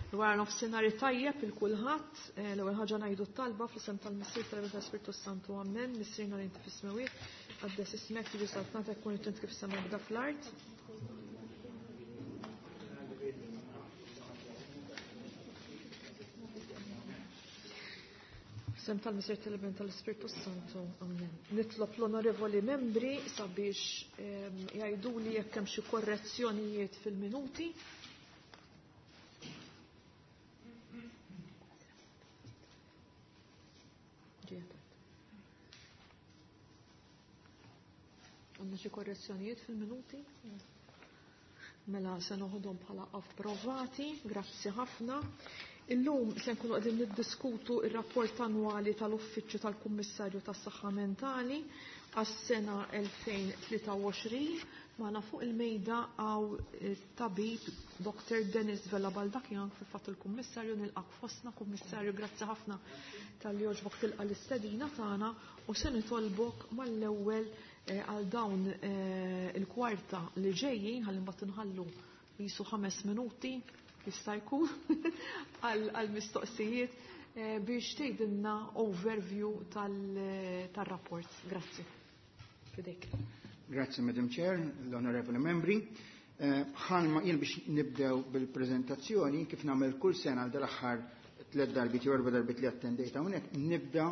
Wara nofsinhar tajjeb il kulħadd, l-ewwel ħaġa ngħidu t-talba fl-isem tal-Missier tal-Iben tal-Ispirtu Santu Ammen, Missierna li inti fis-smewwiet, qaddes ismek tiġi saltnatek kun it kif sema bda fl-art. Sem tal-Missier tal-Iben tal-Ispirtu Santu Ammen. Nitlob l-onorevoli membri sabiex jgħiduli jekk hemm xi korrezzjonijiet fil-minuti. Għandna xi korrezzjonijiet fil-minuti? Mela se noħodhom bħala approvati, grazzi ħafna. Illum se nkunu qegħdin niddiskutu ir-rapport annwali tal-Uffiċċju tal-Kummissarju tas-Saħħa Mentali għas-sena 2023. Magħna fuq il-mejda għaw tabib Dr. Dennis Vella Baldacchino fil-fatt il-Kummissarju nilqak fostna, Kummissarju, grazzi ħafna talli għoġbok tilqa l-istedina tagħna u se nitolbok mal-ewwel għal dawn il-kwarta li ġejjin ħalli mbagħad inħallu jisu 5 minuti jista' jkun għal mistoqsijiet biex tgħidilna overview tar-rapport. Grazzi. Fidejk. Grazzi, Madam Chair, l-Onorevoli Membri. Bħalma jien biex nibdew bil-prezentazzjoni kif nagħmel kull sena għal dal-aħħar 3 darbit jew 4 darbit li attendejt hawnhekk, nibda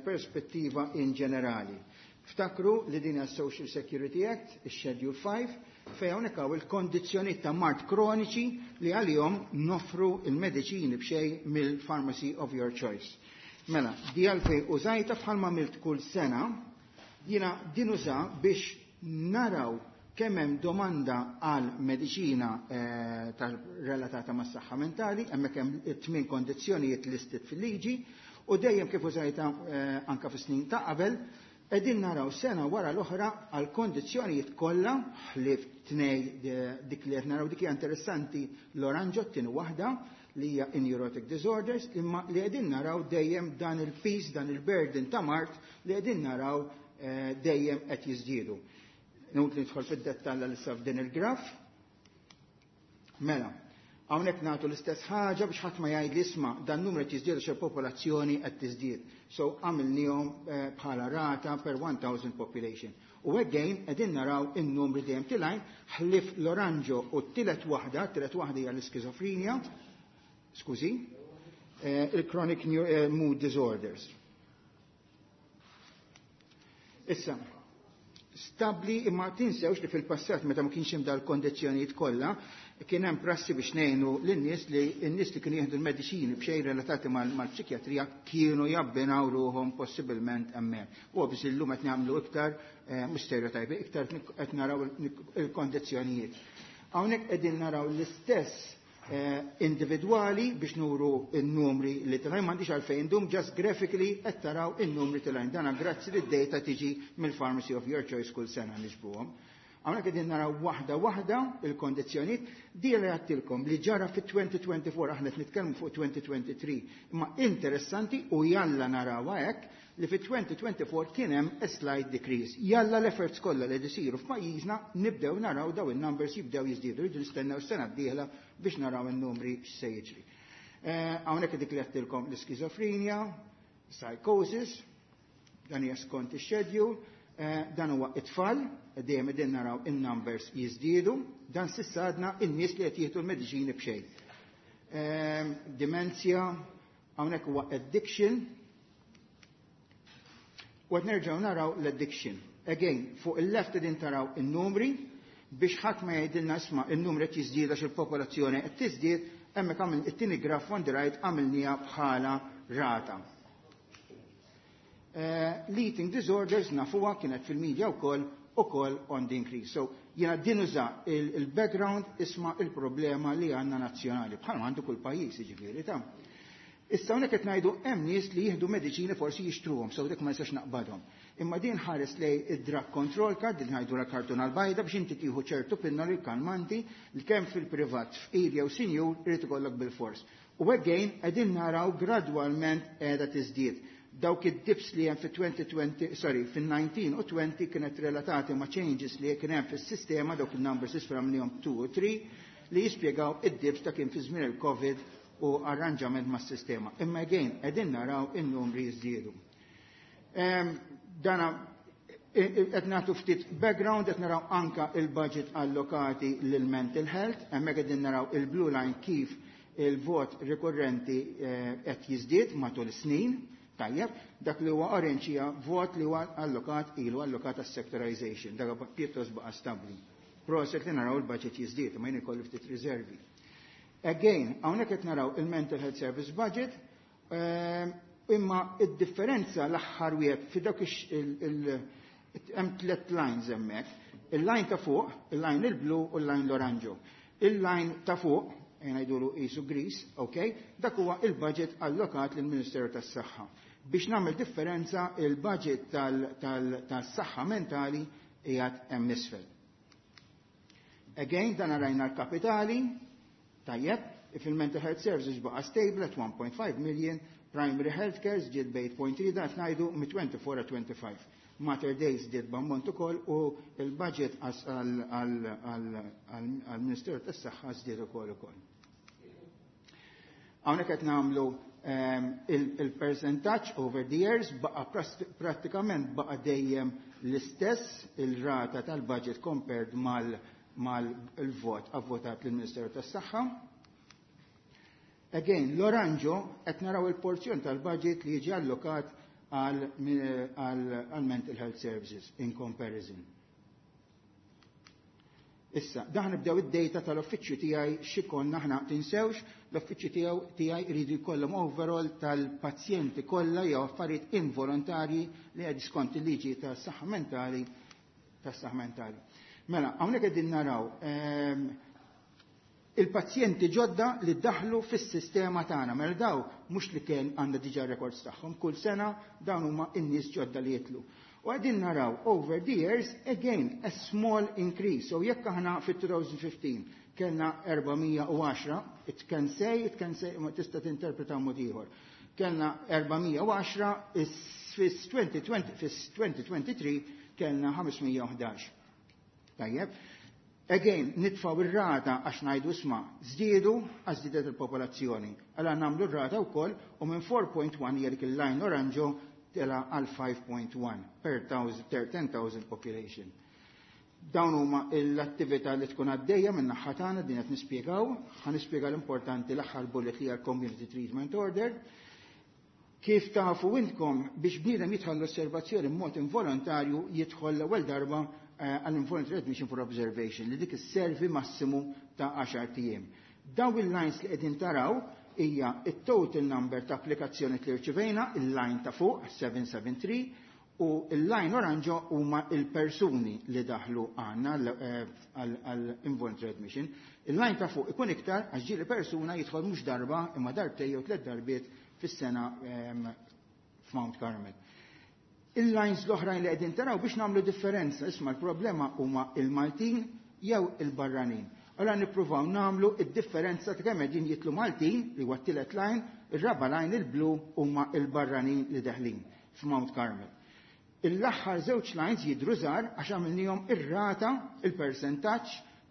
perspettiva in ġenerali. Ftakru li din hija Social Security Act, ix-Schedule 5, fejn hawnhekk hawn il-kondizzjonijiet ta' mard kroniċi li għalihom noffru il-mediċini b'xejn mill-pharmacy of your choice. Mela, di għalfej użajta bħalma għamilt kull sena, jiena din uża biex naraw kemm hemm domanda għal mediċina relatata mas-saħħa mentali, hemmhekk hemm it-tmien kondizzjonijiet listed fil-liġi, u dejjem kif użajta anka fis-snin ta' qabel, qegħdin naraw sena wara l-oħra għal kondizzjonijiet kollha ħlief tnej dik li qed naraw dik hija interessanti l-oranġo t-tieni waħda li hija neurotic disorders, imma li qegħdin naraw dejjem dan il-piż, dan il-burden ta' mard li qegħdin naraw dejjem qed jiżdiedu. Nut li nidħol fid-dettall għal issa f'din il-graf. Mela, hawnhekk nagħtu l-istess ħaġa biex ħadd ma jgħid li isma' dan numru qed jiżdied għax il-popolazzjoni qed tiżdied. So għamilniehom bħala rata per 1000 population. U again qegħdin naraw in-numri dejjem tilgħin ħlief l-oranġo u t-tielet waħda, t-tielet waħda hija l-iskizofrenja, skużi, il-chronic mood disorders. Issa, stabli imma tinsewx li fil-passat meta ma kienx hemm dal-kondizzjonijiet kollha, kien hemm prassi biex ngħinu lin-nies li n-nies li kienu jieħdu l-mediċini b'xejn relatati mal-psikjatrija kienu jabbinaw ruħhom possibilment hemmhekk. U biex illum qed nagħmlu iktar mhux stereotype, iktar qed naraw il-kondizzjonijiet. Hawnhekk qegħdin naraw l-istess individwali biex nuru n-numri li tilgħin, m'għandix għalfejn indum, just graphically qed taraw in-numri tilgħin. Dana grazzi li d-data tiġi mill-pharmacy of your choice kull sena niġbuhom. Hawnhekk qegħdin naraw waħda waħda il-kondizzjonijiet, di li għattilkom li ġara fit-2024, aħna qed nitkellmu fuq 2023, imma interessanti u jalla narawha hekk li fit-2024 kien hemm a slight decrease. Jalla l-efforts kollha li jsiru f'pajjiżna nibdew naraw daw in-numbers jibdew jiżdiedu, rridu nistennew sena d-dieħla biex naraw in-numri x'se jiġri. Hawnhekk dik li għattilkom l-iskizofrenja, psychosis, dan hija skont ix-schedule, dan huwa it-tfal, dejjem qegħdin naraw in-numbers jiżdiedu, dan s'issa għadna in-nies li qed jieħdu l-mediċini b'xejn. Demenzja, hawnhekk huwa addiction, u qed nerġgħu naraw l-addiction. Again, fuq il-left qegħdin taraw in-numri biex ħadd ma jgħidilna isma' in-numri qed jiżdied għax il-popolazzjoni qed tiżdied, hemmhekk għamil it-tieni graph on the right għamilniha bħala rata. L-eating disorders nafuha kienet fil-media wkoll ukoll on the increase. So jiena din uża il-background isma' il-problema li għandna nazzjonali bħalma għandu kull pajjiż jiġifieri ta'. Issa hawnhekk qed ngħidu hemm nies li jieħdu mediċini forsi jixtruhom, so dik ma nistax naqbadhom. Imma din ħares lej id-drug control card, din ngħidu la kartuna l-bajda biex inti tieħu ċertu pinnoli kalmanti li kemm fil-privat fqir jew sinjur irid ikollok bil-fors. U again qegħdin naraw gradwalment qiegħda tiżdied. Dawk id-dips li hemm fit-2020, sorry, fin-19 u 20 kienet relatati ma' changes li kien hemm fis-sistema, dawk il-numbers isfra minnhom 2 u 3. li jispjegaw id-dips ta' kien fi żmien il-Covid u arranġament mas-sistema. Imma again, qegħdin naraw in-numri jiżdiedu. Dana qed nagħtu ftit background, qed naraw anka il-budget allokati lil mental health, hemmhekk qegħdin naraw il-blue line kif il-vot rikurrenti qed jiżdied matul is-snin. Tajjeb, dak li huwa orange hija vot li huwa allokat ilu allokat għas-sectorization, dak pjuttost baqa' stabbli. Proset li naraw il-budget jiżdied, ma jien ikolli ftit riservi. Again, hawnhekk qed naraw il-Mental Health Service budget, imma id-differenza l-aħħar wieħed fi dak hemm tliet lines hemmhekk. Il-line ta' fuq, il-line il-blu u l-line l-oranġo. Il-line ta' fuq, ngħidulu qisu gris, ok, dak huwa il-budget allokat lill-Ministeru tas-Saħħa. Biex nagħmel differenza, il-budget tas-saħħa mentali qiegħed hemm isfel. Again, dan rajna l-kapitali, tajjeb, fil-mental health services baqa stable at 1.5 million, primary health care żdied b'8.3, dan ngħidu mit-24 25. Mater Dei żdied b'ammont ukoll u il-budget għall-Ministeru tas-Saħħa żdied ukoll. Hawnhekk qed nagħmlu il-percentaġġ over the years, baqa prattikament baqa dejjem l-istess il-rata tal-budget compared mal-vot avvotat lill-Ministeru tas-Saħħa. Again, l-oranġo qed naraw il-porzjon tal-budget li jiġi allokat għal mental health services in comparison. Issa, daħ nibdew id-data tal-uffiċċju tiegħi x'ikonna aħna. Tinsewx, l-uffiċċju tiegħi jridu jkollhom overall tal-pazjenti kollha jew affarijiet involontarji li qed skont il-liġi tas-saħħa mentali. Mela, hawnhekk qegħdin naraw il-pazjenti ġodda li daħlu fis-sistema tagħna. Mela daw mhux li kien għandna diġà records tagħhom, kull sena dawn huma n-nies ġodda li jitlu. U qegħdin naraw over the years again a small increase. So jekk aħna fit-2015 kellna 410, it can say, ma tista' tinterpreta mod ieħor. Kellna 410, fis-2020, fis-2023 kellna 511. Tajjeb. Again, nitfaw ir-rata għax ngħidu isma' żdiedu għax żdiedet il-popolazzjoni. Allora nagħmlu r-rata wkoll u minn 4.1 hija dik il-line oranġo tela għal 5.1 per 10,000 population. Dawn huma l-attività li tkun għaddejja minn naħa tagħna din qed nispjegaw, ħa nispjega l-importanti l-aħħar bullet li hija l-Community Treatment Order. Kif tafu intkom, biex bniedem jidħol l-osservazzjoni b'mod involontarju, jidħol l-ewwel darba għall-involuntary admission for observation li dik isservi massimu ta' 10 ijiem. Dawn il-lines li qegħdin taraw hija il-total number ta' applikazzjoni li rċivejna, il-line ta' fuq 773, u il-line oranġo huma il-persuni li daħlu għandna għall-involuntary admission. Il-line ta' fuq ikun iktar għax ġieli persuna jidħol mhux darba imma darbtej jew tliet darbiet fis-sena f'Mount Carmel. Il-lines l-oħrajn li qegħdin taraw biex nagħmlu differenza, isma' l-problema huma il-Maltin jew il-barranin. Allora nippruvaw nagħmlu id-differenza ta' kemm qegħdin jitlu Maltin li huwa t-tielet line, ir-raba line il-blu huma il-barranin li deħlin f'Mount Carmel. Il-aħħar żewġ lines jidru żgħar għax għamilnihom ir-rata, il-percentaġġ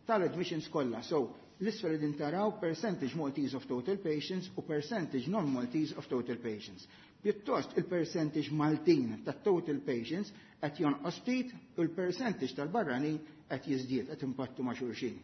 tal-admissions kollha. So, l-isfel din taraw percentage Maltese of total patients u percentage non-Maltese of total patients. Pjuttost il-percentage Maltin ta' total patients qed jonqos ftit u l-percentage tal-barranin qed jiżdied, qed impattu ma' xulxin.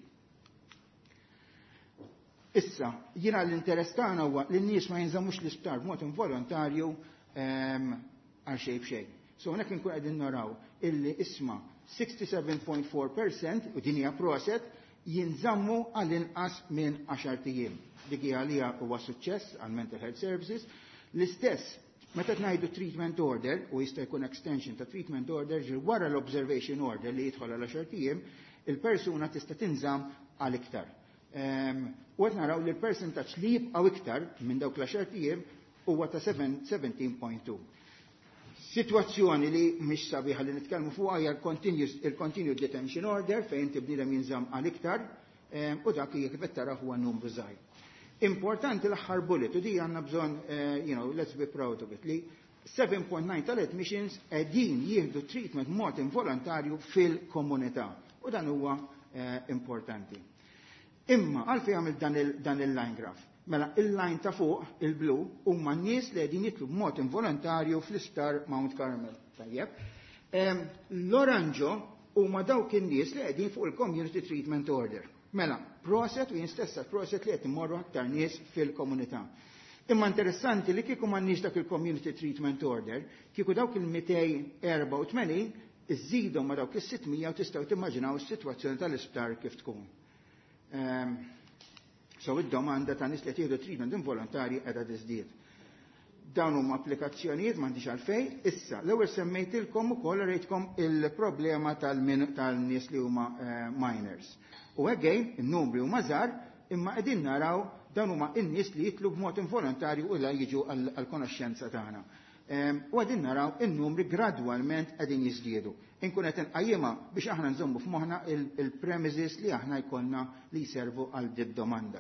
Issa, jiena l-interess tagħna huwa li n-nies ma jinżammux l-isptar b'mod involontarju għal xejn b'xejn. So hawnhekk inkun qegħdin naraw illi isma' 67.4% u din hija proset jinżammu għall-inqas minn 10 ijiem. Dik hija għalija huwa suċċess għal mental health services. L-istess meta ngħidu treatment order u jista' jkun extension ta' treatment order ġir wara l-observation order li jidħol għal 10 ijiem, il-persuna tista' tinżamm għal iktar. U qed naraw li l-percentaġġ li jibqgħu iktar minn dawk l-10 ijiem huwa ta' 17.2. Situazzjoni li mhix sabiħa li nitkellmu fuqha hija il-continued detention order fejn bniedem jinżamm għal iktar u dak hija kif qed taraw huwa numru żgħir. Importanti l-aħħar bullet u di għandna bżonn, let's be proud of it, li 7.9 tal-admissions qegħdin jieħdu treatment mod involontarju fil-komunità. U dan huwa importanti. Imma għalfejn għamil dan il-line graph? Mela il-line ta' fuq, il-blu, huma n-nies li qegħdin jidħlu b'mod involontarju fl-isptar Mount Carmel. Tajjeb. L-oranġo huma dawk in-nies li qegħdin fuq il-Community Treatment Order. Mela, proset u jien stessa proset li qed immorru aktar nies fil-komunità. Imma interessanti li kieku m'għandniex dak il-Community Treatment Order, kieku dawk il-284 iżżidhom ma dawk is-600 u tistgħu timmaġinaw is-sitwazzjoni tal-isptar kif tkun. So id-domanda ta' nies li qed jieħdu treatment involontarji qiegħda tiżdied. Dawn huma applikazzjonijiet, m'għandix għalfejn. Issa, l-ewwel semmejtilkom ukoll, rejtkom il-problema tal-nies li huma minors. U again, in-numri huma żgħar, imma qegħdin naraw dawn huma n-nies li jidħlu b'mod involontarju u la jiġu għall-konoxxenza tagħna. U qegħdin naraw in-numri gradwalment qegħdin jiżdiedu. Inkun qed inqajjimha biex aħna nżommu f'moħħna il-premises li aħna jkollna li jservu għal dit domanda.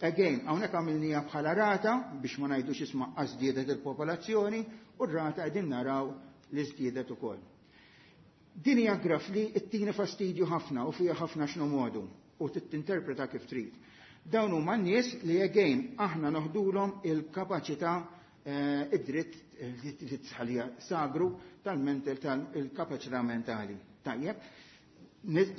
Again, hawnhekk għamilnija bħala rata biex ma ngħidux isma' żdiedet il-popolazzjoni, u r-rata qegħdin naraw li żdiedet ukoll. Din hija graf li ttini fastidju ħafna u fiha ħafna x'nomodu u tinterpreta kif trid. Dawn huma n-nies li again aħna noħdulhom il-kapaċità, id-dritt li tħalija sagru tal-mental, tal-kapaċità mentali. Tajjeb.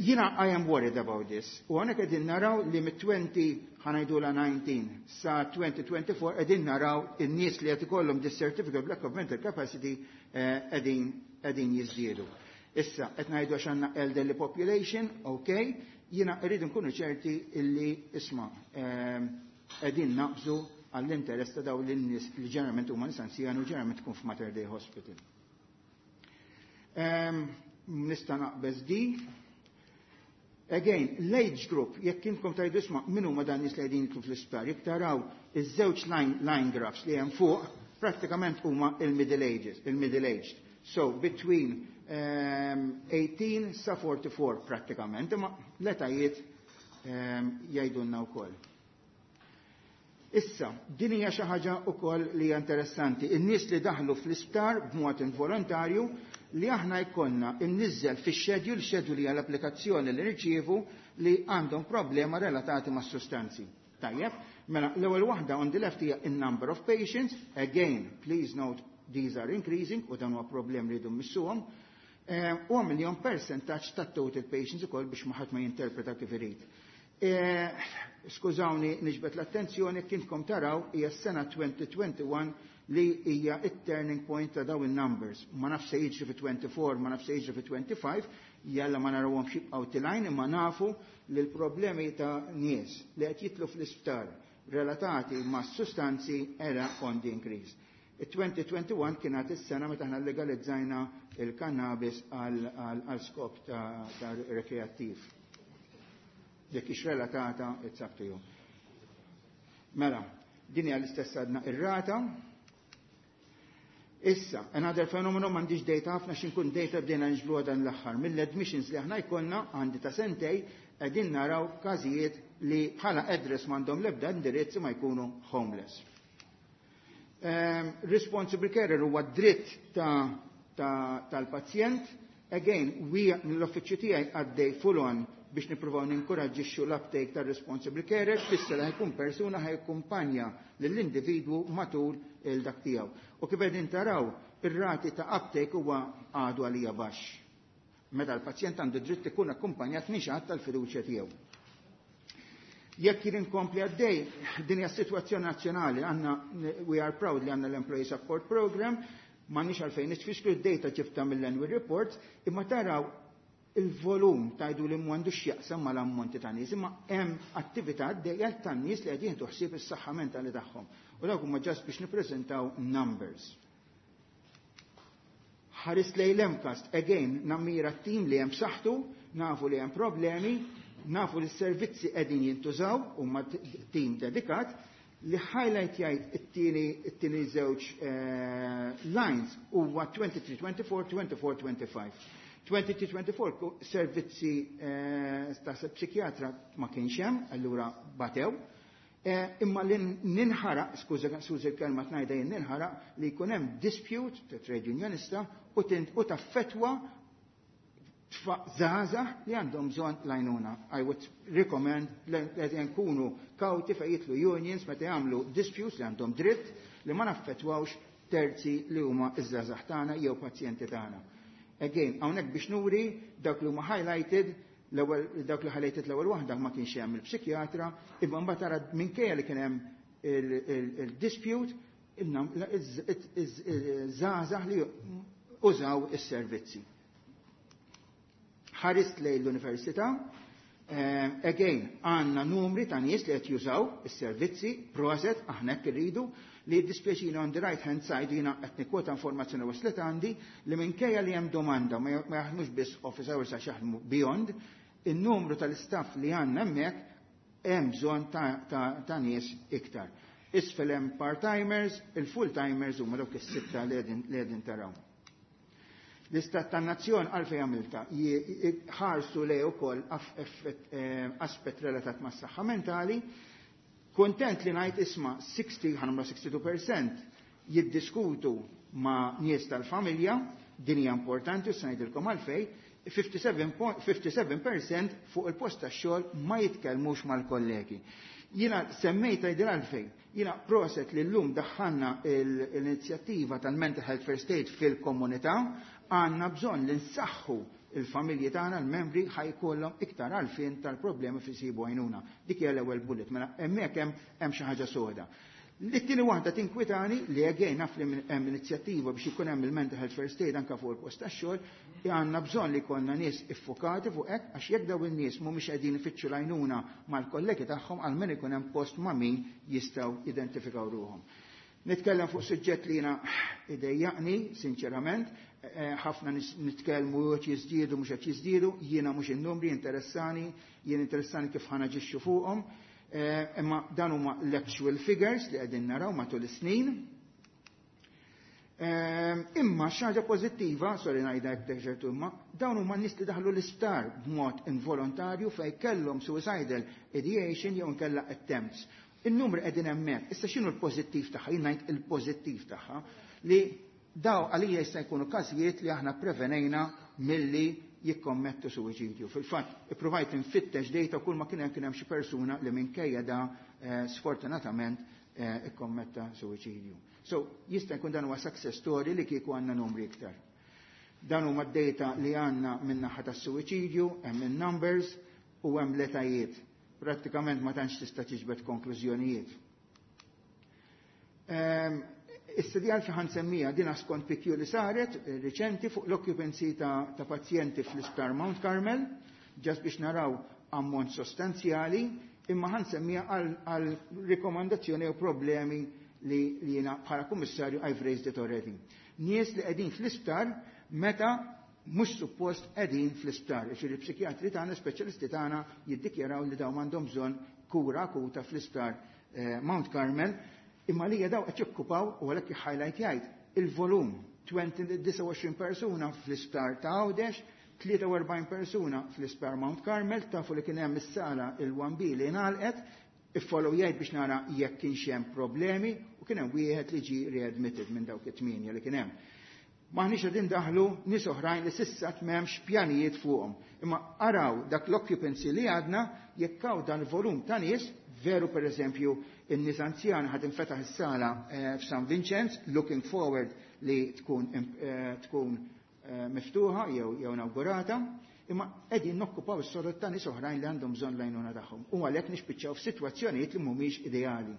Jiena I am worried about this. U hawnhekk qegħdin naraw li mit-20, ħa ngħidu la 19 sa 2024, qegħdin naraw in-nies li qed ikollhom this certificate of lack of mental capacity qegħdin jiżdiedu. Issa, qed ngħidu għax għandna elderly population, ok, jiena rridu nkunu ċerti illi isma' qegħdin naqbżu għall-interess ta' dawn lin-nies li ġeneralment huma nies anzjani u ġeneralment tkun f'Mater Dei Hospital. Nista' naqbeż di. Again, l-age group, jekk intkom tajdu isma' min huma dan nies li qegħdin jidħlu fl-isptar, jekk taraw iż-żewġ line graphs li hemm fuq, prattikament huma il-middle ages, il-middle aged. So, between 18 sa 44 prattikament, imma l-etajiet jgħidulna wkoll. Issa, din hija xi ħaġa wkoll li hija interessanti. In-nies li daħlu fl-isptar b'mod involontarju li aħna jkollna imniżżel fix-schedule, schedule hija l-applikazzjoni li nirċievu, li għandhom problema relatati ma' sustanzi. Tajjeb, mela l-ewwel waħda on the left hija in-number of patients. Again, please note these are increasing u dan huwa problem li jridu mmissuhom. U għamilnihom percentaġġ ta' total patients ukoll biex ma ħadd ma jinterpreta kif irid. Skużawni niġbed l-attenzjoni, kintkom taraw hija s-sena 2021 li hija it-turning point ta' dawn in-numbers. Ma nafx se jiġri fi 24, ma nafx se jiġri fi 25, jalla ma narawhom jibqgħu telgħin, imma nafu li l-problemi ta' nies li qed jidħlu fl-isptar relatati ma' sustanzi era on the increase. Il-2021 kienet is-sena meta aħna legalizzajna il-cannabis għal skop ta' rekreattiv. Jekk ix relatata, it's up to you. Mela, din hija l-istess għadna ir-rata. Issa, another phenomenon, m'għandix data ħafna, xinkun data bdejna niġbru dan l-aħħar. Mill-admissions li aħna jkollna għandi ta' sentej, qegħdin naraw każijiet li bħala address m'għandhom l-ebda indirizz, ma jkunu homeless. Responsible carer huwa dritt tal-pazjent. Again, we l-uffiċċju tiegħi għaddej full on biex nippruvaw ninkoraġġixxu l-uptake tar-responsible carer, tfisser li ħajkun persuna ħajkumpanja lill-individwu matul il-dak tiegħu. U kif qegħdin taraw, ir-rati ta' uptake huwa għadu għalija baxx. Meta l-pazjent għandu dritt ikun akkumpanjat minn xi ħadd tal-fiduċja tiegħu. Jekk jien inkompli għaddej, din hija sitwazzjoni nazzjonali, għandna, we are proud li għandna l-Employee Support Program, m'għandniex għalfejn nitfixklu, d-data ġibta mill-annual report, imma taraw il-volum, tajdu li m'għandux x'jaqsam mal-ammonti ta' nies, imma hemm attività għaddejja ta' nies li qed jieħdu ħsieb is-saħħa mentali tagħhom. U dawk huma just biex nippreżentaw numbers. Ħares lejn l-MCAST, again, nammira t-tim li hemm saħħtu, nafu li hemm problemi, nafu li s-servizzi qegħdin jintużaw huma tim dedikat, li highlight jgħid it-tieni żewġ lines huwa 23-24, 24-25. 23-24 servizzi ta' psikjatra ma kienx hemm, allura batew. Imma li ninħaraq, skuża skuża l-kelma tnajda jien, ninħaraq li jkun hemm dispute ta' trade unionista u taffetwa. Żgħażagħ li għandhom bżonn l-għajnuna. I would recommend li qed nkunu kawti fejn jidħlu unions meta jagħmlu disputes li għandhom dritt li ma naffettwawx terzi li huma iż-żgħażagħ tagħna jew pazjenti tagħna. Again, hawnhekk biex nuri dak li huma highlighted l-ewwel dak li highlighted l-ewwel waħda ma kienx hemm il-psikjatra, imma mbagħad tara minkejja li kien hemm il-dispute iż-żgħażagħ li użaw is-servizzi. Ħarist lejn l-università, again, għandna numri ta' nies li qed jużaw is-servizzi, proset, aħna hekk irridu, li jiddispjaċini on the right hand side jiena qed nikkwota informazzjoni waslet għandi li minkejja li hemm domanda ma jaħdmux biss office hours għax jaħdmu beyond, in-numru tal-istaff li għandna hemmhekk hemm bżonn ta' nies iktar. Isfel hemm part-timers, il-full-timers huma dawk is-sitta li qegħdin taraw. L-istat tan-nazzjon għalfejn għamilta ħarsu lej ukoll aspett relatat mas-saħħa mentali. Kontent li ngħid isma' 60 ħanamla 62% jiddiskutu ma' nies tal-familja, din hija importanti u se ngħidilkom għalfejn, 57% fuq il-post tax-xogħol ma jitkellmux mal-kollegi. Jiena semmejta jdir għalfejn. Jiena proset li llum daħħalna l-inizjattiva tal-Mental Health First Aid fil-komunità, għandna bżonn li nsaħħu il-familji tagħna, l-membri ħa jkollhom iktar għarfien tal-problemi fi sibu għajnuna. Dik hija l-ewwel bullet, mela hemmhekk hemm xi ħaġa soda. L-tieni waħda tinkwitani li again naf li hemm inizjattiva biex ikun hemm il-Mental Health First Aid anke fuq il-post tax-xogħol, għandna bżonn li jkollna nies iffokati fuq hekk għax jekk dawn in-nies mhumiex qegħdin ifittxu l-għajnuna mal-kollegi tagħhom għalmen ikun hemm post ma' min jistgħu identifikaw ruhom. Nitkellem fuq suġġett li jiena idejjaqni, sinċerament, ħafna nitkellmu qed jiżdiedu mhux qed jiżdiedu, jiena mhux in-numri interessani, jien interessani kif ħa naġixxu fuqhom, imma dan huma l-actual figures li qegħdin naraw matul is-snin. Imma xi ħaġa pożittiva, sorry ngħidha hekk ċertu imma, dawn huma nies li daħlu l-isptar b'mod involontarju fejn kellhom suicidal ideation jew inkella attempts. Il-numri qegħdin hemmhekk. Issa x'inhu l-pożittiv tagħha? Jien ngħid il-pożittiv tagħha li daw għalija jista' jkunu każijiet li aħna prevenejna milli jikkommettu suwiċidju. Fil-fatt, ippruvajt infittex data kull ma kien hemm xi persuna li minkejja da sfortunatament ikkommetta suwiċidju. So, jista' jkun dan huwa success story li kieku għandna numri iktar. Dan huma d-data li għandna min-naħa tas-suwiċidju, hemm in-numbers u hemm l-etajiet. Prattikament ma tantx tista' tiġbed konklużjonijiet. Issa di għalfi ħa nsemmija dina skont PQ li saret riċenti fuq l-occupancy ta' pazjenti fl-Isptar Mount Carmel, just biex naraw ammont sostanzjali, imma ħa nsemmija għal rikomandazzjoni u problemi li jiena bħala kummissarju I've raised it already. Nies li qegħdin fl-isptar meta mhux suppost qegħdin fl-isptar. Ġifieri psikjatri tagħna, speċjalisti tagħna jiddikjaraw li dawn m'għandhom bżonn kura akuta fl-isptar Mount Carmel, imma li daw qed jokkupaw u għalhekk highlight jgħid il-volum 29 persuna fl-isptar ta' Għawdex, 43 persuna fl-isptar Mount Carmel, tafu li kien hemm is-sala il-1B li ngħalqet, iffollow jgħid biex nara jekk kienx hemm problemi u kien hemm wieħed li ġie readmitted minn dawk it-tmienja li kien hemm. Maħniex qegħdin daħlu nies oħrajn li s'issa m'hemmx pjanijiet fuqhom. Imma araw dak l-occupancy li għadna jekk hawn dan il-volum ta' nies, veru per eżempju in-nies anzjani ħad infetaħ is-sala f'San Vincenz, looking forward li tkun miftuħa jew inaugurata, imma qegħdin nokkupaw is-sorot ta' nies oħrajn li għandhom bżonn l-għajnuna tagħhom. U għalhekk nispiċċaw f'sitwazzjonijiet li mhumiex ideali.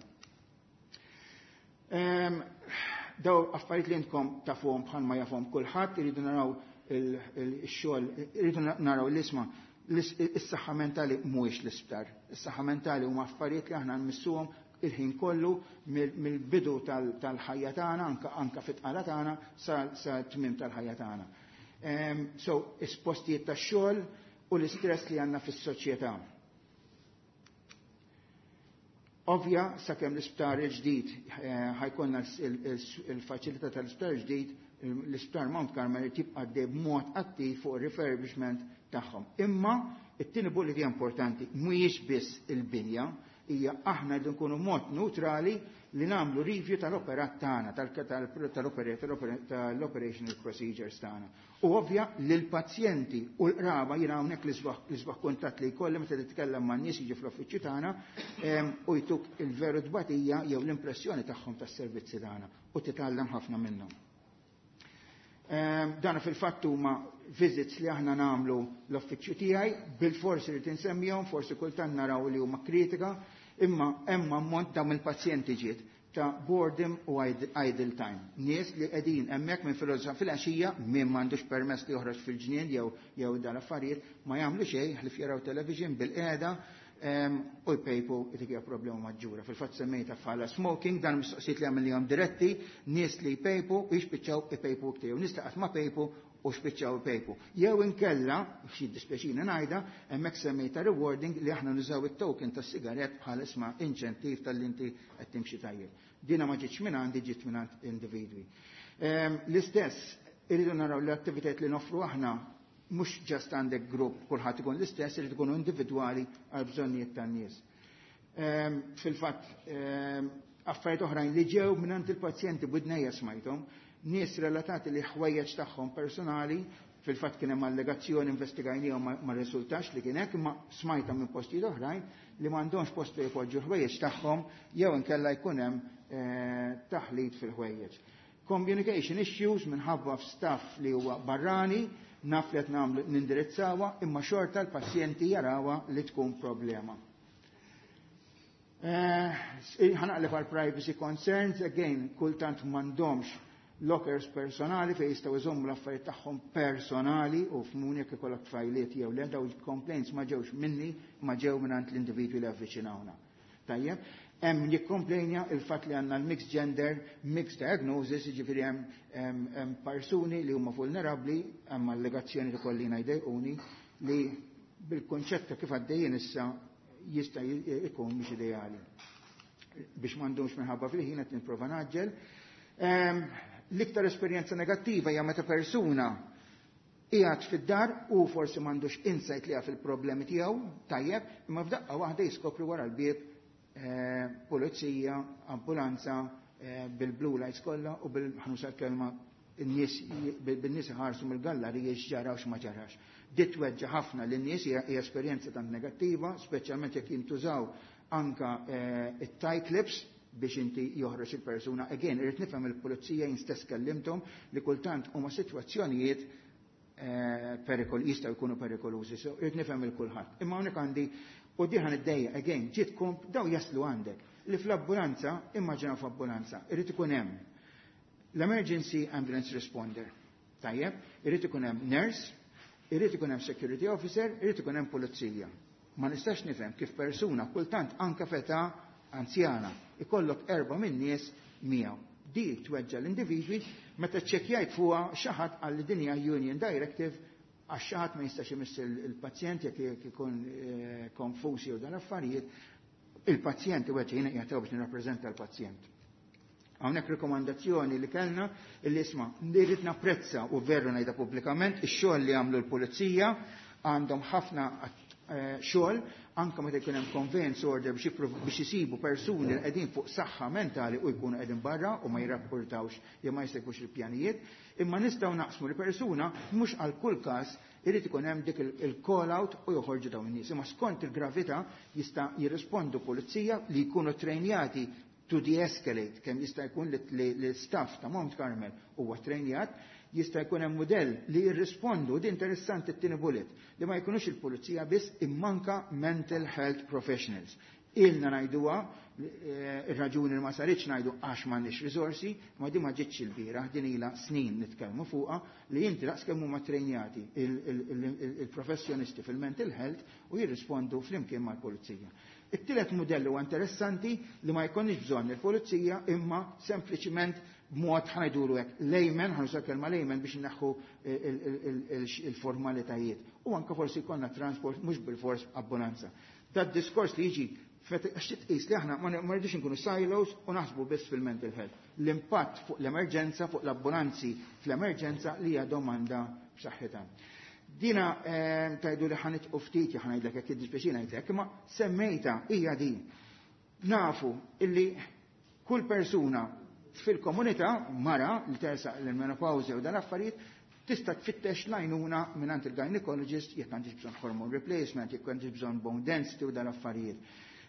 Daw affarijiet li intkom tafuhom bħalma jafhom kulħadd, iridu naraw il-xogħol, iridu naraw l-isma' is-saħħa mentali mhuwiex l-isptar. Is-saħħa mentali huma affarijiet li aħna nmissuhom il-ħin kollu mill-bidu tal-ħajja tagħna, anka fit-tqala tagħna sa tmiem tal-ħajja tagħna. So, is-postijiet tax-xogħol u l-istress li għandna fis-soċjetà. Ovvja, sakemm l-isptar il-ġdid ħa jkollna il-faċilità tal-isptar il-ġdid, l-isptar Mount Carmel tibqa' għaddej b'mod attiv fuq refurbishment tagħhom. Imma it-tieni bullet hija importanti, mhuwiex biss il-binja, hija aħna rridu nkunu mod neutrali li nagħmlu review tal-operat tagħna, tal-operational procedures tagħna. U ovvja li l-pazjenti u l-qraba, jiena hawnhekk l-isbaħ kuntatt li jkolli meta titkellem man-nies jiġu fl-uffiċċju tagħna u jtuk il-veru tbatija jew l-impressjoni tagħhom tas-servizzi tagħna u titgħallem ħafna minnhom. Dan fil-fatt huma visits li aħna nagħmlu l-uffiċċju tiegħi, bil-forsi li tinsemmihom, forsi kultant naraw li huma kritika, imma hemm ammont dawn il-pazjenti ġiet ta' boredom u idle time. Nies li qegħdin hemmhekk minn filgħodu fil-għaxija, min m'għandux permess li joħroġ fil-ġnien jew dan affarijiet, ma jagħmlu xejn ħlief jaraw television bil-qiegħda u jpejpu, dik hija problema maġġura. Fil-fatt semmejta bħala smoking, dan mistoqsijiet li għamilhom diretti, nies li jpejpu u jispiċċaw ipejpu iktar, jew nies li qatt ma pejpu u spiċċaw ipejpu. Jew inkella, xi dispjaċina ngħidha, hemmhekk semmejta rewarding li aħna nużaw it-token tas-sigarett bħala isma' inċentiv tal-inti qed timxi tajjeb. Dina ma ġietx minn għandi, ġiet minn għand individwi. L-istess, irridu naraw l-attivitajiet li noffru aħna mhux just għandek grupp kulħadd ikun l-istess, irid ikunu individwali għal bżonnijiet tan-nies. Fil-fatt, affarijiet oħrajn li ġew minn il-pazjenti b'widnejja smajthom, nies relatati li ħwejjeġ tagħhom personali, fil-fatt kien hemm allegazzjoni investigajnihom ma rriżultax li kien hekk, imma smajta minn postijiet oħrajn li m'għandhomx post fejn jpoġġu ħwejjeġ tagħhom jew inkella jkun hemm taħlit fil-ħwejjeġ. Communication issues minħabba f'staff li huwa barrani, naf li qed nagħmlu nindirizzawha, imma xorta l-pazjenti jarawha li tkun problema. Ħa naqleb għal privacy concerns, again, kultant m'għandhomx lockers personali fejn jistgħu jżommu l-affarijiet tagħhom personali u f'muni jekk ikollok tfajliet jew le, daw il-complaints ma ġewx minni, ma ġew mingħand l-individwi li avviċinawna. Tajjeb, hemm jikkomplejnja il-fatt li għandna l-mixed gender, mixed diagnosis, jiġifieri hemm persuni li huma vulnerabbli, hemm allegazzjoni li kollina jdejquni li bil-konċett ta' kif għaddejjin issa jista' ikun mhux ideali. Biex m'għandhomx minħabba fil-ħin qed nipprova naġġel. L-iktar esperjenza negattiva hija meta persuna qiegħed fid-dar u forsi m'għandux insight li jaf il-problemi tiegħu, tajjeb, imma f'daqqa waħda jiskopri wara l-bieb pulizija, ambulanza, bil-blue lights kollha u bil-ħanusa kelma bin-nies iħarsu mill-galleriji x'ġara u x'ma ġarax. Dit tweġġa' ħafna lin-nies, hija esperjenza tant negattiva, speċjalment jekk jintużaw anka it-tie clips biex inti joħroġ il-persuna. Again, irrid nifhem il-pulizija, jien stess kellimthom li kultant huma sitwazzjonijiet perikol, jistgħu jkunu perikolużi, so irrid nifhem il kulħadd. Imma hawnhekk għandi u diħan id-dejja, again, ġiet komp, daw jaslu għandek li fl-ambulanza, immaġina fl-ambulanza, irrid ikun hemm l-emergency ambulance responder. Tajjeb, irrid ikun hemm nurse, irrid ikun hemm security officer, irrid ikun hemm pulizija. Ma nistax nifhem kif persuna kultant anka feta anzjana ikollok 4 minn nies miegħu. Di tweġġa l-individwi meta ċċekkjajt fuqha xi ħadd għal din hija Union Directive għax xi ħadd ma jistax imiss il-pazjent jekk ikun konfuż jew dan affarijiet, il-pazjent iweġġa, jiena qiegħed biex nirrappreżenta l-pazjent. Hawnhekk rekomandazzjoni li kellna illi isma' rrid napprezza u veru ngħidha pubblikament ix-xogħol li għamlu l-pulizija, għandhom ħafna xogħol anke meta jkun hemm conveyance order biex isibu persuni li qegħdin fuq saħħa mentali u jkunu qegħdin barra u ma jirrapportawx jew ma jsegwux il-pjanijiet, imma nistgħu naqsmu li persuna mhux għal kull każ irid ikun hemm dik il-call out u joħorġu dawn in-nies. Imma skont il-gravità jista' jirrispondu pulizija li jkunu trejnjati to de-escalate, kemm jista' jkun li l-staff ta' Mount Carmel huwa trejnjat, jista' jkun hemm mudell li jirrispondu, di interessanti t-tieni bullet, li ma jkunux il-pulizija biss immanka mental health professionals. Ilna ngħiduha, ir-raġuni li ma saritx ngħidu għax m'għandniex riżorsi, ma di ma ġietx il-bieraħ, din ilha snin nitkellmu fuqha li inti daqs kemm huma trejnjati il-professjonisti fil-mental health u jirrispondu flimkien mal-pulizija. It-tielet mudell huwa interessanti li ma jkunx bżonn il-pulizija imma sempliċiment b'mod ħajduru hekk layman, ħanuża kelma layman biex inneħħu il-formalitajiet. U anke forsi jkollna transport mhux bil-fors abbonanza. Dat diskors li jiġi għax titqis li aħna ma rridux inkunu silos u naħsbu biss fil-mental health. L-impatt fuq l-emerġenza, fuq l-abbonanzi fl-emerġenza li hija domanda b'saħħitha. Dina tajdu li ħanit u ftit, ħa ngħidlek jekk jiddispjaċina ngħidlek, imma semmejta hija din. Nafu illi kull persuna fil-komunità mara li tersaq l-menopawża u dan affarijiet tista' tfittex l-għajnuna mingħand il-gynecologist jekk għandix bżonn hormone replacement, jekk għandix bżonn bone density u dan affarijiet.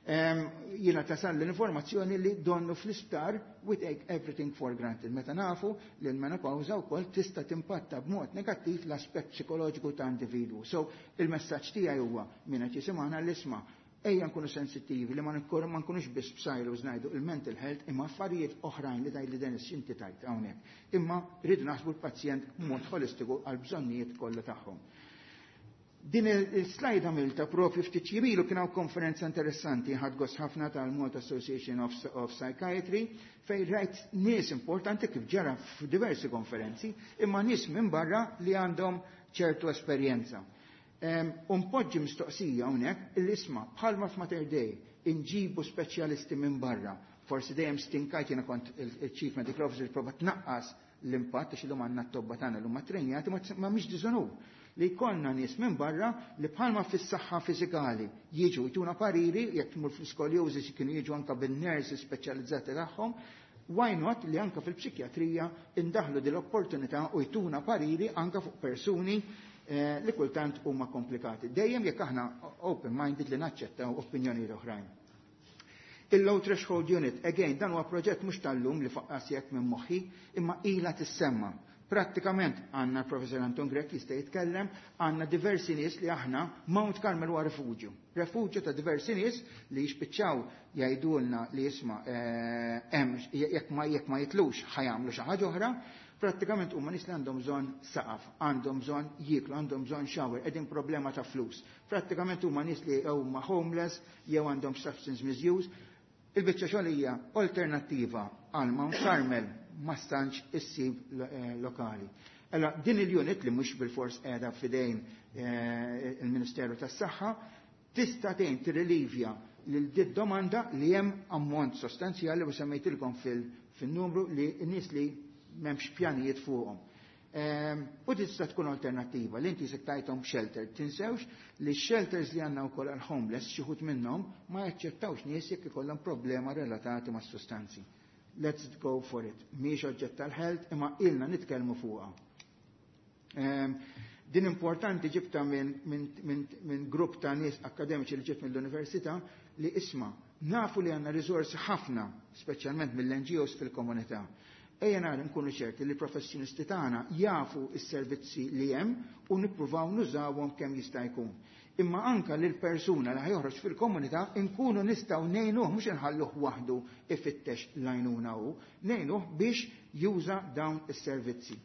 Jiena tasal l-informazzjoni li donnu fl-isptar we take everything for granted. Meta nafu li l-menopawża wkoll tista' timpatta b'mod negattiv l-aspett psikoloġiku ta' individwu. So il-messaġġ tiegħi huwa min qed jisimgħana l-isma' ejja nkunu sensittivi li ma nkunux biss b'silos ngħidu il-mental health imma affarijiet oħrajn li tgħid li Dennis inti tajt hawnhekk. Imma rridu naħsbu l-pazjent b'mod holistiku għal bżonnijiet kollha tagħhom. Din il-slide għamilta propju ftit jiem ilu kien hawn konferenza interessanti ħadt gost ħafna tal-Malta Association of Psychiatry fejn rajt nies importanti kif ġara f'diversi konferenzi imma nies minn barra li għandhom ċertu esperjenza. U npoġġi mistoqsija hawnhekk il-isma bħalma f'Mater Dei inġibu speċjalisti minn barra. Forsi dejjem stinkajt jiena kont il-Chief Medical Officer prova tnaqqas l-impatt għax illum għandna t-tobba tagħna l huma trenjati ma mhix diżonur li jkollna nies minn barra li bħalma fis-saħħa fiżikali jiġu jtuna pariri jekk tmur fl-scoliosis kienu jiġu anka bin-nurses speċjalizzati tagħhom, why not li anka fil-psikjatrija indaħlu din l-opportunità u jtuna pariri anka fuq persuni li kultant huma komplikati. Dejjem jekk aħna open-minded li naċċettaw opinjonijiet oħrajn. Il-Low Threshold Unit, again, dan huwa proġett mhux tal-lum li faqqas jekk minn moħħi, imma ila tissemma. Prattikament għandna l-Professor Anton Grech jista' jitkellem, għandna diversi nies li aħna Mount Carmel huwa refuġju. Refuġju ta' diversi nies li jispiċċaw jgħidulna li jisma' hemm jekk ma jitlux ħa jagħmlu xi ħaġa oħra. Prattikament huma nies li għandhom bżonn saqaf, għandhom bżonn jieklu, għandhom bżonn shower, qegħdin problema ta' flus. Prattikament huma nies li huma homeless jew għandhom substance misuse. Il-biċċa xogħol hija alternattiva għal Mount Carmel ma stantx issib lokali. Allora, din il-unit li mhux bil-fors qiegħda f'idejn il-Ministeru tas-Saħħa tista' tgħin tirrilivja lil dit domanda li hemm ammont sostanzjali u semmejtilkom fil-numru li n-nies li m'hemmx pjanijiet fuqhom. U tista' tkun alternattiva li inti se tajthom shelter. Tinsewx li shelters li għandna wkoll għal homeless xi wħud minnhom ma jaċċettawx nies jekk ikollhom problema relatati mas sustanzi. Let's go for it. Mhix oġġett tal-health imma ilna nitkellmu fuqha. Din importanti ġibta minn grupp ta' nies akademiċi li ġibt mill-università li isma' nafu li għandna riżorsi ħafna, speċjalment mill-NGOs fil-komunità. Ejja nara nkunu ċerti li professjonisti tagħna jafu s-servizzi li hemm u nippruvaw nużawhom kemm jista' jkun. Imma anka lil persuna li ħa joħroġ fil-komunità nkunu nistgħu ngħinuh mhux inħalluh waħdu ifittex l-għajnuna hu, ngħinuh biex juża dawn is-servizzi.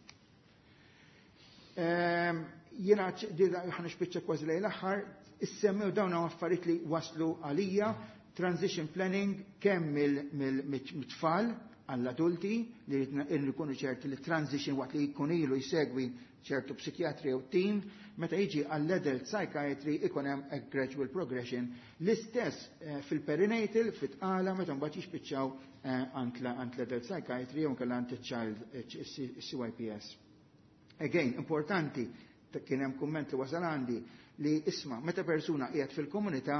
Jiena ħa nispiċċa kważi lejn l-aħħar, issemmew dawn affarijiet li waslu għalija, transition planning kemm mill-tfal għall-adulti li nkunu ċerti li transition waqt li jkun ilu jsegwi ċertu psikjatri u team, meta jiġi għall-adult psychiatry ikun hemm a gradual progression. L-istess fil-perinatal, fit-tqala, meta mbagħad jispiċċaw għand l-adult psychiatry jew inkella għand il-child CYPS. Again, importanti, kien hemm kumment li wasal għandi li isma' meta persuna qiegħed fil-komunità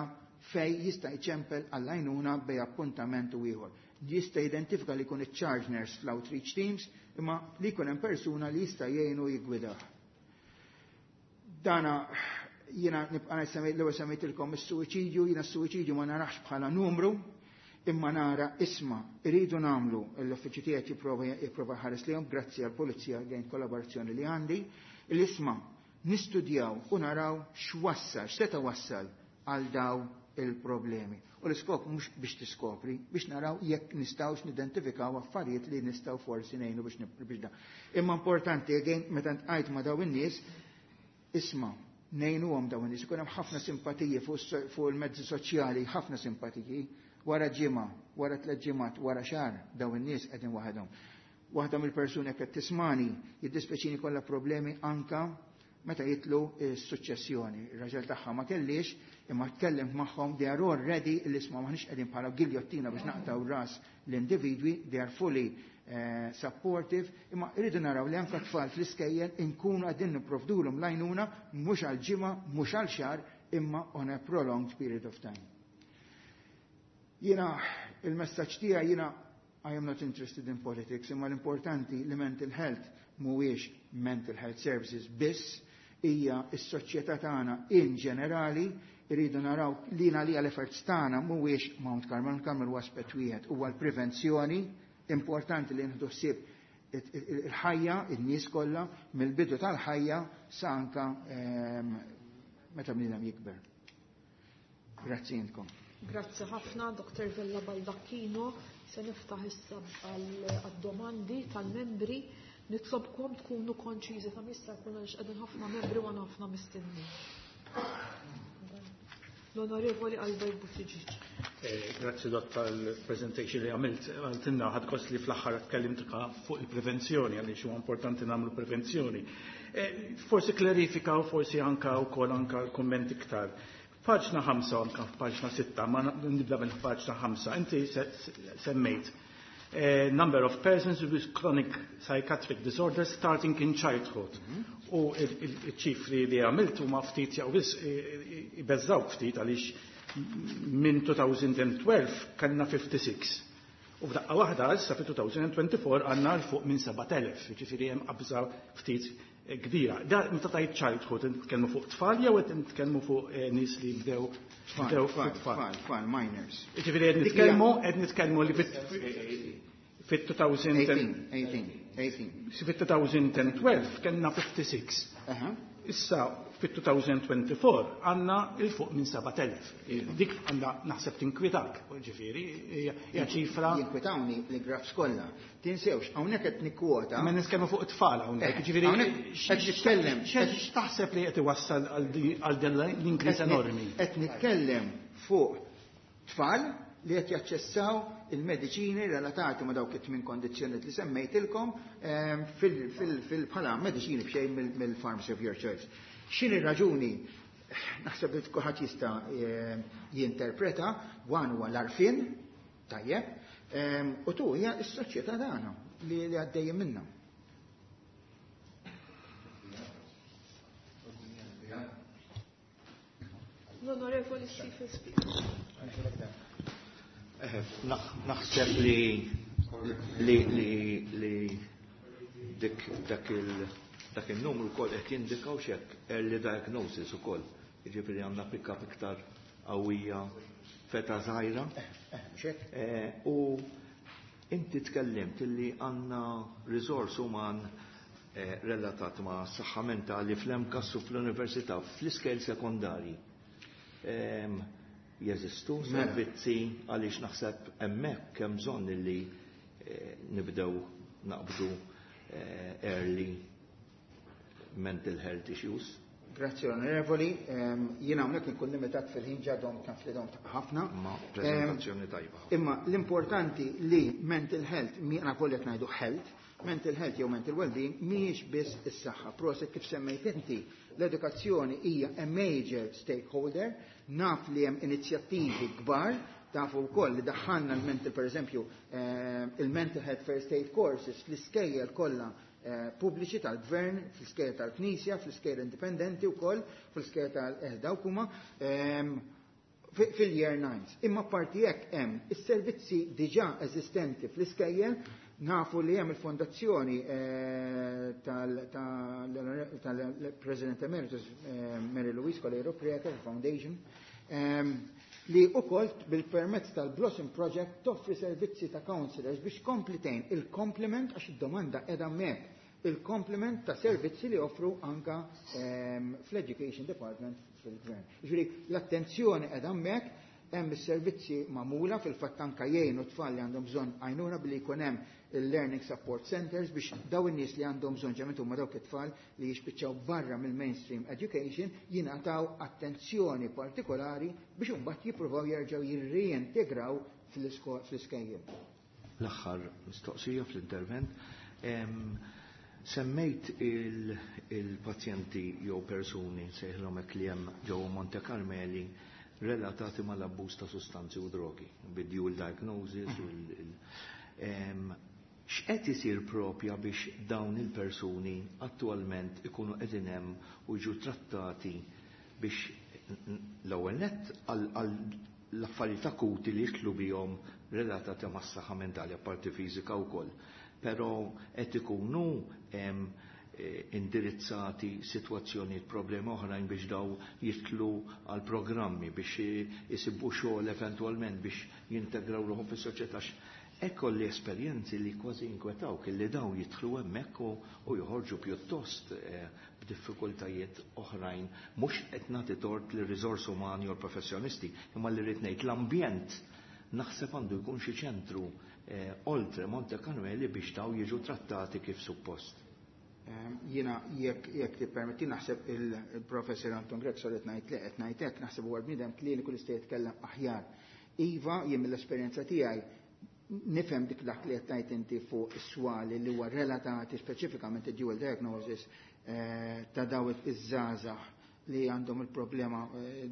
fej jista' jċempel għall-għajnuna bej appuntament u ieħor. Jista' identifika li jkun iċ-charge nurse fl-outreach teams, imma li jkun hemm persuna li jista' jgħinu jiggwidah. Dana jiena nibqa' l-ewwel semmejtilkom is-suwiċidju, jiena s-suwiċidju ma narax bħala numru, imma nara isma' iridu nagħmlu l-uffiċċju tiegħek jipprova ħares lihom grazzi għall-pulizija għajn kollaborazzjoni li għandi, l-isma' nistudjaw u naraw x'wassal, x'seta' wassal għal daw il-problemi. U l-iskop mhux biex tiskopri, biex naraw jekk nistgħux nidentifikaw affarijiet li nistgħu forsi ngħinu biex da. Imma importanti again meta ntqajt ma' daw in-nies, isma' ngħinuhom daw in-nies, ikun hemm ħafna simpatiji fuq il-mezzi soċjali, ħafna simpatiji, wara ġimgħa, wara tliet ġimgħat, wara xahar daw in-nies qegħdin waħedhom. Waħda mill-persuni qed tismani jiddispeċini kollha problemi anka meta jitlu s-suċċessjoni. Ir-raġel tagħha ma kellix, imma tkellem magħhom, they are already l-isma maħniex qegħdin bħala giljottina biex naqtaw ras l-individwi, they are fully supportive, imma rridu naraw li anka tfal fl-iskejjel inkunu qegħdin nipprovdulhom l-għajnuna mhux għal ġimgħa, mhux għal xahar, imma on a prolonged period of time. Jiena il-messaġġ tiegħi, jiena I am not interested in politics, imma l-importanti li mental health mhuwiex mental health services biss, hija s-soċjetà tagħna in ġenerali. Irridu naraw li għalija l-efforts tagħna mhuwiex Mount Carmel, Mount Carmel huwa aspett wieħed, huwa l-prevenzjoni. Importanti li nieħdu ħsieb il-ħajja, in-nies kollha, mill-bidu tal-ħajja sa anka meta bniedem jikber. Grazzi intkom. Grazzi ħafna, Dr. Vella Baldacchino. Se niftaħ issa għad-domandi tal-membri. Nitlobkom tkunu konċiżi ta' mista jkun, għaliex qegħdin ħafna membri u għandna ħafna mistenni. L-Onorevoli Albert Buttigieg. Grazzi, Dott, tal-presentation li għamilt. Għaltinna ħadt gost li fl-aħħar tkellimt fuq il-prevenzjoni, għaliex huwa importanti nagħmlu prevenzjoni. Forsi klarifika u forsi anka wkoll anka l-kumment iktar. Paġna 5, anka f'paġna 6, ma nibda minn paġna 5, inti semmejt number of persons with chronic psychiatric disorders starting in childhood. U il-ċifri li għamilt huma ftit jew biss ibeżżawk ftit, għaliex minn 2012 kellna 56. U f'daqqa waħda issa fi 2024 għandna 'l fuq minn 7000, jiġifieri hemm qabża ftit kbira. Da meta tajt childhood, nitkellmu fuq tfal jew qed nitkellmu fuq nies li bdew tfal, tfal, tfal, minors? Jiġifieri qed nitkellmu li fit-2000 18, 18. Fit-2012 kellna 56. Issa fit-2024 għandna 'l fuq minn 7000. Dik għandha naħseb tinkwitak, ġifieri, hija ċifra. Jinkwitawni li graphs kollha. Tinsewx, hawnhekk qed nikkwota. Ma nitkellmu fuq it-tfal hawnhekk, ġifieri. Hawnhekk qed nitkellem. X'taħseb li qed iwassal għal din l-increase enormi? Qed nitkellem fuq tfal li qed jaċċessaw il-mediċini relatati ma' dawk it-tmien kondizzjonijiet li semmejtilkom fil bħala mediċini b'xejn mill-pharmacy of your choice. X'inhi raġuni? Naħseb li kulħadd jista' jinterpreta, one huwa l-għarfien, tajjeb, u two hija s-soċjetà tagħna li għaddejjem minnha. L-Onorevoli Stephen Speaker. Naħseb li dik dak il-numru kol qed jindikaw xek early diagnosis ukoll. Jiġifieri għandna pick-up iktar qawwija f'età żgħira. Xek. U inti tkellimt illi għandna resource uman relatat ma' saħħa mentali fl-MCAST u fl-università, fl-iskejjel sekondarji. Jeżistu servizzi, għaliex naħseb hemmhekk hemm bżonn illi nibdew naqbdu early mental health issues. Grazzi, Onorevoli. Jiena hawnhekk nkun limitat fil-ħin, ġadhom taf li dom ħafna. Ma prezentazzjoni tajba. Imma l-importanti li mental health, mi għana kollek ngħidu health, mental health jew mental well-being mhijiex biss is-saħħa. Proset kif semmejt inti, l-edukazzjoni hija a major stakeholder, naf li hemm inizjattivi kbar, tafu wkoll li daħħalna l-mental, per eżempju, il-mental health first aid courses fl-iskejjel kollha pubbliċi tal-gvern, fl-iskejjel tal-Knisja, fl-iskejjel indipendenti wkoll, fl-iskejjel tal-dawk huma fil-year 9. Imma parti hekk hemm is-servizzi diġà eżistenti fl-iskejjel. Nafu li hemm il-fondazzjoni tal-President Emeritus Mary Louise Coleiro Preca Foundation, li ukoll bil-permezz tal-Blossom Project toffri servizzi ta' counselors biex komplitejn il-complement, għax id-domanda edha hemmhekk, il-complement ta' servizzi li offru anka fl-Education Department fil-Gvern. Ġifieri l-attenzjoni edha hemmhekk, hemm is-servizzi magħmula, fil-fatt anka jgħinu tfal li għandhom bżonn għajnuna billi jkun hemm il-Learning Support Centers biex daw in-nies li għandhom bżonn, ġemet huma dawk it-tfal li jispiċċaw barra mill-mainstream education, jingħataw attenzjoni partikolari biex imbagħad jippruvaw jerġgħu jirreintegraw fl-iskejjel. L-aħħar mistoqsija fl-intervent. Semmejt il-pazjenti jew persuni, sejħlhom hekk, li hemm ġewwa Monte Carmeli relatati mal-abbuż ta' sustanzi u drogi, bid-dual diagnosis u x'qed isir propja biex dawn il-persuni attualment ikunu qegħdin hemm u jiġu trattati biex l-ewwel nett għal l-affarijiet akuti li jitlu bihom relatati mas-saħħa mentali, apparti fiżika wkoll. Però qed ikunu indirizzati sitwazzjonijiet, problemi oħrajn biex daw jitlu għal programmi biex isibu xogħol eventwalment biex jintegraw ruħhom fis-soċjetà. Ekko li esperjenzi li kważi inkwetaw li daw jidħlu hemmhekk u joħorġu pjuttost b'diffikultajiet oħrajn, mhux qed nagħti tort lir riżors umani u l-professjonisti, imma li rrid ngħid l-ambjent naħseb għandu jkun xi ċentru oltre Monte Carmeli biex daw jiġu trattati kif suppost. Jiena jekk tippermetti, naħseb il-professor Anton Grech, sorry ngħid li qed ngħid hekk, naħseb huwa bniedem kliniku li jista' jitkellem aħjar. Iva, jien mill-esperjenza tiegħi nifhem dak li qed tgħid inti fuq is-swali li huwa relatati speċifikament id-dual diagnosis ta' daw iż-żgħażagħ li għandhom il-problema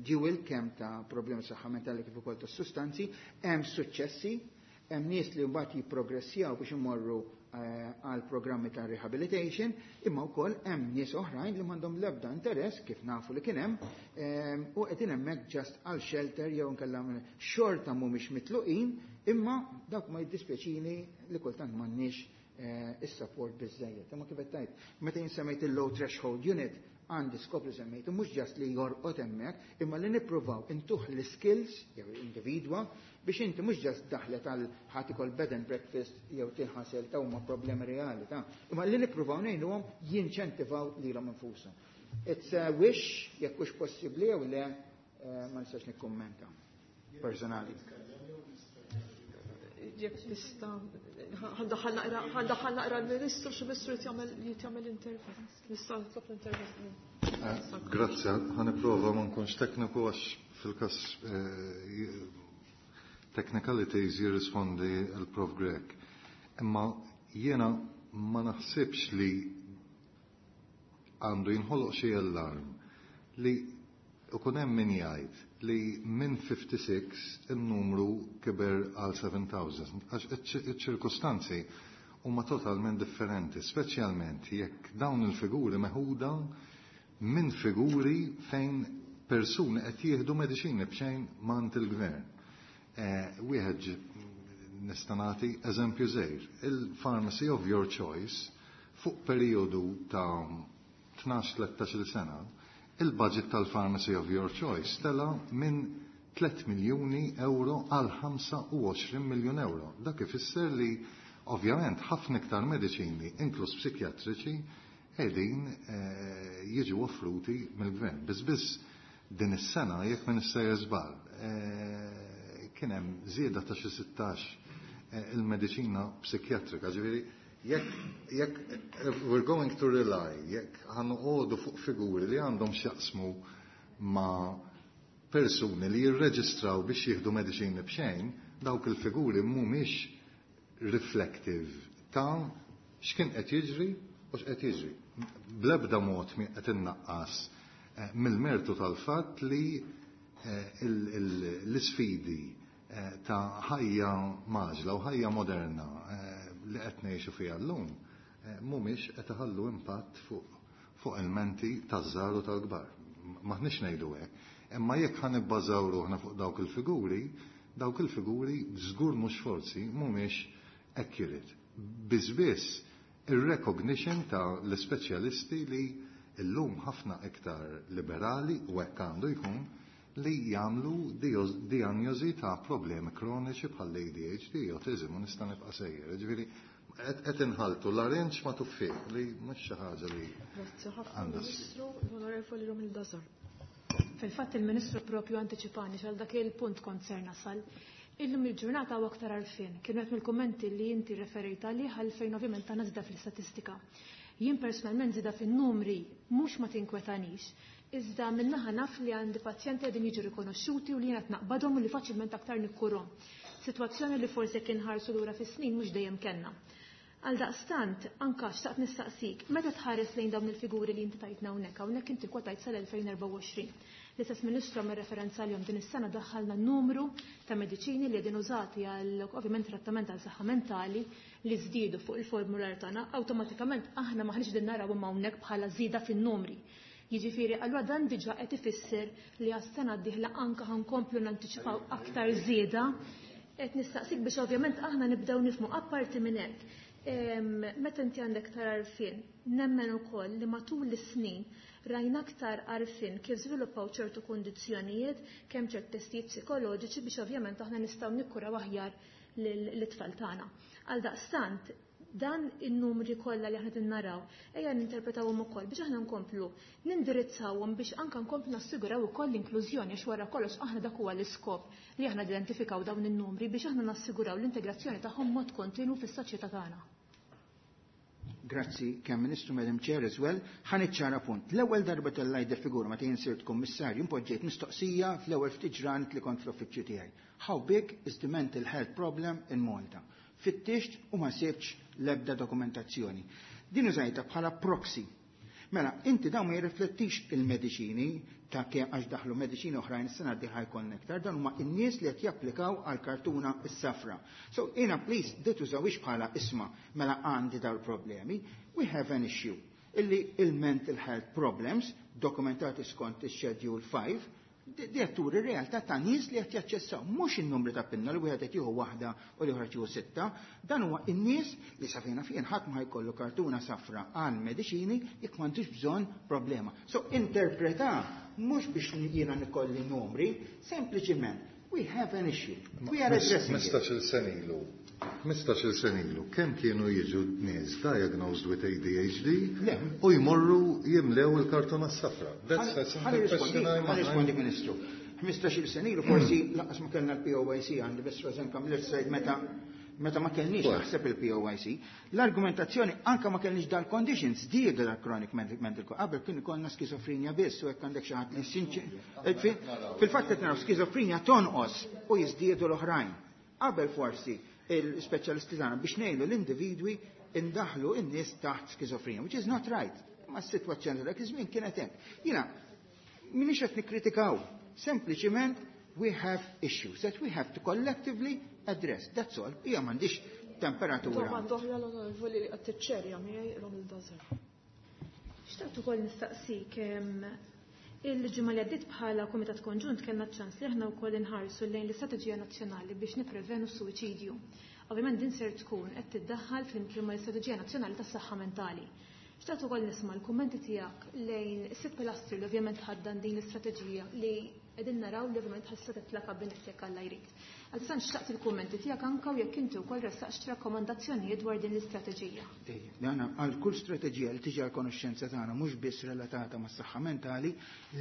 dual, kemm ta' problemi saħħa mentali kif ukoll ta' sustanzi. Hemm suċċessi, hemm nies li mbagħad jipprogressjaw biex imorru għal programmi ta' rehabilitation, imma wkoll hemm nies oħrajn li m'għandhom l-ebda interess, kif nafu li kien hemm, u qegħdin hemmhekk just għal shelter jew inkella xorta mhumiex mitluqin, imma dawk ma jiddispjaċini li kultant m'għandniex is-support biżejjed. Imma kif qed tgħid, meta jien semmejt il-low threshold unit, għandi skop li semmejt, mhux just li jorqod hemmhekk, imma li nippruvaw intuh l-skills jew individwa biex inti mhux just daħlet għal ħadd ikol bed and breakfast jew tinħasel ta' huma problemi reali ta', imma li nippruvaw ngħinuhom jinċentivaw lilhom infushom. It's a wish, jekk hux possibbli jew le, ma nistax nikkummenta personali. Jekk tista' ħa naqra l-Ministru, xi Ministru jagħmel intervent. Nista' nitlob l-intervent. Grazzi, ħa nipprova ma nkunx tekniku għax fil-kas technicalities jirrispondi il-Prof Grech. Imma jiena ma naħsibx li għandu jinħoloq xi allarm li ikun hemm min jgħid li minn 56 il-numru kiber għal 7000, għax iċ-ċirkustanzi huma totalment differenti, speċjalment jekk dawn il-figuri meħuda minn figuri fejn persuni qed jieħdu mediċini b'xejn mant il-gvern. Wieħed nista' nagħti eżempju żgħir. Il-pharmacy of your choice fuq periodu ta' 12-13 sena, il-budget tal-pharmacy of your choice tela minn 3 miljuni euro għal 25 miljun euro. Dak ifisser li ovvjament ħafna iktar mediċini, inkluż psikjatriċi, qegħdin jiġu offruti mill-gvern. Biss biss din is-sena, jekk ma nista' żball, kien hemm żieda ta' xi 16 il-mediċina psikjatrika. Ġifieri jekk we're going to rely, jekk ħa noqogħdu fuq figuri li għandhom x'jaqsmu ma' persuni li jirreġistraw biex jieħdu mediċini b'xejn, dawk il-figuri mhumiex reflective ta' x'kien qed jiġri u x'qed jiġri. Bl-ebda mod mi qed innaqqas mill-mertu tal-fatt li l-isfidi ta' ħajja mgħaġġla u ħajja moderna li qed ngħixu fiha llum mhumiex qed iħallu impatt fuq il-menti taż-żgħar u tal-kbar. M'aħniex ngħidu hekk. Imma jekk ħa nibbażaw ruħna fuq dawk il-figuri, dawk il-figuri żgur mhux forsi mhumiex accurate. Biss biss ir-recognition ta' l-ispeċjalisti li illum ħafna iktar liberali, u hekk għandu jkun, li jagħmlu diagnosi ta' problemi kroniċi bħal ADHD, autism, u nista' nibqa' sejjer. Ġifieri qed inħaltu l-arinġ ma' tuffieħ li mhux xi ħaġa li Grazzi ħafna, għandha Ministru. L-Onorevoli Romilda Zar. Fil-fatt il-Ministru propju anticipani għal dak il-punt kont ser nasal. Illum il-ġurnata u aktar għarfien, kienu qed mill-kummenti li inti referejt għalih għalfejn ovvjament ta' żieda fl-istatistika. Jien personalment żieda fin-numri mhux ma tinkwetanix, iżda minnaħa naf li għandi pazjenti qegħdin jiġu rikonoxxuti u li jiena naqbadhom u li faċilment aktar nikkurhom. Sitwazzjoni li forsi kien ħarsu lura fis-snin mhux dejjem kellna. Għal daqstant, anka xtaqt nistaqsik, meta tħares lejn dawn il-figuri li inti tajtna hawnhekk, hawnhekk inti kwotajt sal-2024. L-istess Ministru għamel referenza għalihom, din is-sena daħħalna numru ta' mediċini li qegħdin użati għal ovvjament trattament għal saħħa mentali li żdiedu fuq il-formular tagħna, awtomatikament aħna maħniex din naraw imma hawnhekk bħala żieda fin-numri. Jiġifieri allura dan diġà qed ifisser li għas-sena d-dieħla anke ħankomplu nantiċipaw aktar żieda. Qed nistaqsik biex ovvjament aħna nibdew nifhmu apparti minn hekk. Meta inti għandek aktar għarfien, nemmen ukoll li matul is-snin rajna aktar għarfien kif żviluppaw ċertu kundizzjonijiet, kemm ċert testijiet psikoloġiċi biex ovvjament aħna nistgħu nikkuraw aħjar lit-tfal tagħna. Għaldaqstant, dan in-numri kollha li aħna qed naraw, ejja ninterpretawhom ukoll biex aħna nkomplu nindirizzawhom biex anke nkomplu nassiguraw ukoll l-inklużjoni, għax wara kollox aħna dak huwa l-iskop li aħna identifikaw dawn in-numri biex aħna nassiguraw l-integrazzjoni tagħhom mod kontinu fis-soċjetà tagħna. Grazzi, kemm Ministru, Madam Chair as well. Ħa niċċara punt. L-ewwel darba tellajt figura meta jien sirt kummissarju, impoġġejt mistoqsija fl-ewwel ftit ġranet li kont fl-uffiċċju tiegħi. "How big is the mental health problem in Malta?" Fittixt u ma sibx l-ebda dokumentazzjoni. Din użajta bħala proxy. Mela, inti dawn ma jirriflettix il-mediċini ta' kemm għax daħlu mediċini oħrajn is-sena d-dieħla jkollna iktar, dan huma n-nies li qed japplikaw għal kartuna s-safra. So, jiena please, di tużawix bħala isma' mela għandi dawn problemi. We have an issue illi il-mental health problems dokumentati skont il-Schedule 5 di turi realtà ta' nies li qed jaċċessaw mhux in-numri ta' pinna li wieħed qed jieħu waħda u l-ieħor qed jieħu sitta, dan huwa n-nies li sa fejna fien ħadd ma jkollu kartuna safra għal mediċini jekk m'għandux bżonn problema. So interpreta mhux biex jiena nikolli numri, sempliċiment we have an issue. We are addressing it. 15-il sena ilu. 15-il sena ilu, kemm kienu jiġu nies diagnosed with ADHD Le. u jmorru jimlew il-kartuna safra? That's a simple question. Ħa nirrispondi, Ministru. 15-il sena ilu forsi lanqas ma kellna l-POYC, għandi biss Rosanne Camilleri sajd meta ma kellniex naħseb il-POYC. L-argumentazzjoni anka ma kellniex dal-conditions, diedu dal-chronic mental, qabel kien ikollna skizofrenja biss u hekk għandek xi ħadd li fil-fatt qed naraw skizofrenja tonqos u jiżdiedu l-oħrajn. Qabel forsi il-speċjalisti tagħna biex ngħidu l-individwi indaħlu n-nies taħt skizofrenja, which is not right. Ma s-sitwazzjoni dak iż-żmien kienet hekk. Jiena minix qed nikkritikaw, sempliċiment we have issues that we have to collectively address. That's all. Hija m'għandix temperatura. Domanda oħra l-onorevoli li qed tiċċerja miegħi, Ronald Dazer. Xtaqt ukoll nistaqsik, il-ġimgħa li għaddiet bħala Kumitat Konġunt kellna ċans li aħna wkoll inħarsu lejn l-Istrateġija Nazzjonali biex nipprevenu s-suwiċidju. Ovvjament din ser tkun qed tiddaħħal flimkien mal-Istrateġija Nazzjonali tas-Saħħa Mentali. Xtaqt ukoll nisma' l-kummenti tiegħek lejn is-sitt pilastri li ovvjament ħaddan din l-istrateġija li qegħdin naraw li ovvjament ħassa titla' kabinett jekk Alla jrid. Għaldaqstant xtaqt il-kummenti tiegħek anke u jekk inti wkoll ressaqx rakkomandazzjonijiet dwar din l-istrateġija. Ejja, dana għal kull strateġija li tiġi għal konoxxenza tagħna mhux biss relatata mas-saħħa mentali,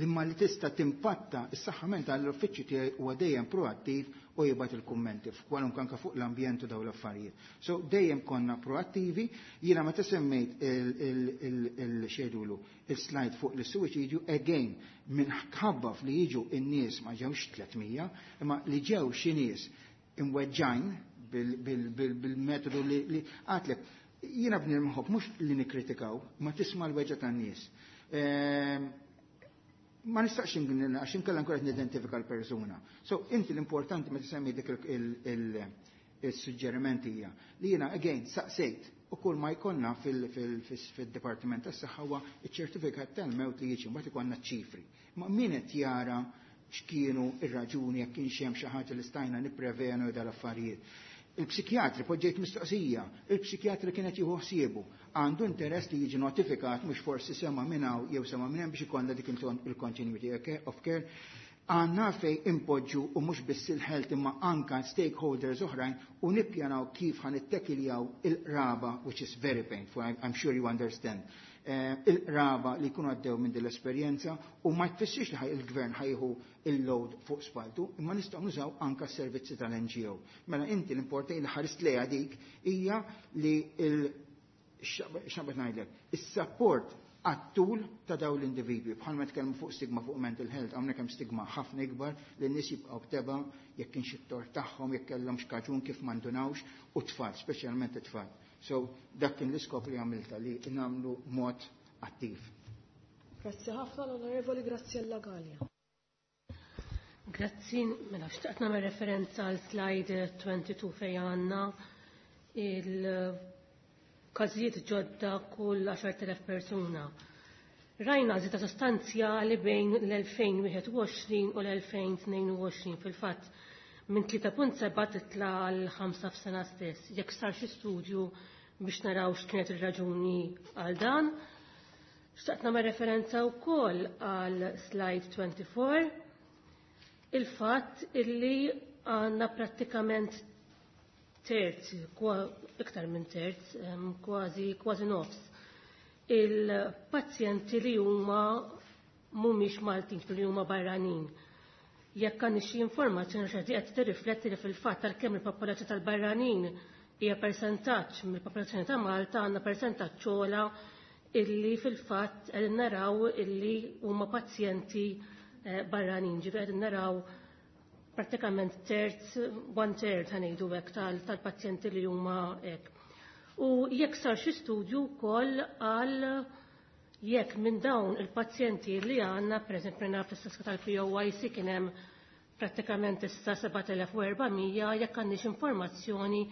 imma li tista' timpatta s-saħħa mentali, l-uffiċċju tiegħi huwa dejjem proattiv u jibgħat il-kummenti f'kwalunkwe anke fuq l-ambjent u dawn l-affarijiet. So dejjem konna proattivi, jiena meta semmejt il-xedulu, il-slide fuq l-suwiċidju, again, minħabba li jiġu in-nies ma ġewx 300, imma li ġew xi nies imweġġajn bil-metodu li għatlek, jiena bniedem nħobb mhux li nikkritikaw, ma tisma' l-weġġa tan-nies. Ma nistax għax inkella nkun qed nidentifika l-persuna. So inti l-importanti meta semmi dik il-suġġeriment hija li jiena again saqsejt u kull ma jkollna fil-Dipartiment tas-Saħħa huwa ċ-ċertifikat tal-mewt li jiġi, mbagħad ikollna ċifri. Ma min qed jara x'kienu ir-raġuni, jekk kienx hemm xi ħaġa li stajna nipprevenu dal-affarijiet. Il-psikjatri, poġġejt mistoqsija, il-psikjatri kienet jieħu ħsiebu, għandu interess li jiġi notifikat, mhux forsi sema minn hawn jew sema minn hemm biex ikollna dik il-continuity of care. Għandna fej impoġġu u mhux biss il-health imma anka stakeholders oħrajn u nippjanaw kif ħa nittekiljaw il-qraba, which is very painful, I'm sure you understand. Il-qraba li jkunu għaddew minn din l-esperjenza u ma tfissirx li il-gvern ħa jieħu il-load fuq spaltu, imma nistgħu nużaw anka s-servizzi tal-NGO. Mela inti l-importanti li ħarist lejha dik hija li x'naqbad ngħidlek, is-support għat-tul ta' daw l-individwi. Bħalma tkellmu fuq stigma fuq mental health, hawnhekk hemm stigma ħafna ikbar li n-nies jibqgħu b'teba jekk kienx it-tort tagħhom, jekk kellhom x'kaġun kif m'għandunawx, u tfal, speċjalment it-tfal. So dak kien l-iskop li għamilta li nagħmlu mod attiv. Grazzi ħafna, l-Onorevoli Graziella Gallia. Grazzi, mela xtaqt nagħmel referenza għal slide 22 fejn għandna il-każijiet ġodda kull 10,000 persuna. Rajna żieda sostanzjali bejn l-2021 u l-2022 fil-fatt minn 3.7 titla għal 5 f'sena stess. Jekk sar xi studju biex naraw x'kienet ir-raġuni għal dan. Xtaqt nagħmel referenza wkoll għal slide 24 il-fatt illi għandna prattikament terz, iktar minn terz, kważi kważi nofs il-pazjenti li huma mhumiex Maltin, li huma barranin. Jekk għandna xi informazzjoni xi qed tirrifletti li fil-fatt għalkemm il-popolazzjoni tal-barranin hija persentaġġ mill-popolazzjoni ta' Malta għandna persentaġġ ogħla illi fil-fatt qegħdin naraw illi huma pazjenti barranin, ġifieri qegħdin naraw pratikament terz, one third ħanejdu hekk tal-pazjenti li huma hekk. U jekk sar xi studju wkoll għal jekk minn dawn il-pazjenti li għandna, pereżempju naf fl-istatistika tal-POYC kien hemm prattikament issa 7400 jekk għandix informazzjoni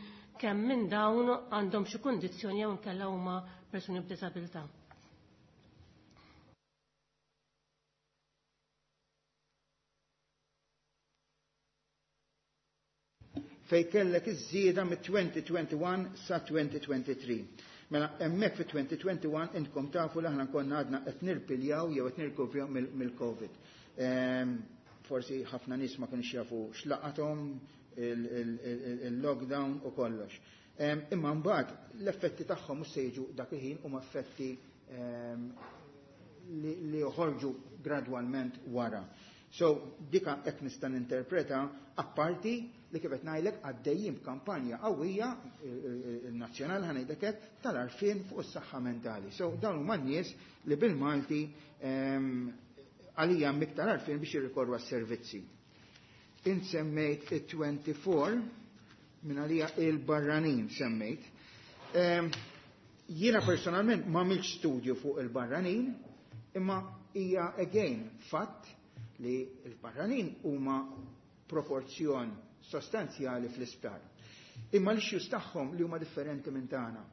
kemm minn dawn għandhom xi kundizzjoni jew inkella huma persuni b'diżabilità. Fej kellek iż-żieda mit-2021 sa 2023. Mela hemmhekk fi 2021 intkom tafu li aħna konna għadna qed nirpiljaw jew qed nirkuvjaw mill-COVID. Forsi ħafna nies ma kienx jafu x'laqathom il-lockdown u kollox. Imma mbagħad l-effetti tagħhom mhux se jiġu dak il-ħin huma effetti li joħorġu gradwalment wara. So dika hekk nista' ninterpreta apparti li kif qed ngħidlek għaddejjin b'kampanja qawwija il-nazzjonali ħa ngħidlek hekk tal-għarfien fuq is-saħħa mentali. So dawn huma n-nies li bil-Malti għalija hemm iktar għarfien biex jirrikorru għas-servizzi. Int semmejt it-24 minn għalija il-barranin semmejt. Jiena personalment ma għamiltx studju fuq il-barranin, imma hija again fatt li l-barranin huma proporzjon sostanzjali fl-isptar. Imma l-issues tagħhom li huma differenti minn tagħna.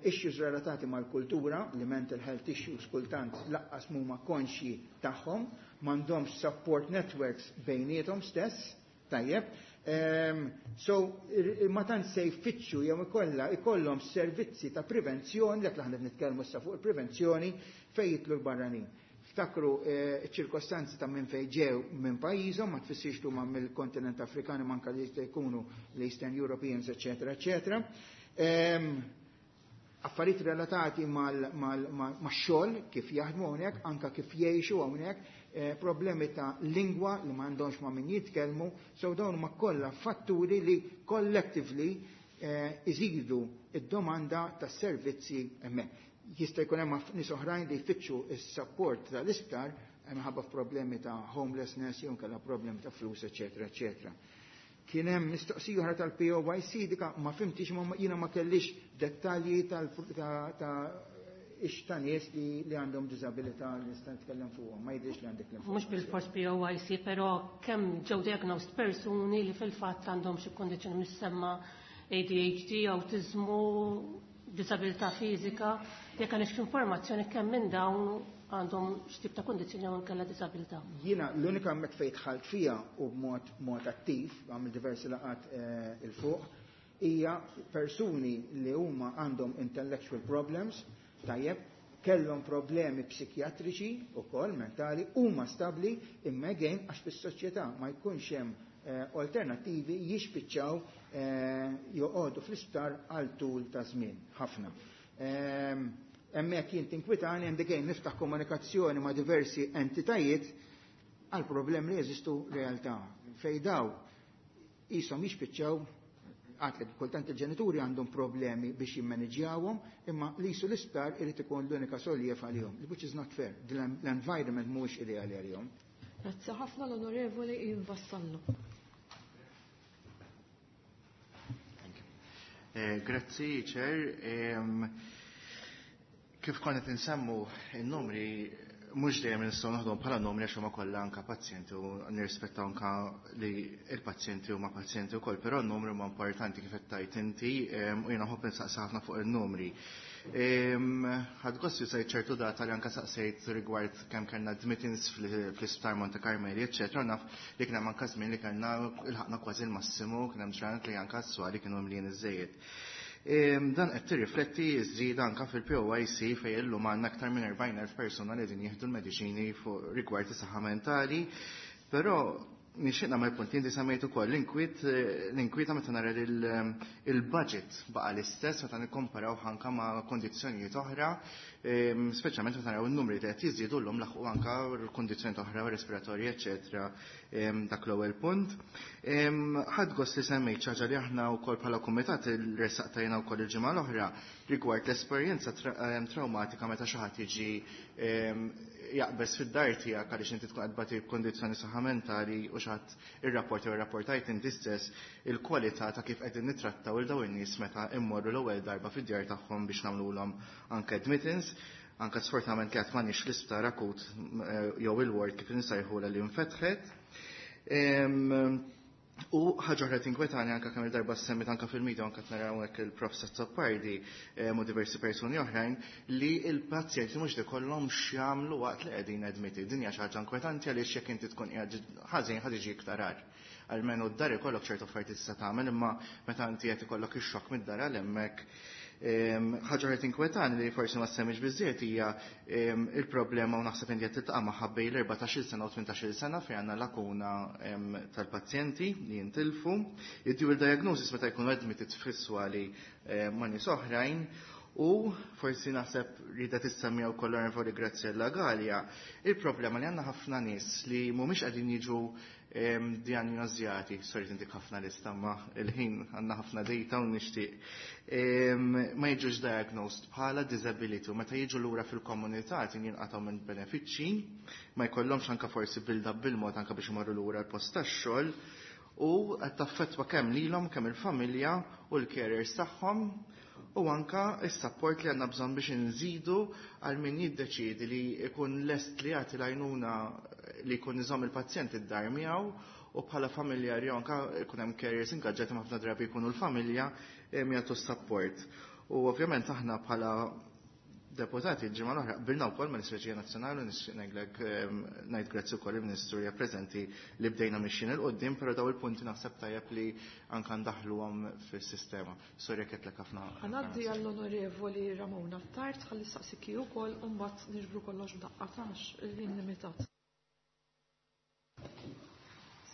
Issues relatati mal-kultura, li mental health issues kultant lanqas huma konxji tagħhom, m'għandhomx support networks bejniethom stess, tajjeb. So, ma tant se jfittxu jew ikolla ikollhom servizzi ta' prevenzjoni, dak li aħna nitkellmu issa fuq il-prevenzjoni fejn jidħlu l-barranin. Ftakru ċirkostanzi ta' minn fejn ġew minn pajjiżhom, ma tfissirx li huma mill-kontinent Afrikan manka li jista' jkunu l-Eastern Europeans, eċetera, eċetera. Affarijiet relatati max-xogħol, kif jaħdmu hawnhekk, anka kif jgħixu hawnhekk, problemi ta' lingwa li m'għandhomx ma' min jitkellmu, so dawn huma kollha fatturi li collectively iżidu id-domanda tas-servizzi hemmhekk. Jista' jkun hemm nies oħrajn li jfittxu s-support tal-isptar minħabba f'problemi ta' homelessness jew inkella problemi ta' flus, eċetera, eċetera. Kien hemm mistoqsija oħra tal-POYC dika ma fhimtix ma jiena ma kellix dettalji ta' ix ta' nies li għandhom diżabilità li nista' nitkellem fuqhom, ma jidhirx li għandek l-informazzjoni. Mhux bil-fors POYC, però kemm ġew diagnosed persuni li fil-fatt għandhom xi kondizzjoni mis-semma ADHD, autizmu, disabilità fiżika, jekk għandek informazzjoni kemm minn dawn għandhom x'tip ta' kondizzjoni jew inkella disabilità. Jiena l-unika hemmhekk fejn dħalt fija u b'mod mod attiv, għamil diversi laqgħat il fuq, hija persuni li huma għandhom intellectual problems, tajjeb, kellhom problemi psikjatriċi ukoll mentali, huma stabbli imma again għax fis-soċjetà ma jkunx hemm alternattivi jispiċċaw joqogħdu fl-isptar għal tul ta' żmien ħafna. Hemmhekk jien tinkwitani and again niftaħ komunikazzjoni ma' diversi entitajiet għal problemi li jeżistu realtà. Fej daw qishom jispiċċaw għatlek kultant il-ġenituri għandhom problemi biex jimmanġjawhom, imma li jisu l-isptar irid ikun l-unika soljev għalihom, which is not fair. L-environment mhuwiex ideali għalihom. Grazzi ħafna l-Onorevoli Ian Vassallo. Grazzi, Chair. Kif konna insemmu il-numri, mhux dejjem nistgħu naħdmu bħala numri għax huma kollha anke pazjenti u nirrispettaw anke li l-pazjenti huma pazjenti wkoll, però n-numri huma importanti kif qed tgħid inti u jiena nħobb insaqsi ħafna fuq il-numri. Ħadt gost li sejt ċertu data li anka saqsejt rigward kemm kellna admittance fl-isptar Monte Carmeli, eċċetera. Naf li kien hemm anka żmien li kellna ilħaqna kważi l-massimu, kien hemm ġranet li anka s-swali kienu mlien iżejjed. Dan qed tirrifletti ż-żieda anka fil-POIC fejn illum għandna aktar minn 40,000 persuna li qegħdin jieħdu l-mediċini fuq rigward is-saħħa mentali. Però nixtieq nagħmel punt inti semmejt ukoll l-inkwiet l-inkwieta meta nara li il-budget baqa' l-istess meta nikkomparaw anka ma' kondizzjonijiet oħra, speċjalment meta naraw in-numri li qed jiżdiedu llum laħqu anka l-kondizzjonijiet oħra respiratorji, eċetera. Dak l-ewwel punt. Ħadt gost li semmejt xi ħaġa li aħna wkoll bħala kumitat ressaqtajna wkoll il-ġimgħa l-oħra rigward l-esperjenza traumatika meta xi ħadd jiġi jaqbeż fid-dar tiegħek għaliex inti tkun qed tbati b'kondizzjoni saħħa mentali u xi ħadd irrapport jew irrapportajt inti stess il-kwalità ta' kif qegħdin nittrattaw il dawn in-nies meta immorru l-ewwel darba fid-djar tagħhom biex nagħmluhom anke admittance. Anke sfortunatament li qatt m'għandniex l-isptar akut jew il-ward kif insejħulha li nfetħet. U ħaġa oħra tinkwetani anke kemm il-darba semmit anke fil-media anke naraw hekk il-Prof Azzopardi u diversi persuni oħrajn li l-pazjenti mhux ikollhom x'jagħmlu waqt li qegħdin admitted. Din hija xi ħaġa inkwetanti għaliex jekk inti tkun qiegħed ħażin ħa tiġi iktar agħar. Almenu d-dar ikollok ċertu affarijiet tista' tagħmel imma meta inti qed ikollok ix-xokk mid-dar għal hemmhekk. Ħaġa oħra tinkwetani li forsi ma semmix biżżejjed hija il-problema u naħseb inti qed tiltaqa' magħha bejn l-14-il sena u 18-il sena fejn għandna lakuna tal-pazjenti li jintilfu. Id-dual diagnosis meta jkunu admitted fis-swali ma' nies oħrajn u forsi naħseb rida tissemmija wkoll l-Onorevoli Graziella Galea, il-problema li għandna ħafna nies li mhumiex qegħdin jiġu diagnosjati, sorry tintik ħafna lista ma il-ħin għandna ħafna data u nixtieq, ma jiġux diagnosed bħala disability u meta jiġu lura fil-komunità qed jinqatgħu minn benefiċċji, ma jkollhomx anke forsi build up bil-mod anke biex imorru lura l-post tax-xogħol u qed taffettwa kemm lilhom kemm il-familja u l-carers tagħhom u anka s-support li għandna bżonn biex nżidu għal min jiddeċiedi li jkun lest li jagħti l-għajnuna li jkun iżomm il-pazjent id-dar miegħu u bħala familjari anka jkun hemm carriers ingaġġati ħafna drabi jkunu l-familja jagħtu s-support. U ovvjament aħna bħala deputati l-ġimgħa l-oħra qbilna wkoll mal-Istrateġija Nazzjonali u nixtieq ngħidlek ngħid grazzi wkoll il-Ministru hija preżenti li bdejna mixjin 'il quddiem, però daw il-punti naħseb tajjeb li anke ndaħħluhom fis-sistema. Sorry jekk qedtlek ħafna. Ħa ngħaddi għall-Onorevoli Ramona Attard ħalli ssaqsik hi wkoll u mbagħad niġbru kollox f'daqqa għax il-ħin limitat.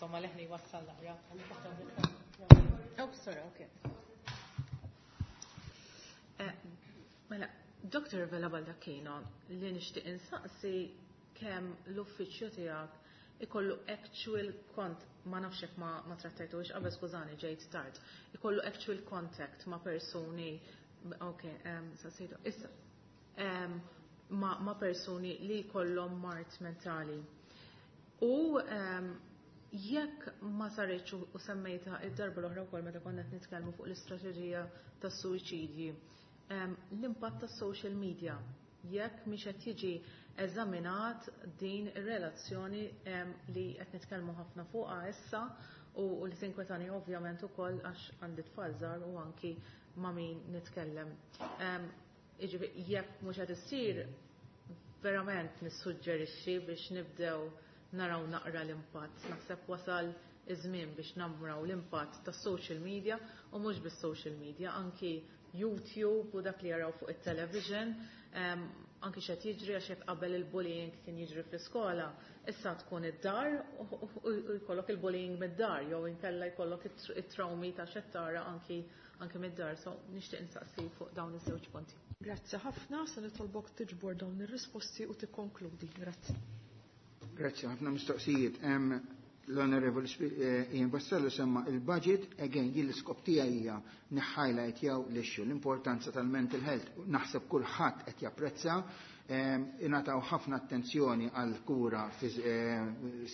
Insomma, leħni wassal naqra. Oh, sorry, okay. Mela, Dr. Vella Baldacchino, li nixtieq insaqsi kemm l-uffiċċju tiegħek ikollu actual kont, ma nafx jekk ma trattajtux qabel, skużani ġejt tard, ikollu actual contact ma' persuni, ok, saqsejtu, issa, ma' persuni li jkollhom mard mentali. U jekk ma saritx u semmejta id-darba l-oħra wkoll meta konna qed nitkellmu fuq l-istrateġija tas-suwiċidji, l-impatt tas-social media, jekk mhix qed jiġi eżaminat din ir-relazzjoni li qed nitkellmu ħafna fuqha issa u li tinkwetani ovvjament ukoll għax għandi tfal żgħar u anki ma' min nitkellem. Jiġifieri jekk mhux qed issir verament nissuġġerixxi biex nibdew naraw naqra l-impatt. Naħseb wasal iż-żmien biex naraw l-impatt tas-social media u mhux bis-social media, anki YouTube u dak li jaraw fuq it-television, anki x'qed jiġri għax jekk qabel il-bullying kien jiġri fl-iskola, issa tkun id-dar u jkollok il-bullying mid-dar jew inkella jkollok it-traumi ta' x'qed tara anki mid-dar. So nixtieq insaqsi fuq dawn iż-żewġ punti. Grazzi ħafna, se nitolbok tiġbor dawn ir-risposti u tikkonkludi. Grazzi. Grazzi ħafna mistoqsijiet. L-Onorevoli Ian Vassallo semma il-budget, again, jien l-iskop tiegħi hija niħhighlight jew l-issue, l-importanza tal-mental health. Naħseb kulħadd qed japprezza, ingħataw ħafna attenzjoni għal kura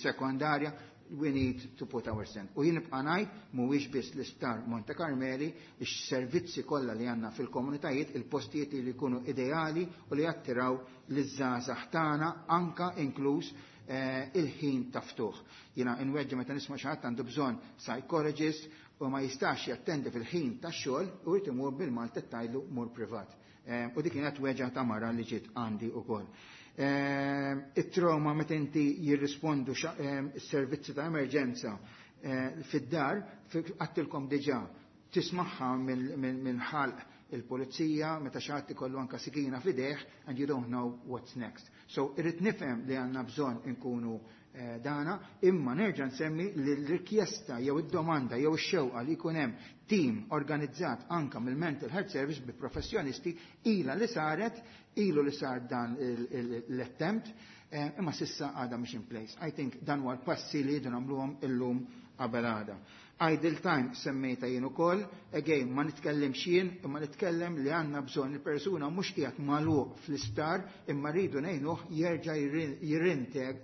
sekondarja, we need to put our stand. U jien nibqa' ngħid mhuwiex biss l-isptar Monte Carmeli, ix-servizzi kollha li għandna fil-komunitajiet, il-postijiet li jkunu ideali u li jattiraw liż-żgħażagħ tagħna anka inkluż il-ħin ta' ftuħ. Jiena nweġġa meta nisma' xi ħadd għandu bżonn psychologist u ma jistax jattendi fil-ħin tax-xogħol u jrid imur bil-Malta tajlu mur privat. U dik kienet weġgħa ta' mara li ġiet għandi ukoll. It-trauma meta inti jirrispondu s-servizzi ta' emerġenza fid-dar, għedtilkom diġà, tismagħha minn ħalq il-pulizija, meta xi ħadd ikollu anka sikina f'idejh, and you don't know what's next. So irrid nifhem li għandna bżonn inkunu dana, imma nerġa' nsemmi li l-rikjesta jew id-domanda jew ix-xewqa li jkun hemm team organizzat anka mill-Mental Health Service bi professjonisti ila li saret, ilu li sar dan l-attempt, imma s'issa għada mhix in place. I think dan huwa l-passi li jridu nagħmluhom illum qabel għada. Idle time semmejta jien ukoll, again ma nitkellimx jien, imma nitkellem li għandna bżonn il-persuna mhux qiegħed magħluq fl-isptar, imma rridu ngħinuh jerġa'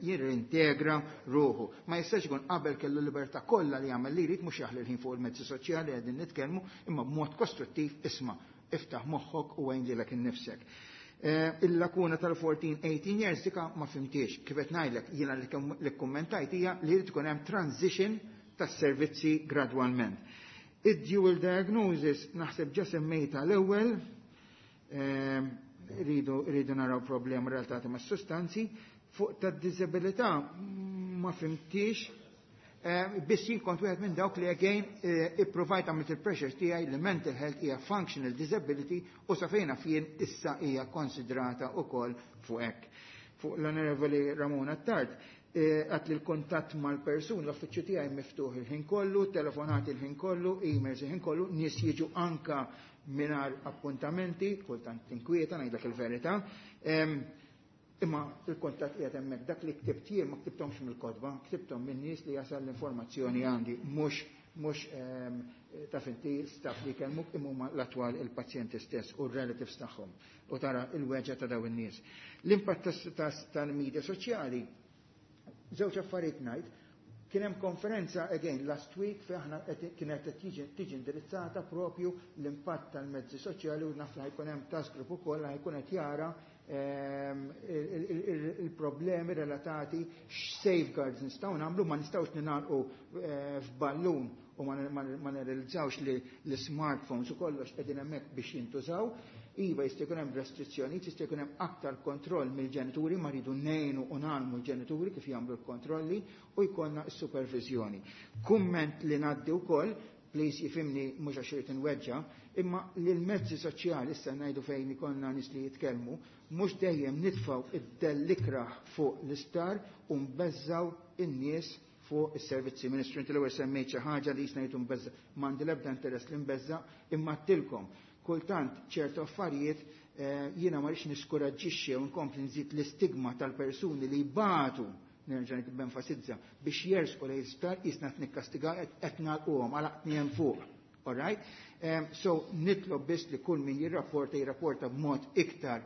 jirrintegra ruħu. Ma jistax ikun qabel kellu libertà kollha li jagħmel li jrid, mhux jaħli l-ħin fuq il-mezzi soċjali qegħdin nitkellmu, imma b'mod kostruttiv, isma', iftaħ moħħok u għin lilek innifsek. Il-lakuna tal-14-18 years dika ma fhimtix. Kif qed ngħidlek jiena li kkummentajt hija li jrid ikun hemm transition tas-servizzi gradwalment. Id-dual diagnosis naħseb ġa semmejta l-ewwel, rridu naraw problema relatati ma' sustanzi. Fuq ta' disabilità ma fhimtix, biss jien kont wieħed minn dawk li again ipprovajt għamilt il-pressures tiegħi li mental health hija functional disability u sa fejna fien issa hija konsidrata wkoll fuq hekk. Fuq l-Onorevoli Ramona Tart, għat li l-kontatt mal-persun, l-uffiċċju tiegħi miftuħ il-ħin kollu, telefonati il-ħin kollu, emails il-ħin kollu, nies jiġu anka mingħajr appuntamenti, kultant tinkwieta ngħidlek il-verità. Imma il-kontatt qiegħed hemmhekk, dak li ktibt jien ma ktibthomx mill-kotba, ktibthom minn nies li jasal l-informazzjoni għandi, mhux taf inti staff li kellmuk, imma huma l-attwal il-pazjenti stess u r-relatives tagħhom u tara il-weġgħa ta' dawn in-nies. L-impatt tal-media soċjali, żewġ affarijiet ngħid, kien hemm konferenza again last week fejn aħna kienet qed tiġi indirizzata propju l-impatt tal-mezzi soċjali u naf li ħajkun hemm task group ukoll li ħajkun qed jara il-problemi relatati x'safeguards nistgħu nagħmlu, ma nistgħux ningħalqu f'ballun u ma nirrealizzawx li l-smartphones u kollox qegħdin hemmhekk biex jintużaw. Iva jista' jkun hemm restrizzjonijiet, jista' jkun hemm aktar kontroll mill-ġenituri, ma rridu ngħinu u nagħmlu l-ġenituri kif jagħmlu l-kontrolli u jkollna s-supervizjoni. Kumment li ngħaddi wkoll, please jifhimni mhux għax irid inweġġa', imma li l-mezzi soċjali issa ngħidu fejn ikollna nies li jitkellmu, mhux dejjem nitfgħu id-dell ikrah fuq l-isptar u nbeżżaw in-nies fuq is-servizzi. Ministru, inti l-ewwel semmejt xi ħaġa li jisna jgħidu nbeżża', m'għandi l-ebda interess li nbeżża', imma għedtilkom. Kultant ċertu affarijiet jiena ma rridx niskuraġġixxi u nkompli nżid l-istigma tal-persuni li jbatu, nerġa' nenfasizza, biex jersqu lejn l-isptar jisna qed nikkastigaw qed nagħlquhom għalaqtni hemm fuq. All right? So nitlob biss li kull min jirrapporta jirrapporta b'mod iktar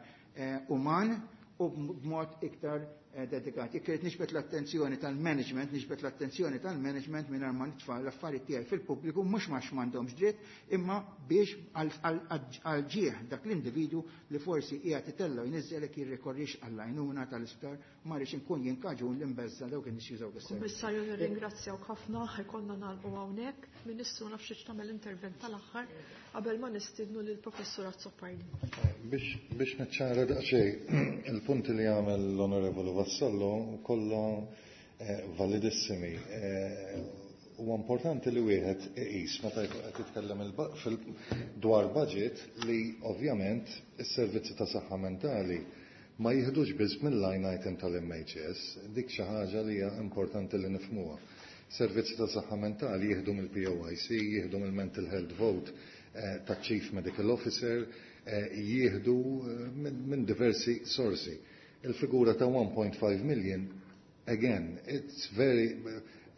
uman u b'mod iktar dedikat. Jekk irid nixbet l-attenzjoni tal-management, nixbet l-attenzjoni tal-management mingħajr ma nitfa' l-affarijiet tiegħi fil-pubbliku, mhux għax m'għandhomx dritt, imma biex għal ġieħ dak l-individwu li forsi qiegħed itellgħu jniżżelek jirrikorrix għall-għajnuna tal-isptar, ma rridx inkun jien kaġun li nbeżża' dawk in-nies jużaw is-servizz. Kummissarju, nirringrazzjawk ħafna, ħajkonna nagħlqu hawnhekk. Ministru, nafx xi tagħmel intervent tal-aħħar qabel ma nistiednu lill-Professur Azzopardi. Biex niċċara daqsxejn, il-punti li għamel l-Onorevoli Vassallo kollha validissimi. Huwa importanti li wieħed iqis meta qed jitkellem dwar budget li ovvjament is-servizzi ta' saħħa mentali ma jiħdux biss mill-line item tal-MHS, dik xi ħaġa li hija importanti li nifhmuha. Servizzi ta' saħħa mentali jieħdu mill-POIC, jieħdu mill-Mental Health Vote ta' Chief Medical Officer, jieħdu minn diversi sorsi. Il-figura ta' 1.5 million, again, it's very,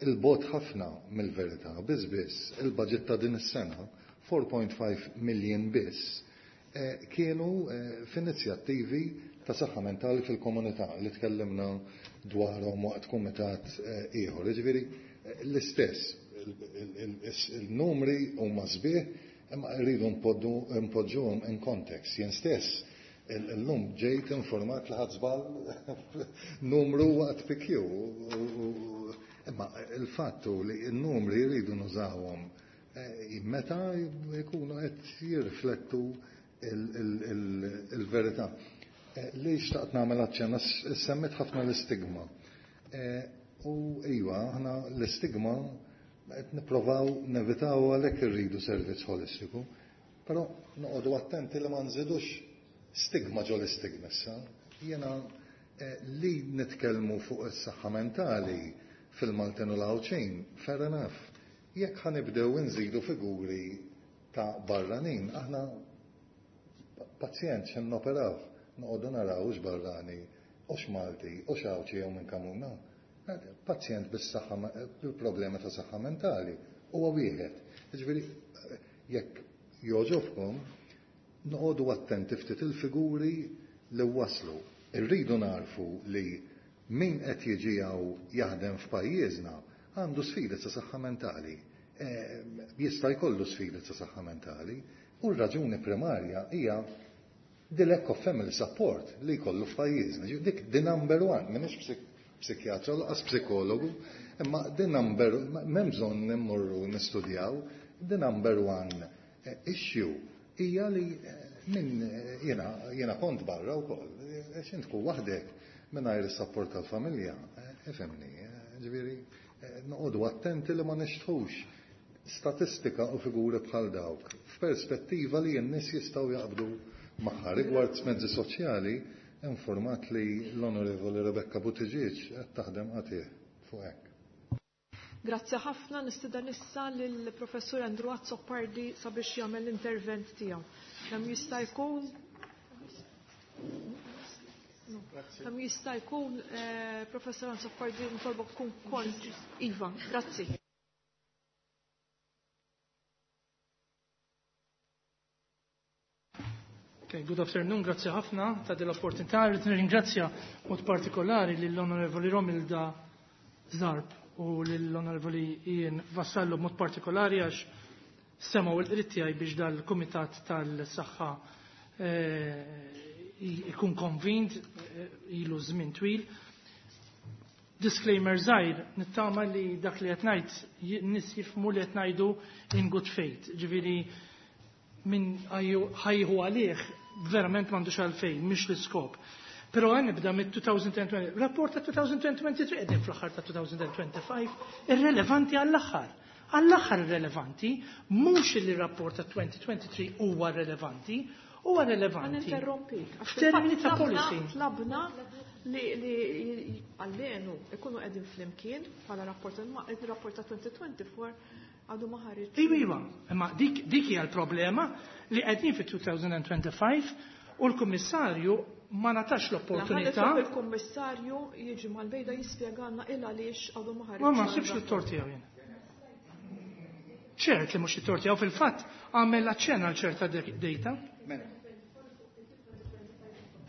il-bot ħafna mill-verità, biss biss, il-budget ta' din is-sena, 4.5 million biss, kienu f'inizjattivi ta' saħħa mentali fil-komunità li tkellimna dwarhom waqt kumitat ieħor. Jiġifieri l-istess, il-numri huma sbieħ, imma rridu npoġġuhom in context. Jien stess illum ġejt informat li ħadd żball numru waqt PQ. Imma il-fatt hu li n-numri jridu nużawhom meta jkunu qed jirriflettu il-verità. Li xtaqt nagħmel aċċenna, semmit ħafna l-istigma. U iva, aħna l-istigma qed nipprovaw nevitaw, għalhekk irridu servizz holistiku, però noqogħdu attenti li ma nżidux stigma ġo l-istigma issa. Jiena li nitkellmu fuq is-saħħa mentali fil-Maltin u l-Għawdxin, fair enough. Jekk ħa nibdew nżidu figuri ta' barranin, aħna pazjent x'ħin noperaw, noqogħdu naraw hux barrani, hux Malti, hux Għawdxi jew minn Kamuna. Pazjent bis-saħħa, bil-problema ta' saħħa mentali, huwa wieħed. Jiġifieri jekk jogħġobkom, noqogħdu attenti ftit il-figuri li waslu. Irridu narfu li min qed jiġi hawn jaħdem f'pajjiżna għandu sfidi ta' saħħa mentali. Jista' jkollu sfidi ta' saħħa mentali u r-raġuni primarja hija the lack of family support li jkollu f'pajjiżna. Dik the number one, m'iniex psikjatra lanqas psikologu, imma the number, m'hemm bżonn immorru nistudjaw, the number one issue hija li min jiena kont barra wkoll, għax int tkun waħdek mingħajr is-support tal-familja, ifhimni, ġifieri noqogħdu attenti li ma nixtħux statistika u figuri bħal dawk f'perspettiva li n-nies jistgħu jaqbdu magħha. Rigward mezzi soċjali, informat li l-Onorevoli Rebecca Buttigieg qed taħdem qatigħ fuq hekk. Grazzi ħafna. Nistieden issa lill-Professur Andrew Azzopardi sabiex jagħmel l-intervent tiegħu. Kemm jista' jkun Kemm jista' jkun, Professur Azzopardi, nitolbok tkun kont. Iva, grazzi. Okay, good afternoon, grazzi ħafna ta' dell-opportunità. Rrid nirringrazzja mod partikolari lill-Onorevoli Romilda Zarb u lill-Onorevoli Ian Vassallo mod partikolari għax semgħu l-qrid tiegħi biex dal-Kumitat tal-Saħħa ikun konvint ilu żmien twil. Disclaimer żgħir, nittama li dak li qed ngħid nies jifhmu li qed ngħidu in good faith. Ġifieri min ħajħu għalih verament m'għandux għalfejn, mhix l-iskop. Però għan nibda mit-2020, rapport ta' 2023, qegħdin fl-aħħar ta' 2025, irrelevanti għall-aħħar. Għall-aħħar irrelevanti, mhux li rapport ta' 2023 huwa relevanti, huwa relevanti. Interrompik. F'termini ta' policy. Tlabna li għallenu ikunu qegħdin flimkien bħala rapport, imma il-rapport ta' 2024 għadu ma ħareġ. Iva, iva, imma dik hija l-problema li qegħdin fi 2025 u l-Kummissarju ma natax l-opportunità. La il-Kummissarju jiġi mal-bejda jispjegana il għaliex għadu ma ħareġ. Ma nsibx it-tort tiegħu jien. Ċert li mhux it-tort tiegħu, fil-fatt għamel aċċenna għal ċerta data. Mela.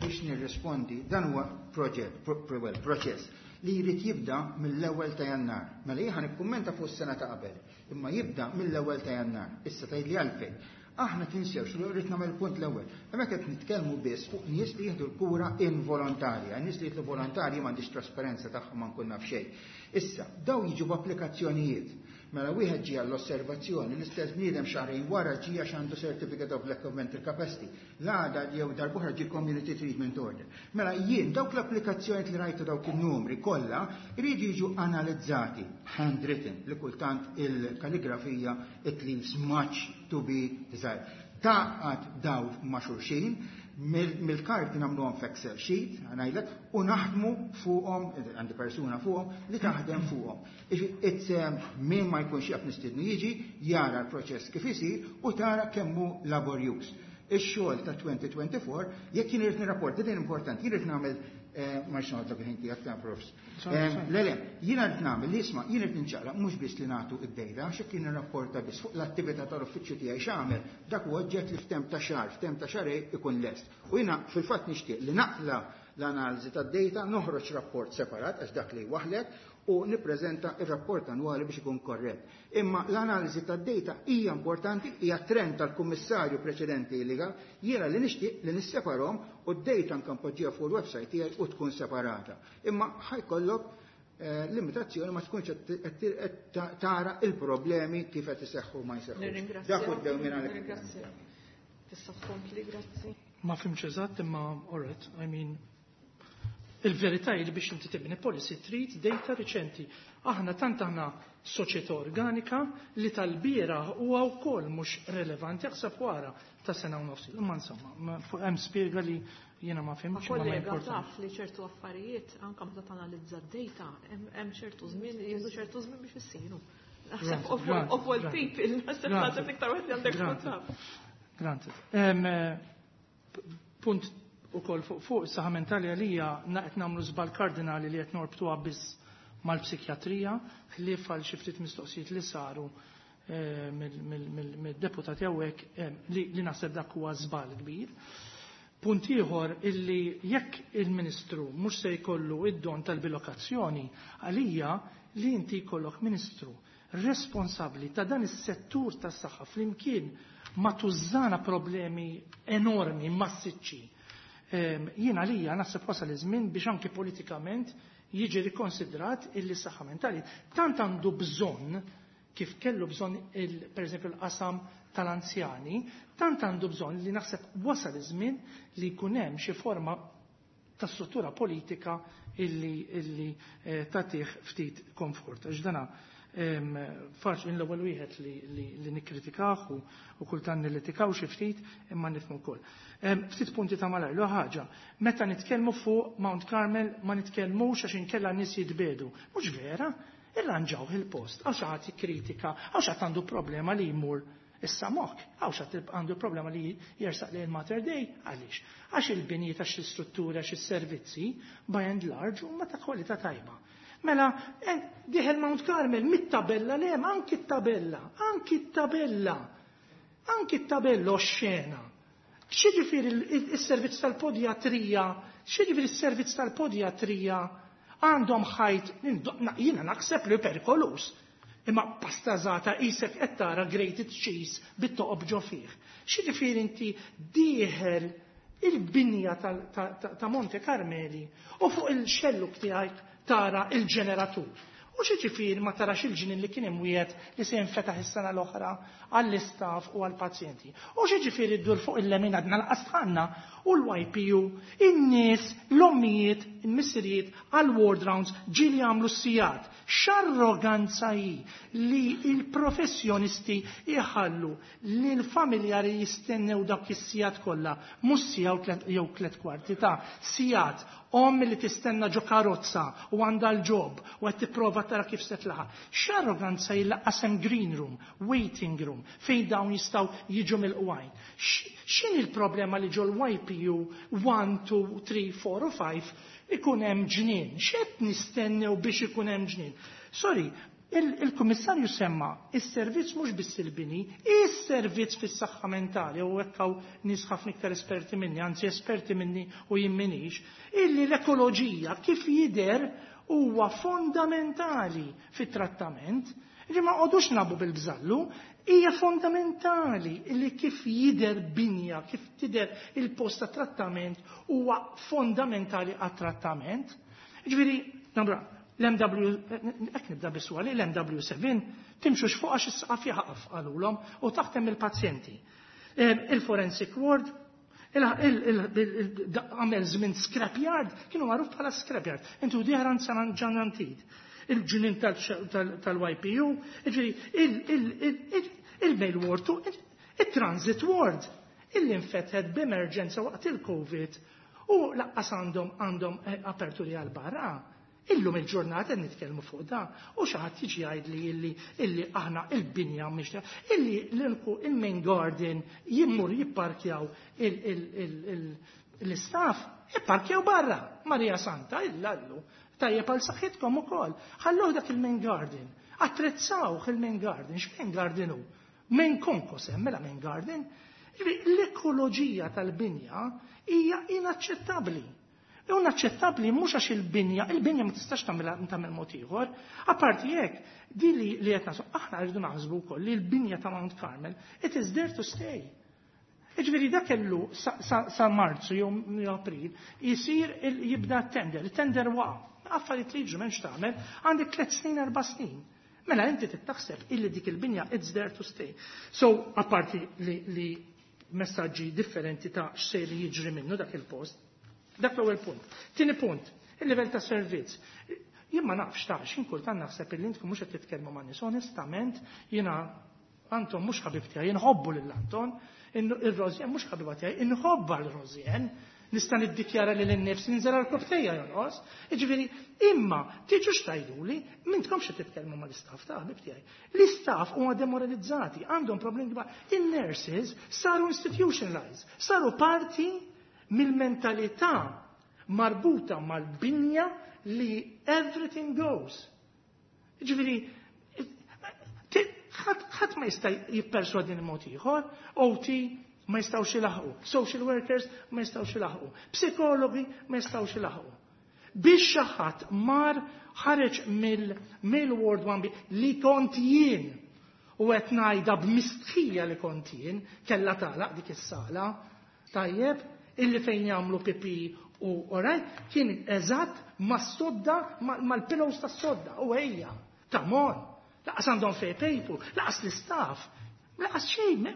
Biex nirrispondi, dan huwa proġett, well, proċess li jrid jibda mill-ewwel ta' Jannar. Mela jien nikkummenta fuq is-sena ta' qabel, imma jibda mill-ewwel ta' Jannar. Issa tgħidli għalfejn. Aħna tinsewx li rrid nagħmel punt l-ewwel. Hemmhekk qed nitkellmu biss fuq nies li jieħdu l-kura involontarja. Nies li jieħdu volontarji m'għandix trasparenza tagħhom, ma nkun naf xejn. Issa, daw jiġu b'applikazzjonijiet. Mela wieħed ġie għall-osservazzjoni, l-istess bniedem xahrejn wara ġie għax għandu certificate of lack of mental capacity. L-għada jew darb'oħra ġie community treatment order. Mela jien dawk l-applikazzjoni li rajtu, dawk in-numri kollha jridu jiġu analizzati handwritten, li kultant il-kaligrafija it leaves much to be desired. Taqgħad daw ma' xulxin, mill-karti nagħmluhom f'Excel sheet, ngħidlek, u naħdmu fuqhom, għandi persuna fuqhom li taħdem fuqhom. Min ma jkunx jaf nistidnu jiġi, jara l-proċess kif isir u tara kemm hu laborjuż. Ix-xogħol ta' 2024, jekk jien irid nirrapporta, din importanti, jien irid nagħmel, ma rridx noqgħod ħin tiegħek ta' profs. Le, le, jiena rrid nagħmel li isma', jien irid ninċaqlaq mhux biss li nagħtu id-dejta, għax jekk jien nirrapporta biss fuq l-attività tal-uffiċċju tiegħi x'għamel, dak huwa oġġett li f'temp ta' xahar, f'temp ta' xahrejn ikun lest. U jiena fil-fatt nixtieq li naqla l-analiżi tad-data, noħroġ rapport separat għax dak li waħlek u nippreżenta ir-rapport annwali biex ikun korrett. Imma l-analiżi tad-data hija importanti, hija trend tal-kummissarju preċedenti li jiena li nixtieq li nisseparhom u d-data nkampoġġija fuq il-website tiegħi u tkun separata. Imma ħajkollok limitazzjoni, ma tkunx qed tara il-problemi kif qed iseħħu ma jseħħu. Nirringrazzja. Dak hu d-dewmien għalhekk. Nirringrazzja. Tista' tkompli, grazzi. Ma fhimtx eżatt imma alright, I mean il-verità hi li biex inti tibni policy trid data riċenti. Aħna tant aħna soċjetà organika li tal-bieraħ huwa wkoll mhux relevanti aħseb wara ta' sena u nofs. Imma insomma, hemm spjega li jiena ma fhimtx ma kollega taf li ċertu affarijiet anke meta tanalizza d-data hemm ċertu żmien jieħdu ċertu żmien biex issiru. Naħseb of all people, naħseb naħseb iktar wieħed li għandek tkun Granted. Punt ukoll fuq is-saħħa mentali għalija qed nagħmlu żball kardinali li qed norbtuha biss mal-psikjatrija, ħlief għal xi ftit mistoqsijiet li saru mid-deputati hawnhekk li naħseb dak huwa żball kbir. Punt ieħor illi jekk il-Ministru mhux se jkollu id-don tal-bilokazzjoni, għalija li inti jkollok Ministru responsabbli ta' dan is-settur tas-saħħa flimkien ma' tużżana problemi enormi, massiċċi. Jien għalija naħseb wasal iż-żmien biex anke politikament jiġi rikonsidrat illi s-saħħa mentali tant għandu bżonn kif kellu bżonn per eżempju l-qasam tal-anzjani, tant għandu bżonn li naħseb wasal iż-żmien li jkun hemm xi forma ta' struttura politika illi tagħtih ftit komfort. Għax dana faċli l-ewwel wieħed li nikkritikah u kultant nillitikaw xi ftit imma nifhmu wkoll. Ftit punti ta' malajr, l ħaġa, meta nitkellmu fuq Mount Carmel ma nitkellmux għax inkella n-nies jitbedu. Mhux vera, irranġaw il-post, għax xi ħadd jikkritika, għax xi ħadd għandu problema li jmur issa mok, għax xi ħadd għandu problema li jersaq lejn Mater Dei, għaliex? Għax il-binjiet, għax l-istruttura, għax is-servizzi, by and large, huma ta' kwalità tajba. Mela, dieħel Mount Carmel, mit-tabella le, anki t-tabella, anki t-tabella, anki t-tabella oxxena. X'jiġifieri il-servizz tal-podjatrija, x'jiġifieri il-servizz tal-podjatrija għandhom ħajt, jiena naħseb li perikolus, imma pastażata qisek qed tara grated cheese bit-toqob ġo fih. X'jiġifieri inti dieħel il-binja ta' Monte Carmeli u fuq il-xelluk tiegħek tara il-ġeneratur. U x'jiġifieri ma tarax il-ġnien li kien imwiegħed li se jinfetaħ is-sena l-oħra għall-istaff u għall-pazjenti. U x'jiġifieri ddur fuq il-lemin għadna l-qasħanna u l-YPU, in-nies, l-ommijiet, il-missirijiet għall-ward rounds ġieli jagħmlu s-sigħat. X'arroganza hi li il-professjonisti jħallu li l-familjari jistennew dak is-sigħat kollha, mhux siegħa jew tliet kwarti ta' sigħat omm li tistenna ġo karozza u għandha l-job u qed tipprova tara kif se tlaħaq. X'arroganza hi lanqas hemm green room, waiting room, fejn dawn jistgħu jiġu mill-qwajn. X'inhi l-problema li ġol YPU 1, 2, 3, 4 u 5 ikun hemm ġnien? X'qed nistennew biex ikun hemm ġnien? Sorry, il-Kummissarju semma is-servizz mhux biss il-bini, is-servizz fis-saħħa mentali, u hekk hawn nies ħafna iktar esperti minni, anzi esperti minni u jien minix, illi l-ekoloġija kif jidher huwa fondamentali fit-trattament. Ġi ma qogħdux nabu bil-bżallu, hija fondamentali illi kif jidher binja, kif tidher il-post ta' trattament huwa fondamentali għat-trattament. Ġifieri, nambra, l-MW, hekk nibda biswali, l-MW7, timxux fuq għax is-saqaf jaħaf qalulhom u taħtem il-pazjenti. Il-forensic ward, għamel żmien scrapyard, kienu magħruf bħala scrapyard. Intu dieħran San Ġan Antide. Il-ġnien tal-YPU, il-mail ward, il-transit ward, illi infetħet b'emerġenza waqt il-Covid u lanqas għandhom aperturi għal barra. Illum il-ġurnata nitkellmu fuq da u xi ħadd jiġi jgħidli illi aħna il-binja mhix illi l-inku il-main garden jimmur jipparkjaw l-istaff jipparkjaw barra. Marija Santa illallu tajjeb għal saħħitkom ukoll. Ħalluh dak il-main garden. Attrezzawh il-main garden. X'main garden hu? Main konkos hemm mela main garden. L-ekoloġija tal-binja hija inaċċettabbli. Inaċċettabbli mhux għax il-binja ma tistax tagħmel mod ieħor. Apparti hekk, di li qed nasu, aħna rridu naħsbu wkoll li l-binja ta' Mount Carmel, it is there to stay. Jiġifieri dak kellu sa Marzu jew April jisir jibda tender, il-tender waqa'. Affarijiet li jiġu m'hemmx tagħmel, għandek 3 snin, 4 snin. Mela inti tittaħseb illi dik il-binja it's there to stay. So, apparti li messaġġi differenti ta' x'sejr jiġri minnu dak il-post. Dak l-ewwel punt. Tieni punt, il-livell ta' servizz. Jien ma nafx ta' x'in kultant naħseb illi intkom mhux qed titkellmu ma' nies onestament jiena Anton mhux ħabib tiegħi, inħobbu lil Anton, ir-Rosien mhux ħabiba tiegħi, inħobba l-Rosien. Nista' niddikjara lil innifsi ninżel għal koftejja jonqos. Jiġifieri, imma tiġux tgħiduli m'intkomx qed titkellmu mal-istaff ta' ħabib tiegħi. L-istaff huma demoralizzati, għandhom problemi kbar. In-nurses saru institutionalized, saru parti mill-mentalità marbuta mal-binja li everything goes. Ġifieri, ħadd ma jista' jipperswadini mod ieħor, OT ma jistgħux ilaħqu, social workers ma jistgħux ilaħqu, psikologi ma jistgħux ilaħqu. Biex xi ħadd mar ħareġ mill-Ward 1B li kont jien u qed ngħidha b'mistħija li kont jien kellha tagħlaq dik is-sala, tajjeb, illi fejn jagħmlu pipi u alright, kien eżatt mas-sodda mal-pillows tas-sodda u ejja, come on. Lanqas għandhom fej paper, lanqas l-istaff, lanqas xejn,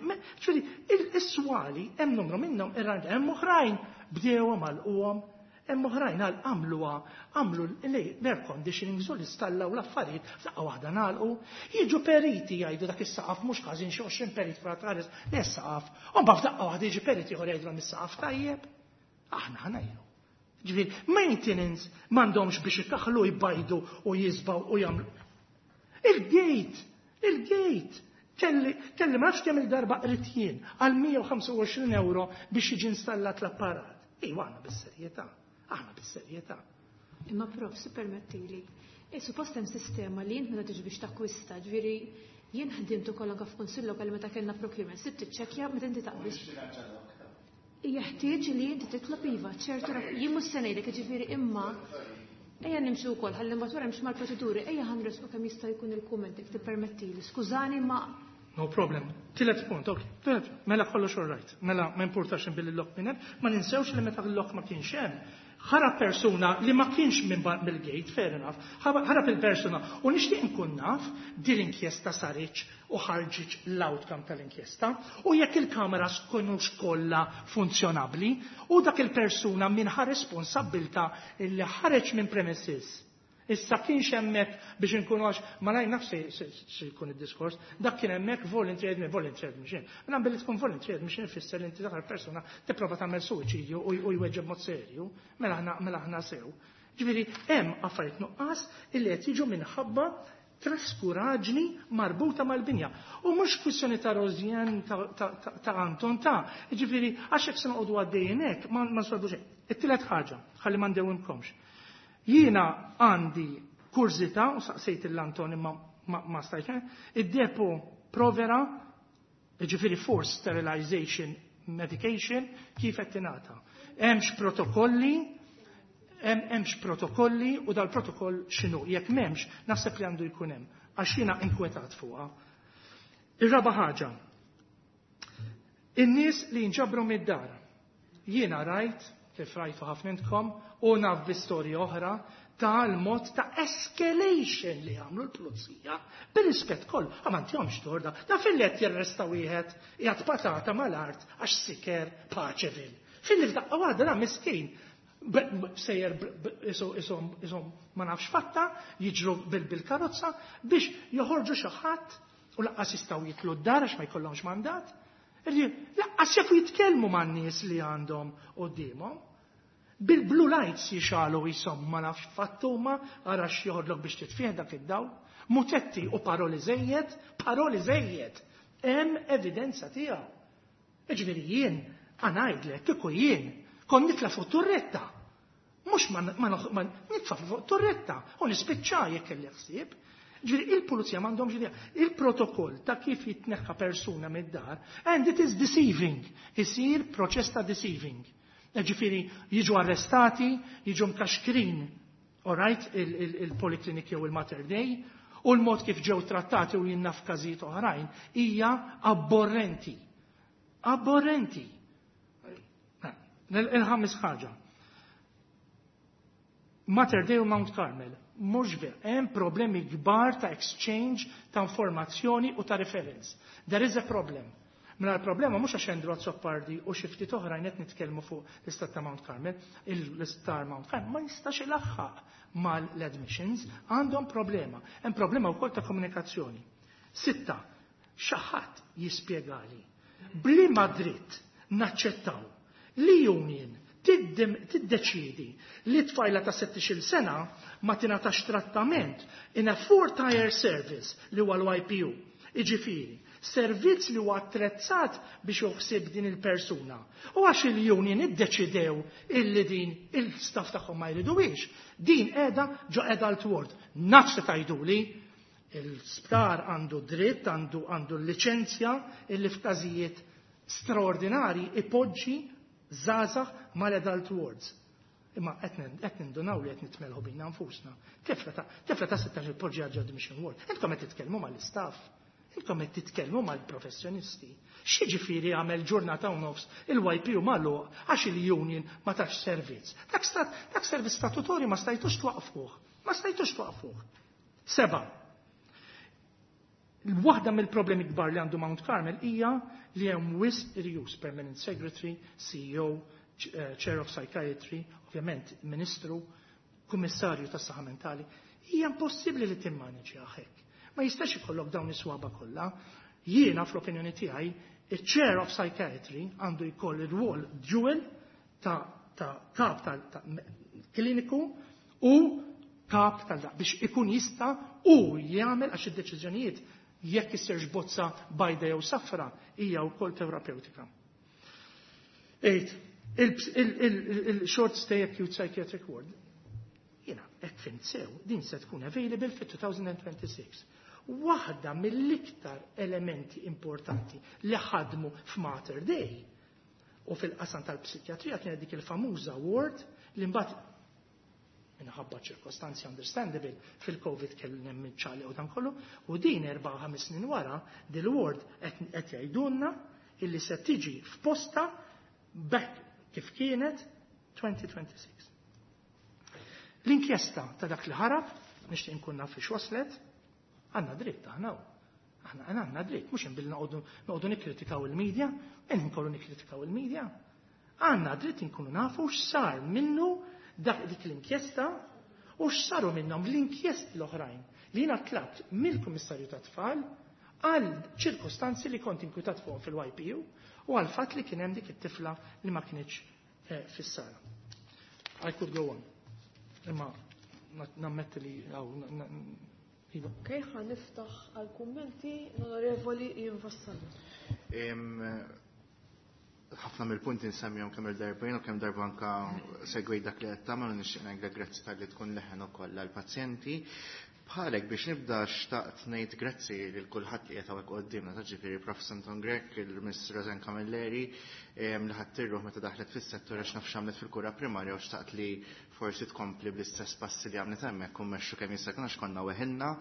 ġifieri is-swali hemm numru minnhom irranġa hemm oħrajn bdewhom għalquhom, hemm oħrajn għal għamluha għamlu l-air conditioning u l-istallaw l-affarijiet f'daqqa waħda nagħlqu. Jiġu periti jgħidu dak is-saqaf mhux ħażin xi 20 perit fra tħares li s-saqaf. U mbagħad f'daqqa waħda jiġi perit ieħor jgħidulhom is-saqaf tajjeb. Aħna ħanajlu. Ġifieri, maintenance m'għandhomx biex ikaħlu jbajdu u jisbaw u jagħmlu. Il-gate, il-gate, kelli, kelli ma nafx kemm il-darba qrid jien għal 125 euro biex jiġi installat l-apparat. Ejwa aħna bis-serjetà, aħna bis-serjetà. Imma prof, si permettili, e suppost hemm sistema li int meta tiġi biex takkwista, ġifieri jien ħdimt ukoll anke f'kunsill lokali meta kellna procurement, sibt tiċċekkja meta inti taqbis. Jeħtieġ li inti titlob iva ċertu jien mhux se ngħidlek jiġifieri imma ejja nimxu wkoll ħalli mbagħad wara nimxu mal-proċeduri, ejja ħanresqu kemm jista' jkun il-kumment jekk tippermettili. Skużani ma No problem. Tielet punt, ok. Tielet, mela kollox all right. Mela ma importax billi l-lok minn hemm, ma ninsewx li meta l-lok ma kienx hemm. Ħarab persuna li ma kienx minn mill-gate, fair enough, ħarab il-persuna u nixtieq nkun naf din l-inkjesta saritx u ħarġitx l-outcome tal-inkjesta u jekk il-kameras kinux kollha funzjonabbli u dak il-persuna min ħa responsabbiltà li ħareġ minn premises. Issa kienx hemmhekk biex inkunu għax ma ngħid nafx se jkun id-diskors, dak kien hemmhekk voluntary admission, voluntary admission. Mela billi tkun voluntary admission ifisser li inti dak persuna tipprova tagħmel suwiċidju u jweġġeb mod serju, mela aħna mela aħna sew. Ġifieri hemm affarijiet nuqqas illi qed jiġu minħabba traskuraġni marbuta mal-binja. U mhux kwistjoni ta' Rosien ta' Anton ta' ġifieri għax hekk se noqogħdu għaddejjin hekk ma nsolvu xejn. It-tielet ħaġa, ħalli ma ndewwimkomx. Jiena għandi kurżità u saqsejt l-Anton imma ma stajtx, id-depo provera, ġifieri forced sterilization medication, kif qed tingħata. Hemmx protokolli, hemmx protokolli u dal-protokoll x'inhu. Jekk m'hemmx, naħseb li għandu jkun hemm, għax jiena inkwetat fuqha. Ir-raba' ħaġa. In-nies li jinġabru mid-dar. Jiena rajt, kif rajtu ħafna intkom, u naf bi storja oħra, tal-mod ta' escalation li għamlu l-pulizija, bil-rispett kollu, għamantjomx torda, da fil-let jarresta wieħed jgħat patata mal-art għax siker Paċeville. Fil-li f'daqqa waħda da miskin, sejjer isom ma nafx fatta, jiġru bil-karozza biex joħorġu xi ħadd u lanqas jistgħu jitlu d-dar għax ma jkollhomx mandat. Lanqas jafu jitkellmu man-nies li għandhom quddiemhom. Bil-blue lights jixalu jisom ma nafx fattuma, għara x'joħodlok biex titfih dak id-dawl. Mutetti u paroli żejjed, paroli żejjed. Hemm evidenza tiegħu. Jiġifieri jien ngħidlek kieku jien kon nitla' fuq turretta. Mhux ma nitfa' fuq turretta u nispiċċa jekk kelli ħsieb. Ġifieri il-pulizija m'għandhomx idea. Il-protokoll ta' kif jitneħħa persuna mid-dar, and it is deceiving. Isir proċess ta' deceiving. Ġifieri jiġu arrestati, jiġu mkaxkrin, all right, il-poliklinik jew il-Mater Dei, u l-mod kif ġew trattati u jien naf każijiet oħrajn hija abborrenti. Abborrenti. Il-ħames ħaġa. Mater Dei u Mount Carmel, mhux ver, hemm problemi kbar ta' exchange ta' informazzjoni u ta' reference. There is a problem. Mela l-problema mhux għax Andrew Azzopardi u xi ftit oħrajn qed nitkellmu fuq l-istat ta' Mount Carmel, l-isptar Mount Carmel ma jistax ilaħħaq mal-admissions, għandhom problema. Hemm problema wkoll ta' komunikazzjoni. Sitta, xi ħadd jispjegali b'liema dritt naċċettaw li union tiddeċidi li tfajla ta' 16 sena ma tingħatax trattament in a four-tier service li huwa l-YPU. Iġifieri, servizz li huwa attrezzat biex juħsib din il-persuna. U għax il-union iddeċidew illi din il-staff tagħhom ma jriduwiex, din qiegħda ġo adult ward. Naf se tgħiduli, il-sptar għandu dritt, għandu l-liċenzja illi f'każijiet straordinari ipoġġi żgħażagħ mal-adult wards. Imma qed nindunaw li qed nitmelħu bina nfusna. Tifla ta' 16 poġġi ġo admission ward. Intkom qed titkellmu mal-istaff. Intkom qed titkellmu mal-professjonisti. X'jiġifieri għamel ġurnata u nofs il-YPU magħluq għax il-union ma tax servizz. Dak servizz statutorju ma stajtux twaqfuh. Ma stajtux twaqfuh. Seba. Waħda mill-problemi kbar li għandu Mount Carmel hija li hemm wisq irjus permanent secretary, CEO, chair of psychiatry, ovvjament ministru, kummissarju tas-saħħa mentali. Hija impossibbli li timmaneġi hekk. Ma jistax ikollok dawn is-swaba kollha. Jiena fl-opinjoni tiegħi, il-chair of psychiatry għandu jkoll ir-rwol dual ta' kap ta' kliniku u kap tal biex ikun jista' u jagħmel għax id-deċiżjonijiet jekk issirx bozza bajda jew safra hija wkoll terapeutika. Ejt, il-short stay acute psychiatric ward, jiena hekk fhimt sew, din se tkun available fit-2026. Waħda mill-iktar elementi importanti li ħadmu f'Mater Dei u fil-qasam tal-psikjatrija kienet dik il-famuża ward li mbagħad minħabba ċirkostanzi understandable fil-Covid kellu hemm ċali u dan kollu, u din 4-5 snin wara dil-ward qed jgħidulna illi se tiġi f'posta back kif kienet 2026. L-inkjesta ta' dak li ħarab, nixtieq nkun naf fiex waslet, għandna dritt aħna. Aħna għandna dritt, mhux inbilli noqogħdu nikkritikaw il-medja, nkollu nikkritikaw il-medja. Għandna dritt inkunu nafu x'sar minnu dak dik l-inkjesta u x'saru minnhom l-inkjesti l-oħrajn li jiena tlabt mill-Kummissarju tat-Tfal għal ċirkostanzi li kont inkwitat fuqhom fil-YPU u għal fatt li kien hemm dik it-tifla li ma kinitx fis-sala. I could go on. Imma nammetti li għaw Iva. Ok, ħa niftaħ għal kummenti l-Onorevoli Ian Vassallo. Ħafna mill-punti nsemmihom kemm il-darba u kemm darba anka segwej dak li qed tagħmel u nixtieq ngħidlek grazzi talli tkun leħen ukoll għall-pazjenti. Bħalek biex nibda xtaqt ngħid grazzi lil kulħadd li qed hawnhekk quddiemna, ta' ġifieri Prof. Anton Grech, il-Miss Rosanne Camilleri, li ħadd tirruħ meta daħlet fis-settur għax naf x'għamlet fil-kura primarja u xtaqt li forsi tkompli bl-istess passi li għamlet hemmhekk u mmexxu kemm jista' jkun għax konna weħilna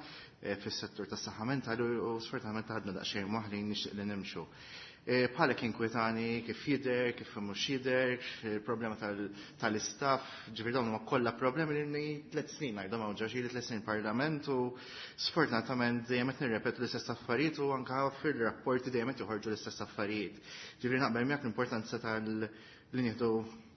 fis-settur tas-saħħa mentali u sfortunatament ħadna daqsxejn moħħlin nixtieq li nimxu. Bħalek inkwetani kif jidher, kif mhux jidher, il-problema tal-istaff, ġifieri dawn huma kollha problemi li 3 snin ngħidhom hawn ġo xi 3 snin parlament u sfortunatament dejjem qed nirrepetu l-istess affarijiet u anke fir-rapporti dejjem qed joħorġu l-istess affarijiet. Ġifieri naqbel miegħek l-importanza tal li nieħdu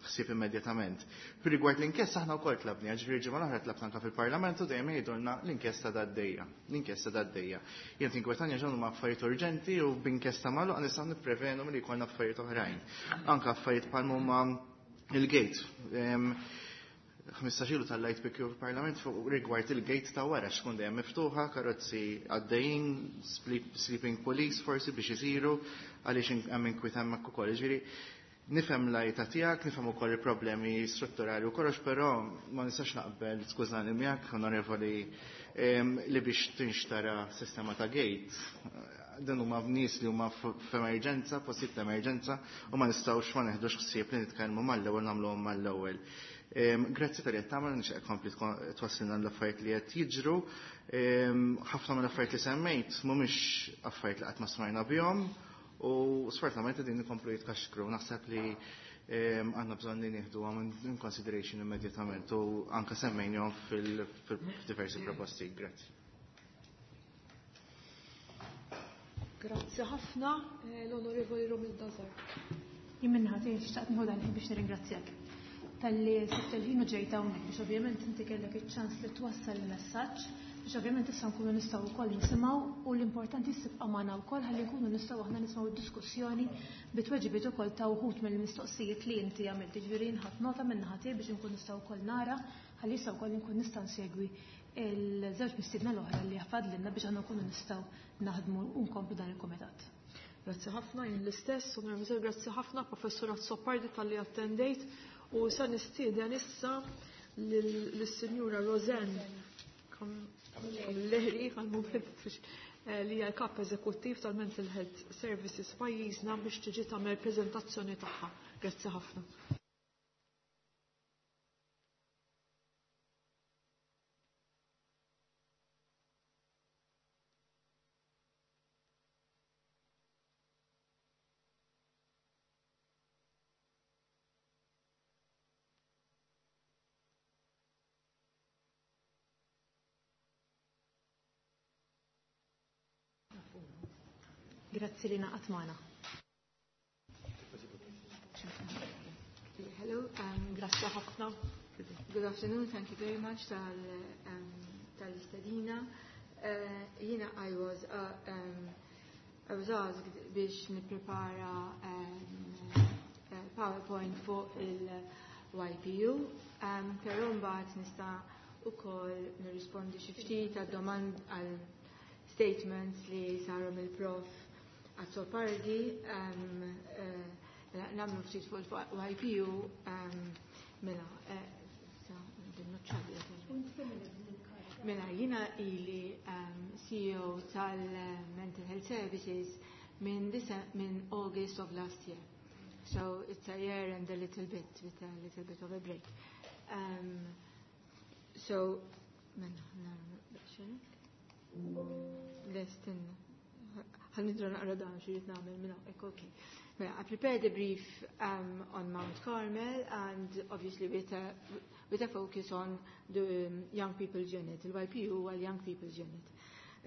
ħsieb immedjatament. Fir rigward l-inkjesta aħna wkoll tlabni, ġifieri ġimgħa l-oħra tlabt anke fil-Parlament u dejjem jgħidulna l-inkjesta għaddejja, l-inkjesta għaddejja. Jien tinkwetanja ġew huma affarijiet urġenti u b'inkjesta magħluqa nistgħu nipprevenu milli jkollna affarijiet oħrajn. Anke affarijiet bħal huma il-gate. 15 ilu tal-light pick fil-Parlament fuq rigward il-gate ta' wara x'tkun dejjem miftuħa, karozzi għaddejjin, sleeping police forsi biex isiru għaliex hemm inkwiet hemmhekk ukoll. Ġifieri nifhem l-għajta tiegħek, nifhem ukoll il-problemi strutturali u kollox, però ma nistax naqbel, skużani miegħek, onorevoli, li biex tinxtara sistema ta' gate. Dan huma nies li huma f'emerġenza, postijiet ta' emerġenza, u ma nistgħux ma neħdux ħsieb li nitkellmu mal-ewwel nagħmluhom mal-ewwel. Grazzi tal-li qed tagħmel, nixtieq kompli twassilna l-affarijiet li qed jiġru. Ħafna mill-affarijiet li semmejt mhumiex affarijiet li qatt ma smajna bihom. U sfortunatament din ikomplu jitkaxkru, naħseb li għandna bżonn li nieħdu għam in consideration immedjatament u anka semmejnihom fil-diversi proposti. Grazzi. Grazzi ħafna l-Onorevoli Romilda Zarb. Jien minnaħa tiegħi xtaqt nieħu dan il-ħin biex nirringrazzjak talli sibt il-ħin u ġejt hawnhekk biex ovvjament inti kellek iċ-ċans li twassal il-messaġġ biex ovvjament issa nkunu nistgħu wkoll nisimgħu u l-importanti tibqa' magħna wkoll ħalli nkunu nistgħu aħna nisimgħu d-diskussjoni bi tweġibiet ukoll ta' wħud mill-mistoqsijiet li inti għamilt. Jiġifieri jien ħadt nota minn naħa tiegħi biex inkun nistgħu wkoll nara ħalli issa wkoll inkun nista' nsegwi il-żewġ mistiedna l-oħra li fadlilna biex aħna nkunu nistgħu naħdmu u nkomplu dan il-kumitat. Grazzi ħafna, jien l-istess, Onorevoli, grazzi ħafna, Professur Azzopardi talli attendejt u sa nistieden issa lis-Sinjura Rosanne Camilleri li hija l-kap eżekuttiv tal-Mental Health Services pajjiżna biex tiġi tagħmel preżentazzjoni tagħha. Grazzi ħafna. Grazzi li ngħaqadt magħna. Hello, Grazzi ħafna. Good afternoon, thank you very much tal-istedina. Jiena I was asked biex nipprepara PowerPoint fuq il-YPU, però mbagħad nista' ukoll nirrispondi xi ftit għad-domand għal statements li saru mill-prof Azzopardi, nagħmlu ftit fuq il-YPU, mela, Mela, jiena ili CEO tal-Mental Health Services minn August of last year. So it's a year and a little bit, with a little bit of a break. So, mela, Lestin, ħa nidra naqra dan xi nagħmel minn hawnhekk, okay. Mela, I prepared a brief on Mount Carmel and obviously with a focus on the Young People's Unit, il-YPU huwa l-Young People's Unit.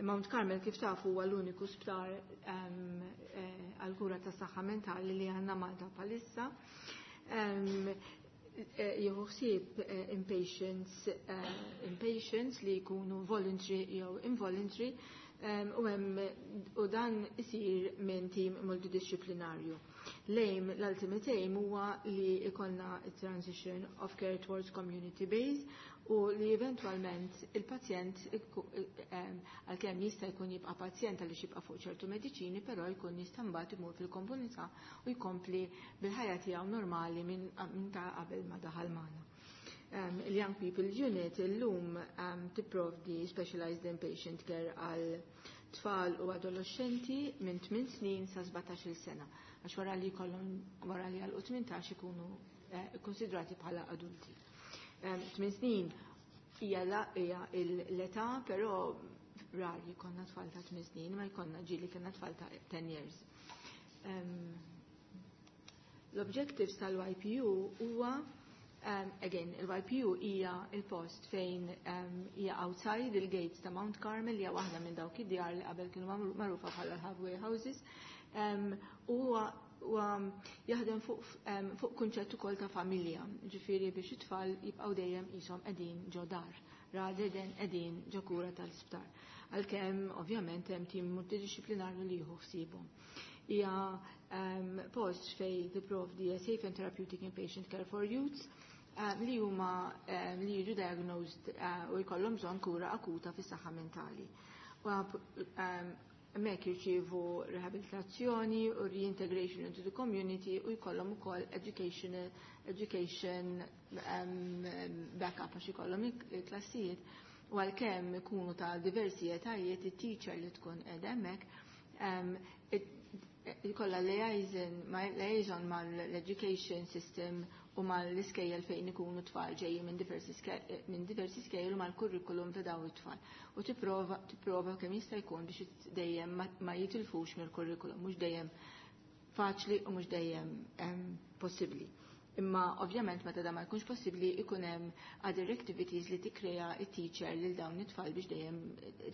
Mount Carmel kif tafu huwa l-uniku sptar għal-kura ta' saħħa mentali li għandna Malta bħalissa. Jieħu ħsieb inpatients li jkunu voluntary jew involuntary u dan isir minn team multidisciplinarju. L-aim, l-ultimate aim huwa li ikollna transition of care towards community base u li eventualment il-pazjent għalkemm jista' jkun jibqa' pazjent għaliex jibqa' fuq ċertu mediċini, però jkun jista' mbagħad imur fil-komunità u jkompli bil-ħajja tiegħu normali minn ta' qabel ma daħal magħna. Il-Young People Unit illum tipprovdi specialized inpatient care għal tfal u adolescenti minn 8 snin sa 17 sena. Għax wara li jkollhom wara li għal 18 ikunu konsidrati bħala adulti. 8 snin hija l-età, però rari jkollna tfal ta' 8 snin, ma jkollna ġieli kellna tfal ta' 10 years. L-objectives tal-YPU huwa again, il-YPU hija il-post fejn hija outside il-gates ta' Mount Carmel, hija waħda minn dawk id-djar li qabel kienu magħrufa bħala l-halfway houses. U jaħdem fuq kunċett ukoll ta' familja, ġifieri biex it-tfal jibqgħu dejjem qishom qegħdin ġo dar, rather than qegħdin ġo kura tal-isptar. Għalkemm ovvjament hemm tim multidisciplinarju li jieħu ħsiebhom. Hija post fej tipprovdi safe and therapeutic inpatient care for youths li huma li jiġu diagnosed u jkollhom bżonn kura akuta fis-saħħa mentali. Hemmhekk jirċievu rehabilitazzjoni u reintegration into the community u jkollhom ukoll education backup għax ikollhom il-klassijiet u għalkemm ikunu ta' diversi etajiet it-teacher li tkun qiegħda hemmhekk ikollha liaison mal-education system u mal-iskejjel fejn ikunu tfal ġejjin minn diversi skejjel u mal-kurrikulum ta' dawn it-tfal. U tipprova kemm jista' jkun biex dejjem ma jitilfux mill-kurrikulum, mhux dejjem faċli u mhux dejjem possibbli. Imma ovvjament meta da ma jkunx possibbli ikun hemm other activities li tikkrea it-teacher lil dawn it-tfal biex dejjem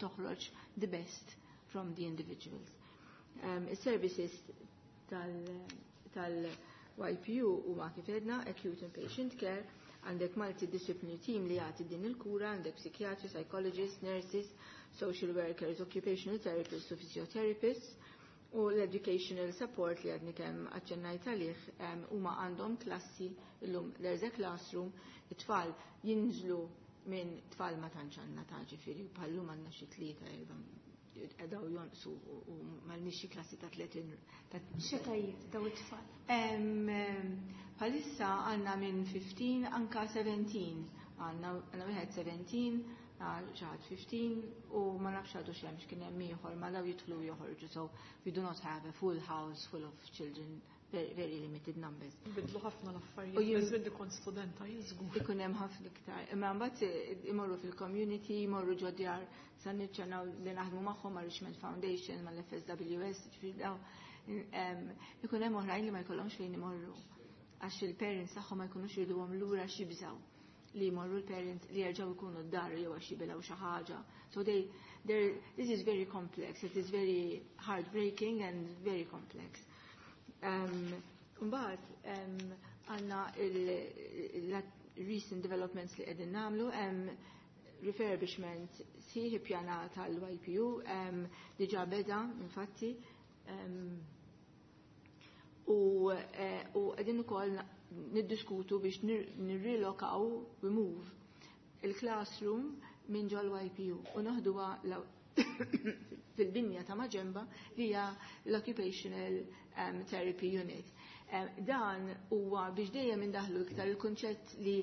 toħroġ the best from the individuals. Is-services tal-YPU huma kif għedna acute inpatient care, għandek multidisciplinary team li jagħti din il-kura, għandek psychiatrists, psychologists, nurses, social workers, occupational therapists u physiotherapists, u l-educational support li għadni kemm aċċennajt għalih huma għandhom klassi illum there's a classroom, it-tfal jinżlu minn tfal ma tantx għandna ta' ġifieri bħallum għandna xi tlieta erba' daw jonqsu u m'għandniex xi klassi ta' 30 ta' X'etajiet daw it-tfal? Bħalissa għandna minn 15 anka 17. Għandna wieħed 17, xi ħadd 15 u ma nafx għadu x'hemm x'kien hemm ieħor ma daw jidħlu joħorġu. So we do not have a full house full of children, very, very limited numbers. Bidlu ħafna l-affarijiet. U jien Żmien li kont studenta jien żgur. Ikun hemm ħafna iktar. Imma mbagħad imorru fil-community, imorru ġo djar sa niċċanaw li naħdmu magħhom ma' Richmond Foundation, mal-FSWS, ġifieri daw. Ikun hemm oħrajn li ma jkollhomx fejn imorru. Għax il-parents tagħhom ma jkunux jriduhom lura x'jibżgħu li jmorru l-parents li jerġgħu jkunu d-dar jew għax jibilgħu xi ħaġa. So this is very complex. It is very heartbreaking and very complex. Mbagħad għandna il-recent developments li qegħdin nagħmlu, hemm refurbishment sħiħ ippjanat tal-YPU, diġà beda infatti, u qegħdin ukoll niddiskutu biex nirrilokaw, we move il-classroom minn ġol YPU u noħduha fil-binja ta' maġenba li hija l-Occupational Therapy Unit. Dan huwa biex dejjem indaħlu iktar il-kunċett li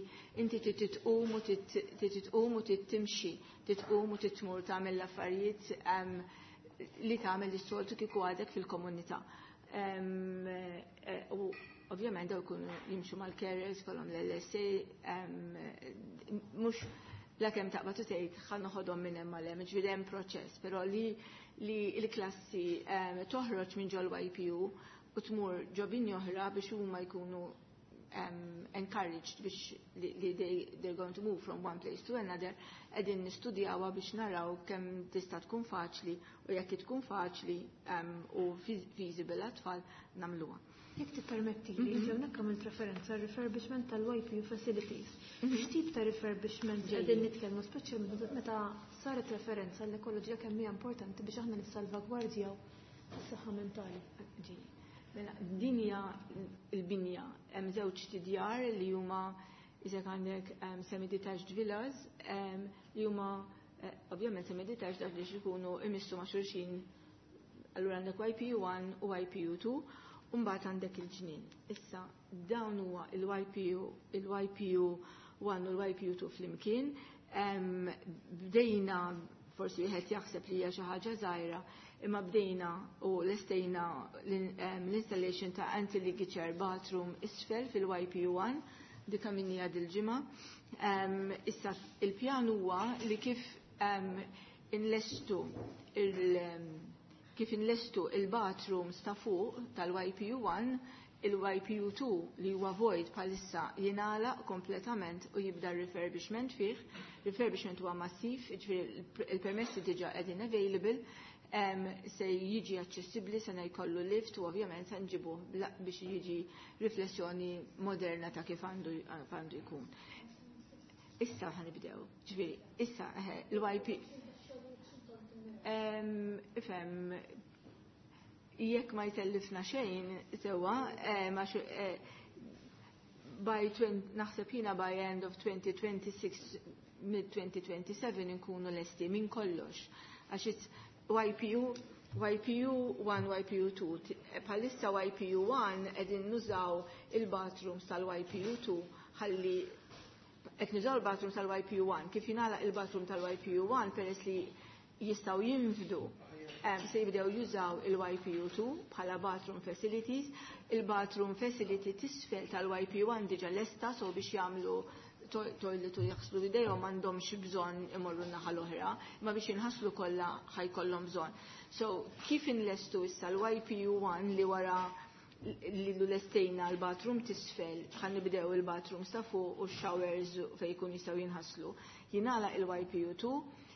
inti trid titqum u titqum u tittimxi, titqum u titmur tagħmel l-affarijiet li tagħmel is-soltu kieku għadek fil-komunità. U ovvjament daw jkunu jimxu mal-carers, kollhom l-LSA, mhux la kemm taqbad u tgħid ħa noħodhom minn hemm għal hemm, ġifieri hemm proċess, però li l-klassi toħroġ minn ġol YPU u tmur ġo binja oħra biex huma jkunu encouraged biex li they're going to move from one place to another, qegħdin nistudjawha biex naraw kemm tista' tkun faċli u jekk tkun faċli u feasible għat-tfal nagħmluha. Jekk tippermetti li hawnhekk għamilt referenza għal refurbishment tal-YPU facilities. X'tip ta' refurbishment qegħdin nitkellmu, speċjalment meta saret referenza l-ekoloġija kemm hija importanti biex aħna nissalvagwardjaw is-saħħa mentali. Ġej. Mela, din hija l-binja, hemm żewġ tidjar li huma iżek għandek semi-detached villas li huma ovvjament semi-detached għax biex ikunu imissu ma' xulxin. Allura għandek YPU 1 u YPU 2 u mbagħad għandek il-ġnien. Issa dawn huwa il-YPU, il-YPU 1 u l-YPU 2 flimkien. Bdejna, forsi wieħed jaħseb li hija xi ħaġa żgħira, imma bdejna u lestejna l-installation ta' anti-ligature bathroom isfel fil-YPU 1, dika minnija dil-ġimgħa. Issa il-pjan huwa li kif inlestu il-bathrooms ta' fuq tal-YPU 1, il-YPU 2 li huwa void bħalissa jingħalaq kompletament u jibda refurbishment fih. Refurbishment huwa massiv, jiġifieri il-permessi diġà qegħdin available, se jiġi aċċessibbli, se jkollu lift u ovvjament se nġibuh biex jiġi riflessjoni moderna ta' kif għandu jkun. Issa ħanibdew, ġifieri, issa l-YP. Ifhem, jekk ma jtellifna xejn, sewwa, għax by naħseb jiena by end of 2026, mid 2027 inkunu lesti minn kollox. Għax it's YPU, YPU 1, YPU 2. Bħalissa YPU 1 qegħdin nużaw il-bathrooms tal-YPU 2 ħalli qed nużaw il-bathroom tal-YPU 1. Kif jingħalaq il-bathroom tal-YPU 1 peress li jistgħu jinfdu, se jibdew jużaw il-YPU 2 bħala bathroom facilities. Il-bathroom facility tisfel tal-YPU 1 diġa lesta, so biex jagħmlu toilet u jaħslu idejhom m'għandhomx bżonn imorru n-naħa l-oħra, imma biex jinħaslu kollha ħajkollhom bżonn. So kif inlestu issa l-YPU 1 li wara li l-lestejna l-bathroom tisfel, ħan nibdew il-bathroom sa fuq u showers fejn jkun jistgħu jinħaslu. Jingħalaq il-YPU 2,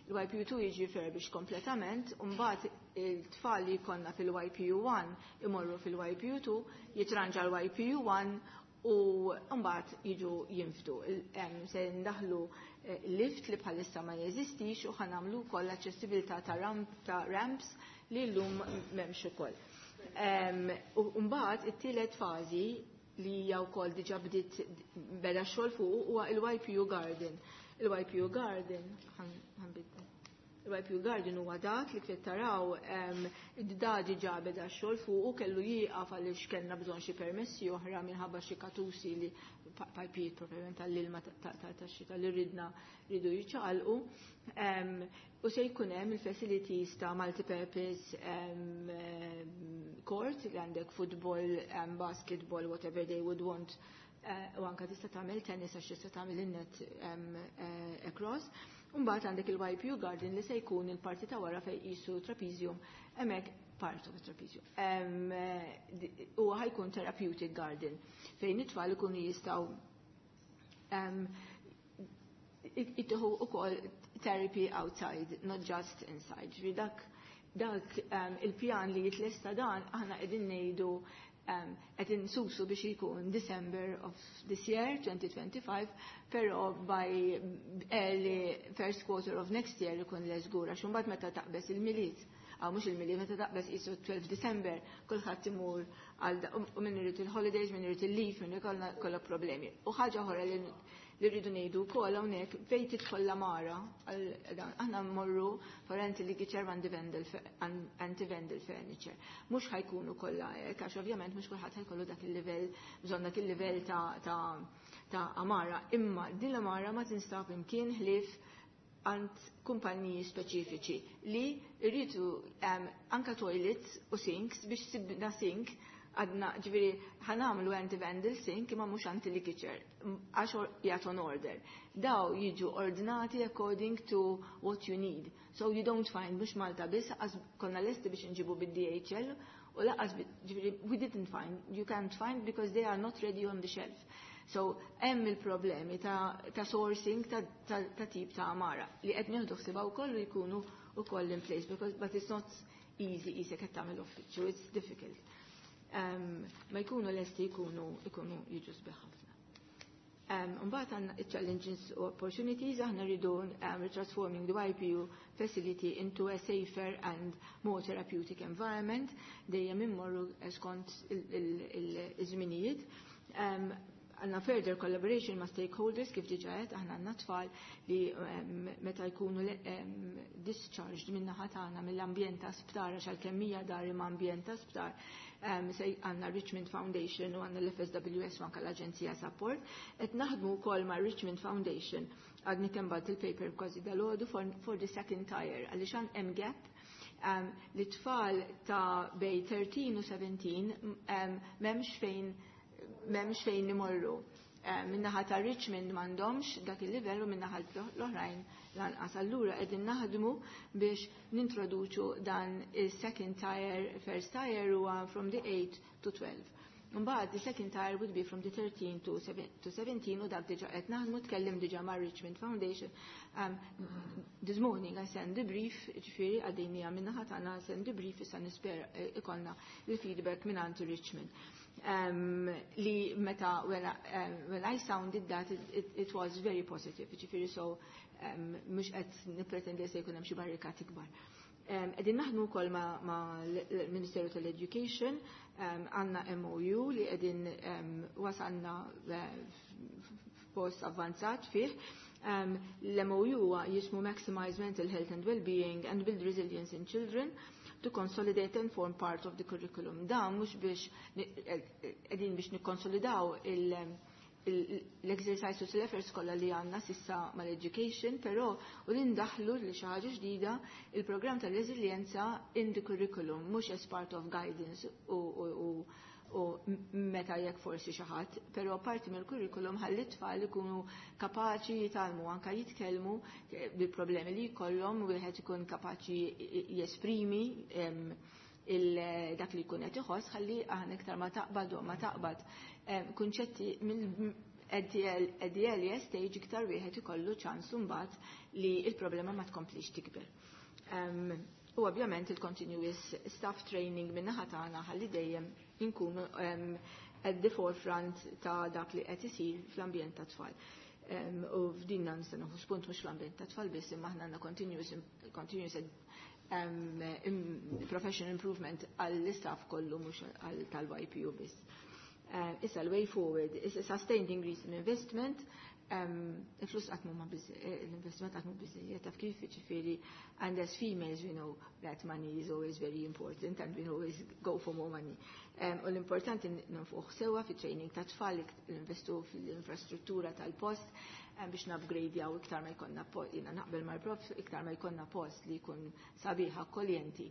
Il-YPU2 jiġi refurbished kompletament, u mbagħad il-tfal li jkollna fil-YPU1 imorru fil-YPU2, jitranġa l-YPU1 u mbagħad jiġu jinfdu. Se ndaħlu lift li bħalissa ma jeżistix u ħa nagħmlu wkoll aċċessibilità ta' ramp ta' ramps li llum m'hemmx ukoll. U mbagħad it-tielet fażi li hija wkoll diġà bdiet beda xogħol fuq huwa il-YPU Garden. Il-YPU Garden ħanbidda. Il-YPU Garden huwa dak li kif taraw da diġà beda xogħol fuq u kellu jieqaf għaliex kellna bżonn xi permessi oħra minħabba xi katusi li pajpijiet propjament tal-ilma tax-xita li ridna ridu jiċċaqalqu. U se jkun hemm il-facilities ta' multipurpose court li għandek football, basketball, whatever they would want, u anka tista' tagħmel tennis għax tista' tagħmel in-net across. Mbagħad għandek il-YPU Garden li se jkun il-parti ta' wara fejn qisu trapezium, hemmhekk part of a trapezium. Huwa ħa jkun therapeutic garden fejn it-tfal ikunu jistgħu jittieħu ukoll therapy outside, not just inside. Ġifieri dak il-pjan li jitlesta dan aħna qegħdin ngħidu qed insusu biex jkun December of this year, 2025, però by early first quarter of next year ikun le żgur, għax imbagħad meta taqbeż il-Milied, għaw mhux il-Milied, meta taqbeż qisu 12 December, kulħadd imur għal u min irid il-holidays, min irid il-leave, min ikollna kollha problemi. U ħaġa oħra li rridu ngħidu wkoll hawnhekk fejn tidħol l-għamara, aħna mmorru for anti-ligature anti-vandal furniture. Mhux ħa jkunu kollha hekk, għax ovvjament mhux kulħadd ħa jkollu dak il-livell, bżonn dak il-livell ta' għamara. Imma din l-għamara ma tinstab imkien ħlief għand kumpaniji speċifiċi li rridu anka toilets u sinks biex sibna sink għadna ġifieri ħa nagħmlu anti-vandal sink imma mhux anti-ligature għax jgħat on order. Daw jiġu ordinati according to what you need. So you don't find mhux Malta biss, għax konna lesti biex nġibu bid-DHL u lanqas ġifieri we didn't find, you can't find because they are not ready on the shelf. So hemm il-problemi ta' sourcing ta' tip ta' għamara li qed nieħdu ħsiebha wkoll u jkunu wkoll in place because but it's not easy qisek qed tagħmel uffiċċju, it's difficult. Ma jkunu lesti jkunu jiġu sbieħ ħafna. Mbagħad għandna challenges u opportunities, aħna rridu transforming the YPU facility into a safer and more therapeutic environment, dejjem immorru skont il-żminijiet. Għandna further collaboration ma' stakeholders kif diġa għedt, aħna għandna tfal li meta jkunu discharged minna tagħna mill-ambjent ta' sptar, għax għalkemm hija dar imma ambjent ta' sptar, se għandna Richmond Foundation u għandna l-FSWS u anka l-Aġenzija Support. Qed naħdmu wkoll ma' Richmond Foundation, għadni kemm bgħatt il-paper kważi dalgħodu for the second tier, għaliex hemm gap li tfal ta' bej 13 u 17 m'hemmx fejn imorru. Minnaħa ta' Richmond m'għandhomx dak il-livell u minnaħa l-oħrajn lanqas. Allura qegħdin naħdmu biex nintroduċu dan il-second tier, first tier huwa from the 8 to 12. Mbagħad the second tier would be from the 13 to 17 u dak diġà qed naħdmu, tkellim diġà ma' Richmond Foundation. This morning I send the brief, ġifieri għaddejnija minnaħa tagħna send the brief, issa nispera ikollna il-feedback minn Richmond. Li meta when I sounded that it was very positive, ġifieri so mhux qed nippretendi se jkun hemm xi barrikati kbar. Qegħdin naħdmu wkoll ma l-Ministeru tal-Education, għandna MOU li qegħdin wasalna f'post avvanzat fih. L-MOU huwa jismu Maximize Mental Health and Well-being and Build Resilience in Children to consolidate and form part of the curriculum. Dan mhux biex qegħdin biex nikkonsolidaw l-exercises u l-efforts kollha li għandna sissa mal-education, però u li ndaħlu li xi ħaġa ġdida il-programm tal-reżiljenza in the curriculum, mhux as part of guidance u meta jekk forsi xi ħadd, però parti mill-curriculum ħalli t-tfal ikunu kapaċi jitgħallmu anke jitkellmu bil-problemi li jkollhom, wieħed ikun kapaċi jesprimi dak li jkun qed iħoss ħalli aħna iktar ma taqbad u ma taqbad kunċetti. at the, at the earliest stage iktar wieħed ikollu ċans imbagħad li il-problema ma tkomplix tikber. U ovvjament il-continuous staff training min-naħa tagħna ħalli dejjem inkunu at the forefront ta' dak li qed isir fl-ambjent ta' tfal. U f'din nista' nieħu spunt mhux fl-ambjent ta' tfal biss imma aħna għandna continuous professional improvement għall-istaff kollu mhux għal tal-YPU biss. Issa l-way forward is a sustained increase in investment. Il-flus qatt mhuma l-investiment qatt mhu biżejjed, taf kif, ġifieri, and as females we know that money is always very important and we always go for more money. U l-importanti nonfuq sewwa fi training ta' tfal, investu fil-infrastruttura tal-post biex nupgradejaw iktar ma jkollna post, jiena naqbel mal-prof, iktar ma jkollna post li jkun sabiħ, akkoljenti,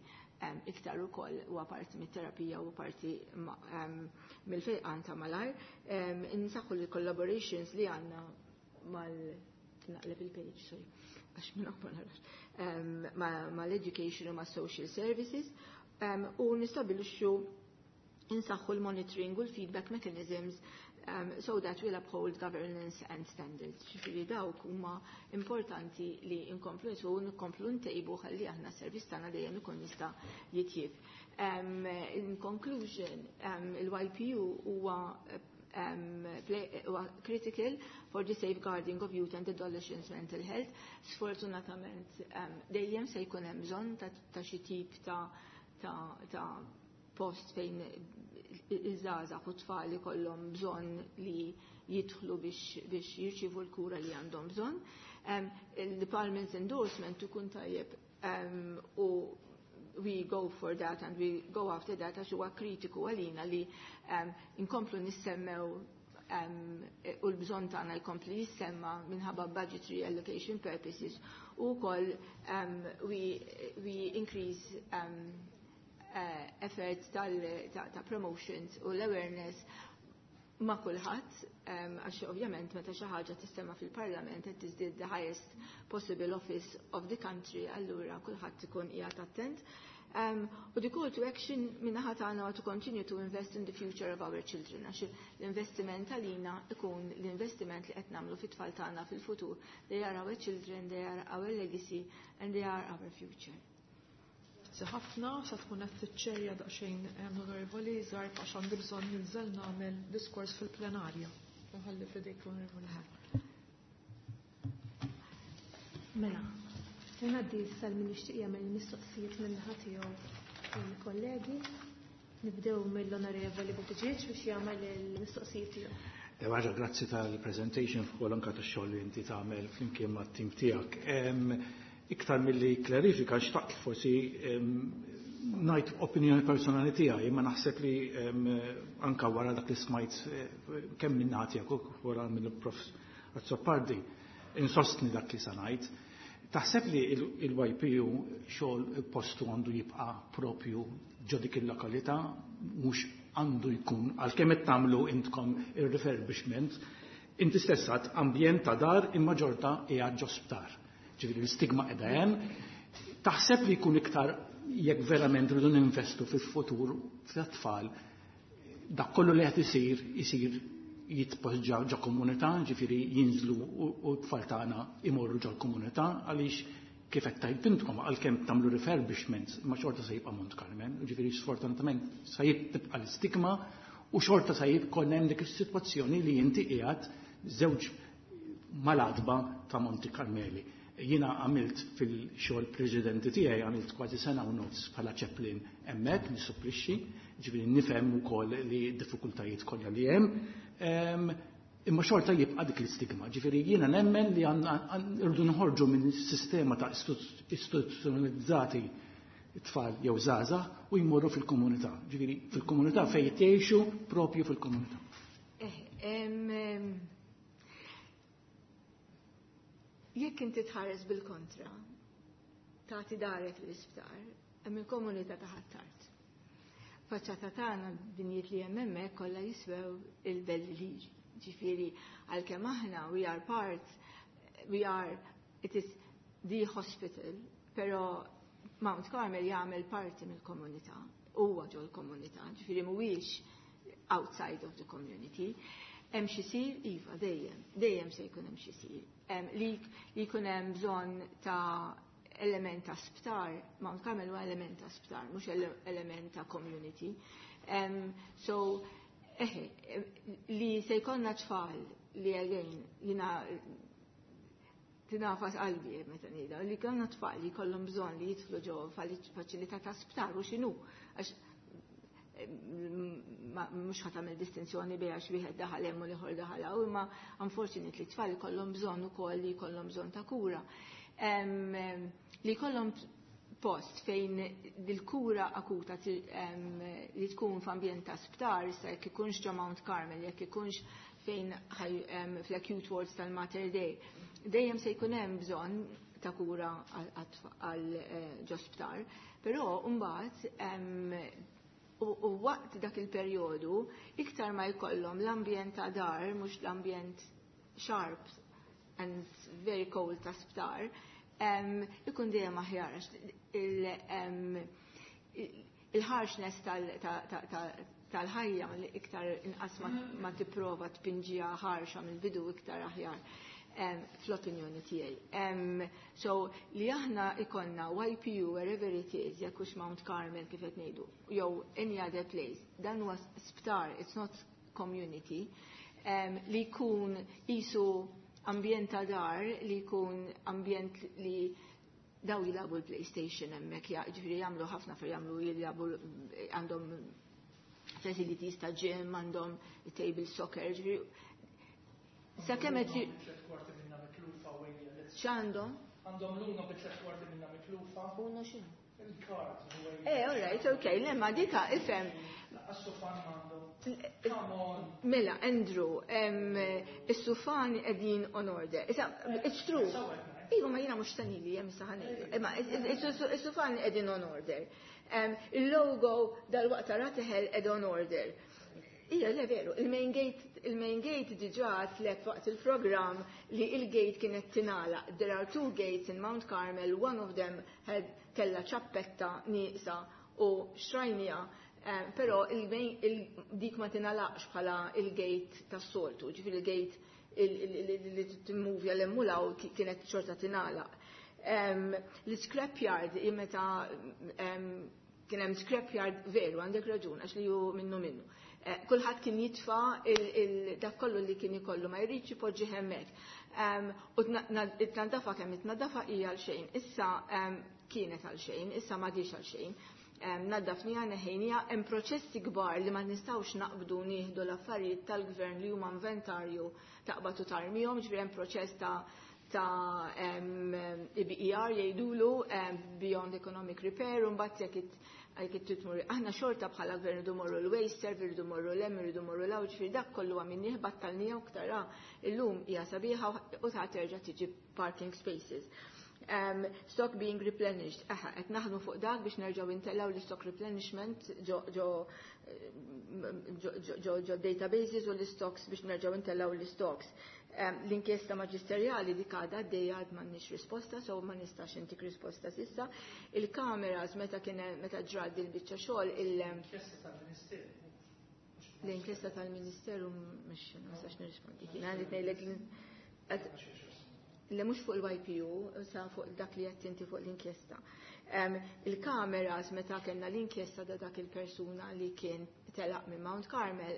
iktar ukoll huwa parti mit-terapija u parti mill-fejqan ta' malajr. Insaħħu l-collaborations li għandna mal naqleb il-page, sorry, għax minn ma narax, mal-education u ma' social services u nistabilixxu, insaħħu l-monitoring u l-feedback mechanisms so that we'll uphold governance and standards. Ġifieri dawk huma importanti li nkomplu nisu nkomplu ntejbu ħalli aħna s-servizz tagħna dejjem ikun jista' jitjieb. In conclusion, il-YPU huwa critical for the safeguarding of youth and adolescents' mental health. Sfortunatament, dejjem se jkun hemm bżonn ta' xi tip ta' post fejn iż-żgħażagħ u tfal ikollhom bżonn li jidħlu biex jirċievu l-kura li għandhom bżonn. Il-Department's endorsement ikun tajjeb u we go for that and we go after that għax huwa kritiku għalina li inkomplu nissemmew u l-bżonn tagħna jkompli jissemma minħabba budgetary allocation purposes u wkoll we increase effort ta' promotions u l-awareness ma' kulħadd, għax ovvjament meta xi ħaġa tissemma fil-Parlament qed tiżdied the highest possible office of the country, allura kulħadd ikun qiegħed attent. U the call to action min-naħa tagħna to continue to invest in the future of our children, għax l-investiment għalina ikun l-investiment li qed nagħmlu fit-tfal tagħna fil-futur. They are our children, they are our legacy and they are our future. Grazzi ħafna, sa tkun qed tiċċerja daqsxejn, Onorevoli Zarb, għax għandi bżonn ninżel nagħmel diskors fil-plenarja. Nħalli f'idejk l-Onorevoli Zarb. Mela, ngħaddi issa min jixtieq jagħmel mistoqsijiet min-naħa tiegħu il-kollegi. Nibdew mill-Onorevoli Buttigieg biex jagħmel il-mistoqsijiet tiegħu. Ħaġa, grazzi tal-presentation fuq anka tax-xogħol li inti tagħmel flimkien mat-tim tiegħek. Iktar milli klarifika, xtaqt forsi ngħid opinjoni personali tiegħi, imma naħseb li anka wara dak li smajt kemm minn tiegħek u wara mill-Prof Azzopardi insostni dak li sa ngħid. Taħseb li il-YPU xogħol postu għandu jibqa' propju ġo dik il-lokalità, mhux għandu jkun, għalkemm qed tagħmlu intkom ir-refurbishment, inti stess għad ambjent ta' dar imma ġorta qiegħed ġo sptar. Ġifieri l-istigma qiegħda hemm. Taħseb li jkun iktar jekk verament rridu ninvestu fil-futur fit-tfal, dak kollu li qed isir isir jitpoġġa ġo komunità, ġifieri jinżlu u t-tfal tagħna imorru ġo komunità, għaliex kif qed tgħid intkom, għalkemm tagħmlu refurbishments, ma xorta se jibqa' Mount Carmel, ġifieri sfortunatament se tibqa' l-istigma u xorta se jkun hemm dik is-sitwazzjoni li inti qiegħed żewġ mal-għatba ta' Monti Carmeli. Jiena għamilt fil-xogħol preċedenti tiegħi, għamilt kważi sena u nofs bħala chaplain hemmhekk nissupplixxi, ġifieri nifhem ukoll li d-diffikultajiet kollha li hemm. Imma xorta jibqa' dik l-istigma. Ġifieri jiena nemmen li għandna rridu nħorġu minn sistema ta' istituzzjonalizzati tfal jew żgħażagħ u jmorru fil-komunità. Ġifieri fil-komunità fejn jgħixu propju fil-komunità. Jekk inti tħares bil-kontra, tagħti darek l-isptar, hemm il-komunità ta' Ħ'Attard. Faċċata tagħna binjiet li hemm hemmhekk kollha jiswew il-belli liri. Ġifieri għalkemm aħna we are part, we are, it is the hospital, però Mount Carmel jagħmel parti mill-komunità, huwa ġol komunità, ġifieri mhuwiex outside of the community. Hemm xi jsir? Iva, dejjem. Dejjem se jkun hemm xi jsir. Li jkun hemm bżonn ta' element ta' sptar, Mount Carmel huwa element ta' sptar, mhux element ta' community. So, eħe, li se jkollna tfal li again, jina tinafas qalbi meta ngħidha, li kellna tfal li jkollhom bżonn li jidħlu ġo faċilità ta' sptar u x'inhu għax mhux ħa tagħmel distinzjoni bejn għax wieħed daħal hemm u l-ieħor daħal hawn, imma unfortunately tfal ikollhom bżonn ukoll li jkollhom bżonn ta' kura. Li jkollhom post fejn dil-kura akuta li tkun f'ambjent ta' sptar, issa jekk ikunx ġo Mount Carmel, jekk ikunx fejn fl-acute wards tal-Mater Dei, dejjem se jkun hemm bżonn ta' kura għal ġo sptar, però mbagħad u waqt dak il-perjodu iktar ma jkollhom l-ambjent ta' dar, mhux l-ambjent sharp and very cold ta' sptar, ikun dejjem aħjar għax il-harshness tal-ħajja li iktar inqas ma tipprova tpinġiha ħarxa mill-bidu iktar aħjar fl-opinjoni tiegħi. So li aħna ikollna YPU wherever it is, jekk hux Mount Carmel kif qed ngħidu, jew any other place, dan huwa sptar, it's not community, li jkun qisu ambjent ta' dar, li jkun ambjent li daw jilagħbu l-PlayStation hemmhekk, ġifieri jagħmlu ħafna fer jagħmlu jilagħbu għandhom facilities ta' gym, għandhom table soccer, ġifieri sakemm qed x'għandhom? Għandhom l-uno bi tliet kwarti minna mitlufa. Uno x'inhu? Il-card. Eh, all right, okay, le ma dika ifhem. Is-sufan għandhom. Come on. Mela, Andrew, is-sufan qegħdin on order. Issa, it's true. Iva, ma jiena mhux tanili, hemm issa ħanejdu. Imma is-sufan qegħdin on order. Il-logo dal-waqt tara teħel qed on order. Ija, le veru, il-main gate, il-main gate diġà tlek waqt il-program li il-gate kienet tingħalaq. There are two gates in Mount Carmel, one of them had kella ċappetta nieqsa u xtrajnija, però dik ma tingħalaqx bħala il-gate tas-soltu, ġifieri il-gate li timmuvja l-emmulaw kienet xorta tingħalaq. L-scrapyard, meta kien hemm scrapyard veru, għandek raġun, għax li ju minnu minnu. Kulħadd kien jitfa dak kollu li kien ikollu ma jridx ipoġġi hemmhekk. U t-nadafa kemm it-nadafa hija għal xejn. Issa kienet għal xejn, issa m'għadix għal xejn. Naddafnija neħejnija, hemm proċessi kbar li ma nistgħux naqbdu nieħdu l-affarijiet tal-gvern li huma inventarju taqbad u tarmihom, ġifieri hemm proċess ta' IBER jgħidulu Beyond Economic Repair, u mbagħad jekk titmur. Aħna xorta bħala gvern irridu morru l-waste serve, irridu morru l-hemm, irridu morru l ġifieri dak kollu għamilnieh battalnija u ktara illum hija sabiħa u ta' terġa' tiġi parking spaces. Stock being replenished. Aha, qed naħdmu fuq dak biex nerġgħu intellgħu l-stock replenishment ġo databases u l-stocks biex nerġgħu intellgħu l-stocks. L-inkjesta maġisterjali dik għadha għaddejja għad m'għandniex risposta, so ma nistax intik risposta s'issa. Il-kameras meta kien meta ġrat il-biċċa xogħol L-inkjesta tal-Ministeru. L-inkjesta tal-Ministeru mhux ma nistax nirrispondi. Kien għandi ngħidlek li mhux fuq il-YPU, sa fuq dak li qed inti fuq l-inkjesta. Il-kameras meta kellna l-inkjesta da dak il-persuna li kien telaq minn Mount Carmel,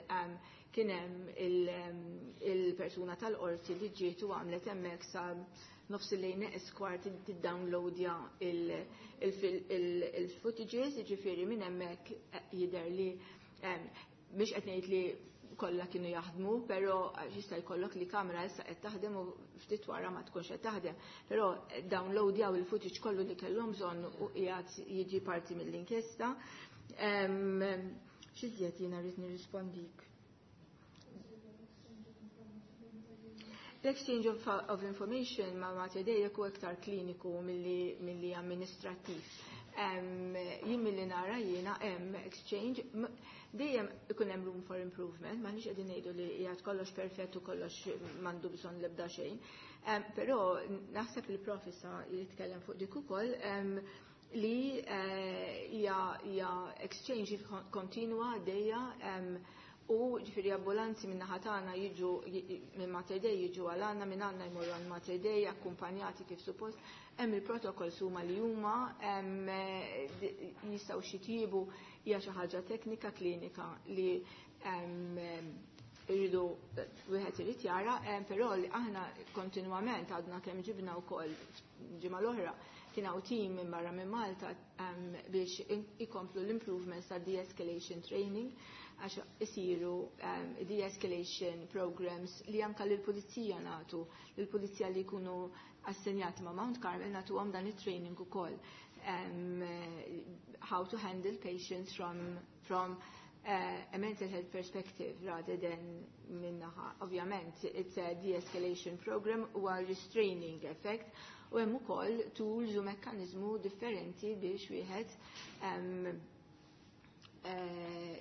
kien hemm il-persuna tal-qorti li ġiet u għamlet hemmhekk sa nofs il-lejn neqes kwart tiddownloadja il-footages, jiġifieri minn hemmhekk jidher li mhix qed ngħid li kollha kienu jaħdmu, però jista' jkollok li kamera issa qed taħdem u ftit wara ma tkunx qed taħdem. Però downloadjaw il-footage kollu li kellhom bżonn u qiegħed jiġi parti mill-inkjesta. X'iżjed jiena rrid nirrispondik? L-exchange of information ma' Mater Dei u iktar kliniku milli amministrattiv. Jien milli nara jiena hemm exchange, dejjem ikun hemm room for improvement, ma nix qegħdin ngħidu li qiegħed kollox perfett u kollox m'għandu bżonn l-ebda xejn. Però naħseb il-prof issa jitkellem fuq dik ukoll li hija exchange kontinwa għaddejja. U ġifieri ambulanzi minn naħa tagħna jiġu minn Mater Dei jiġu għal għandna, minn għandna jmorru għand Mater Dei akkumpanjati kif suppost. Hemm il-protokolls huma li huma hemm jistgħu xitjibu hija xi ħaġa teknika klinika li irridu wieħed irid jara, però li aħna kontinwament għadna kemm ġibna wkoll ġimgħa l-oħra kien hawn team minn barra minn Malta biex ikomplu l-improvements ta' de-escalation training għax isiru de-escalation programs li anka lill-pulizija nagħtu, lill-pulizija li jkunu assenjati ma' Mount Carmel nagħtuhom dan it-training ukoll. How to handle patients from a mental health perspective rather than minnaħa. Ovvjament, it's a de-escalation program u a restraining effect u hemm ukoll tools u mekkaniżmu differenti biex wieħed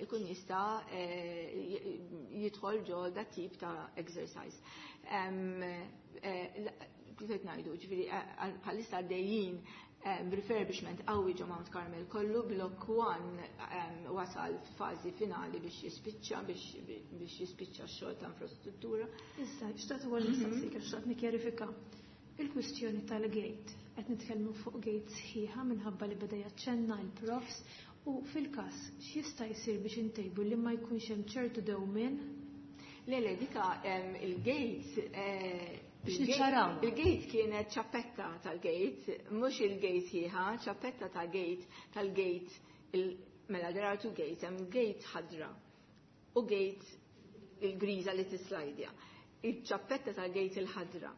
ikun jista' jidħol ġol dat tip ta' exercise. Kif qed ngħidu, ġifieri bħalissa għaddejjin refurbishment qawwi ġo Mount Carmel kollu, Block 1 wasal f'fażi finali biex jispiċċa biex jispiċċa x-xogħol ta' infrastruttura. Issa, xtaqt ukoll nistaqsik għax xtaqt nikkjarifika. Il-kwistjoni tal-gate, qed nitkellmu fuq gate sħiħa minħabba li beda jaċċenna l-profs u fil-każ x'jista' jsir biex intejbu li ma jkunx hemm ċertu dewmien? Le, le, dika il-gate Biex niċċaraw. Il-gate kienet ċappetta tal-gate, mhux il-gate sħiħa, ċappetta ta' gate tal-gate, mela there are two gates, hemm gate ħadra u gate il-griża li tislajdja. Il-ċappetta tal-gate il-ħadra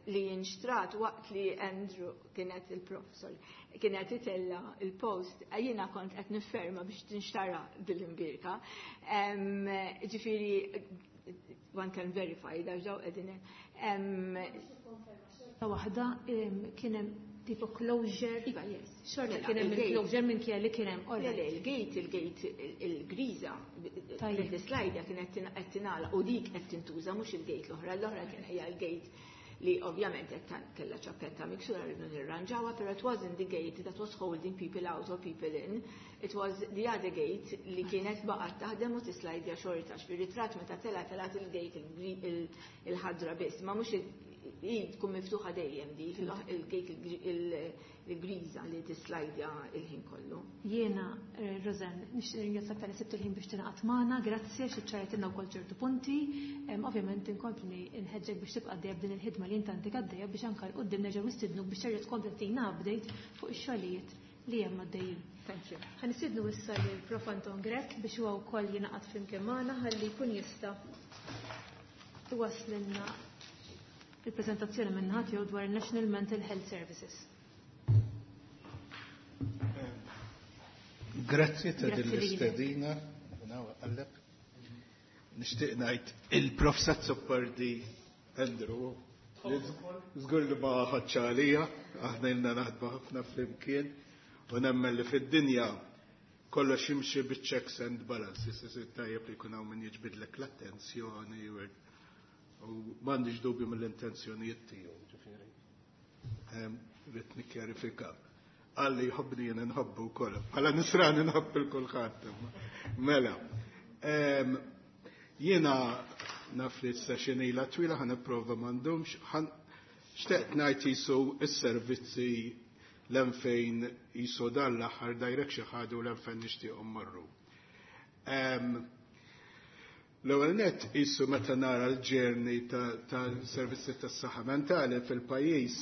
li jinxtrat waqt li Andrew kienet il-prof, sorry, kienet itella il-post, jiena kont qed nifferma biex tinxtara dil-imbirka. Ġifieri, one can verify, daw ġew qegħdin. Waħda kien hemm tipo closure. Iva, yes. Xorta Mela, kien hemm il-gate. il-closure minn kien li kien hemm. Le, le, il-gate, il-griża, Tajjeb. il-slajda kienet qed tingħalaq u dik qed tintuża mhux il-gate l-oħra, l-oħra kien hija l-gate li ovvjament qed kellha ċappetta miksura rridu nirranġawha, però it wasn't the gate that was holding people out or people in. It was the other gate li kienet baqgħet taħdem u tislajdja xorta fir-ritratt meta tela' telgħet il-gate il-ħadra biss, ma mhux hi tkun miftuħa dejjem dik il-gate il-griża li tislajdja il-ħin kollu. Jiena, Rosanne, nixtieq ringrazzjak tal-li sibt il-ħin biex tingħaqad magħna, grazzi għax iċċarajtilna wkoll ċertu punti. Ovvjament inkompli nħeġġek biex tibqa' għaddejja b'din il-ħidma li inti għandek għaddejja biex anke 'l quddiem nerġgħu nistidnuk biex terġa' tkompli tina update fuq ix-xogħlijiet li hemm għaddejjin. Thank you. Ħa nistiednu issa lil Prof Anton Grech biex huwa wkoll jingħaqad flimkien magħna ħalli jkun jista' iwasslilna il-preżentazzjoni minn naħa tiegħu dwar il-National Mental Health Services. Grazzi ta' Grazzi din lilek. l-istedina. Għalleb. Nixtieq ngħid il-Prof Azzopardi Andrew żgur li ma ħadx għalija, aħna ilna naħdmu ħafna flimkien u nemmen li fid-dinja kollox jimxi biċ-checks and balances, isir tajjeb li jkun hawn min jiġbidlek l-attenzjoni u m'għandix dubju mill-intenzjonijiet tiegħu, ġifieri. Rrid nikkjarifika. Għalli jħobbni jien nħobbu wkoll. Bħala nisrani nħobb il kulħadd. Mela. Jiena naf li s-session ilha twila ħa nipprova m'għandhomx, xtaqt ngħid jisu s-servizzi l-fejn jisu dan l-aħħar direction ħadu l-fejn nixtiequ mmorru. L-ewwel nett jisu meta nara l-journey ta' servizzi tas-saħħa mentali fil-pajjiż,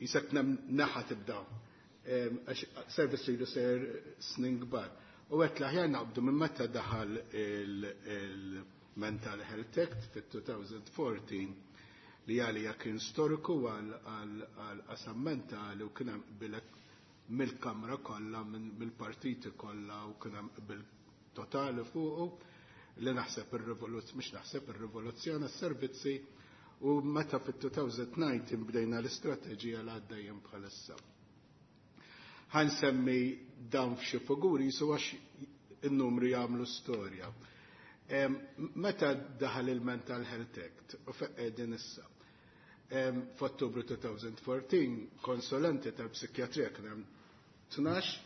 jisek naħa tibda. Għax servizzi li ser snin kbar. U għedt l-aħjar naqbdu minn meta daħal il-Mental Health Act fit-2014 li għalija kien storiku għal qasam mentali u kien hemm qbilek mill-kamra kollha, mill-partiti kollha u kien hemm qbil totali fuqu li naħseb ir-rivoluzzjoni, mhux naħseb ir-rivoluzzjoni s-servizzi u meta fit-2019 bdejna l-istrateġija li għaddejjem bħalissa. Ħa nsemmi dawn f'xi figuri jisu għax in-numri jagħmlu storja. Meta daħal il-Mental Health Act u qegħdin issa. F'Ottubru 2014 konsulenti tal-psikjatrija kien hemm 12.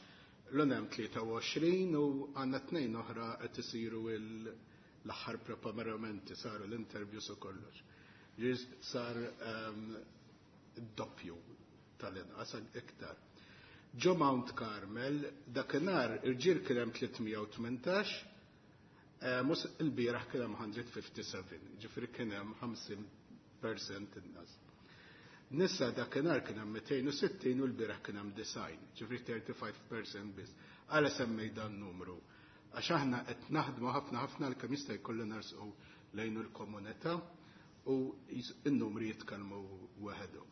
L-onem 23 u għandna tnejn oħra qed isiru l-aħħar preparamenti saru l-interviews u kollox. Ġiż sar doppju tal-inqas iktar. Ġo Mount Carmel, dakinhar irġiel kien hemm 318, mus il-bieraħ kien hemm 157, ġifieri kien hemm 50% inqas. Nisa dakinhar kien hemm 260 u l-bieraħ kien hemm 90, ġifieri 35% biss. Għala semmej dan numru. Għax aħna qed naħdmu ħafna ħafna l kemm jista' jkollu narsqu lejn il-komunità u n-numri jitkellmu waħedhom.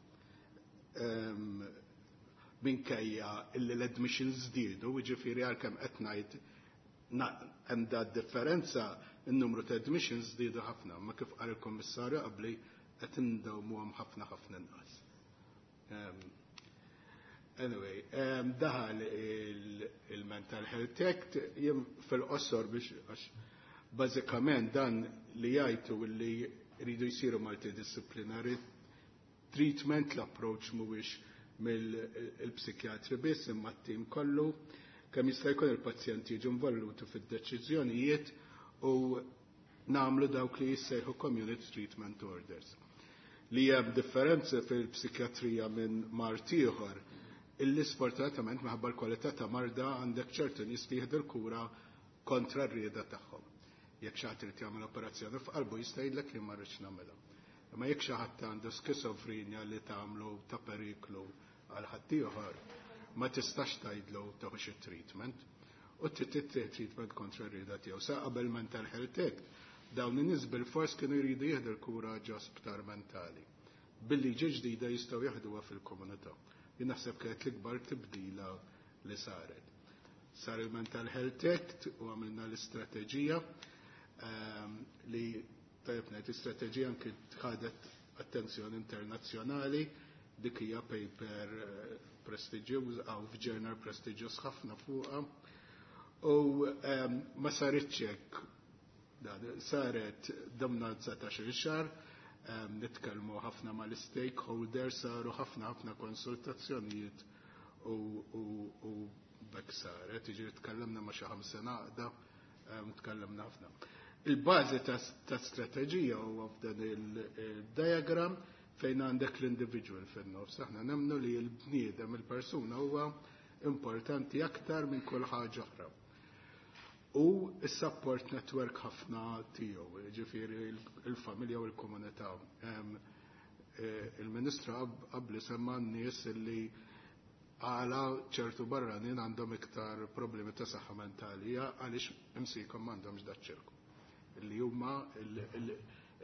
Minkejja illi l-admissions żdiedu, jiġifieri għalkemm qed ngħid hemm da differenza n-numru ta' admissions żdiedu ħafna, ma kif qal il-Kummissarju qabli qed indewmuhom ħafna ħafna inqas. Anyway, daħal il-Mental Health Act, jien fil-qosor biex għax bażikament dan li jgħidu li jridu jsiru multidisciplinary treatment, l-approach mhuwiex mill-psikjatri biss imma t-tim kollu, kemm jista' jkun il-pazjenti jiġu involuti fid-deċiżjonijiet u nagħmlu dawk li jissejħu community treatment orders. Li hemm differenza fil-psikjatrija minn mard ieħor, illi sfortunatament minħabba l-kwalità ta' marda għandek ċertu nies li jieħdu l-kura kontra r-rieda tagħhom. Jekk xi ħadd irid jagħmel operazzjoni f'qalbu jista' jgħidlek li ma rridx nagħmilha. Imma jekk xi ħadd għandu skizofrenja li tagħmlu ta' periklu għal ħaddieħor, ma tistax tgħidlu tieħux it-treatment u trid treatment kontra r-rieda tiegħu. Sa qabel Mental Health Act, dawn in-nies bil-fors kienu jridu jieħdu l-kura ġo sptar mentali. Bil-liġi ġdida jistgħu jaħduha fil-komunità. Jien naħseb kienet l-ikbar tibdila li saret. Sar il-Mental Health Act u għamilna l-istrateġija li tajjeb ngħid l-istrateġija anki ħadet attenzjoni internazzjonali, dik hija paper prestiġjuż għaw f'journal prestiġjuż ħafna fuqha. U ma saritx hekk, saret domna 19 xahar, nitkellmu ħafna mal-stakeholders, saru ħafna ħafna konsultazzjonijiet u bekk saret, jiġifieri tkellimna ma' xi ħamsa għaqda, tkellimna ħafna. Il-bażi ta' strateġija huwa f'dan il-diagram fejn għandek l-individual fin-nofs. Aħna nemmnu li l-bniedem, il-persuna huwa importanti aktar minn kull ħaġa oħra. U s-support network ħafna tiegħu, jiġifieri il-familja u l-komunità. Il-Ministru qabli semma n-nies li għala ċertu barranin għandhom iktar problemi ta' saħħa mentali għaliex imsikom m'għandhomx daċ-ċirku. Li huma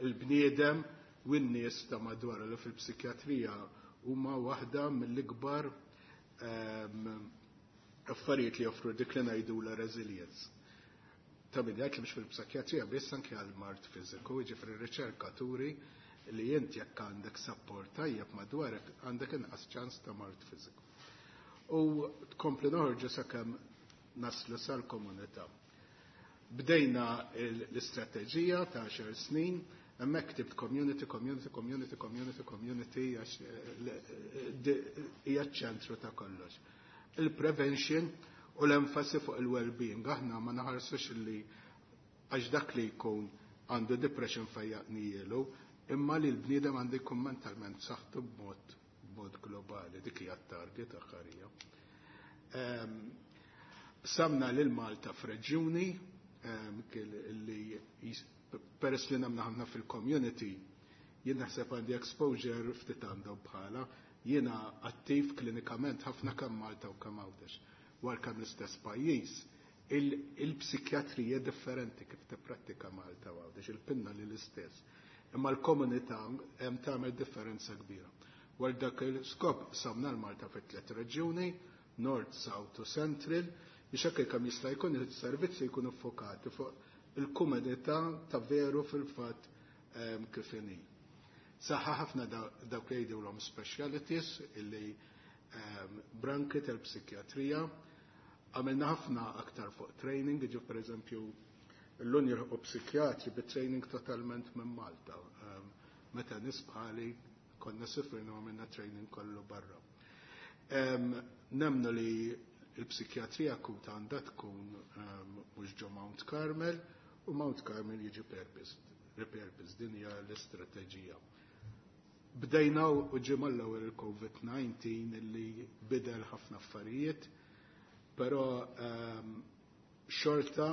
il-bniedem u n-nies ta' madwar li fil-psikjatrija huma waħda mill-ikbar affarijiet li joffru dik li ngħidu la resilience. Ta' min jgħid li mhux fil-psikjatrija biss anke għal mard fiżiku, jiġifieri riċerkaturi li int jekk għandek support tajjeb madwarek għandek inqas ċans ta' mard fiżiku. U tkompli noħorġu sakemm naslu sal-komunità. Bdejna l-istrateġija ta' 10 snin, hemmhekk ktibt community, community, community, community, community, għax hija ċ-ċentru ta' kollox. Il-prevention u l-enfasi fuq il-well-being. Aħna ma naħarsux li għax dak li jkun għandu depression fejjaqnielu, imma li l-bniedem għandu jkun mentalment saħħtu b'mod globali, dik hija t-target aħħarija. Samna lil Malta f'reġjuni li peress li nagħmlu ħafna fil-community, jien naħseb għandi exposure ftit għandhom bħala, jiena attiv klinikament ħafna kemm Malta u kemm Għawdex. War kemm l-istess pajjiż, il-psikjatrija differenti kif tipprattika Malta u Għawdex, il-pinna li l-istess. Imma l-komunità hemm tagħmel differenza kbira. War dak il-skop samna l-Malta fit tliet reġjuni, North, South u Central, biex hekk kemm jista' jkun is-servizzi jkunu ffokati fuq il-komunità ta' veru fil-fatt kif inhi. Saħħa ħafna dawk li jgħidulhom specialities illi branki tal-psikjatrija. Għamilna ħafna aktar fuq training, ġi per eżempju l-lun jilħqu psikjatri bi-training totalment minn Malta. Meta nies bħali konna sifrina u għamilna training kollu barra. Nemnu li il-psikjatrija akuta għandha tkun mhux ġo Mount Carmel u Mount Carmel jiġi repurposed, din hija l-istrateġija. Bdejna u ġie mal-ewwel il-COVID-19 li bidel ħafna affarijiet, però xorta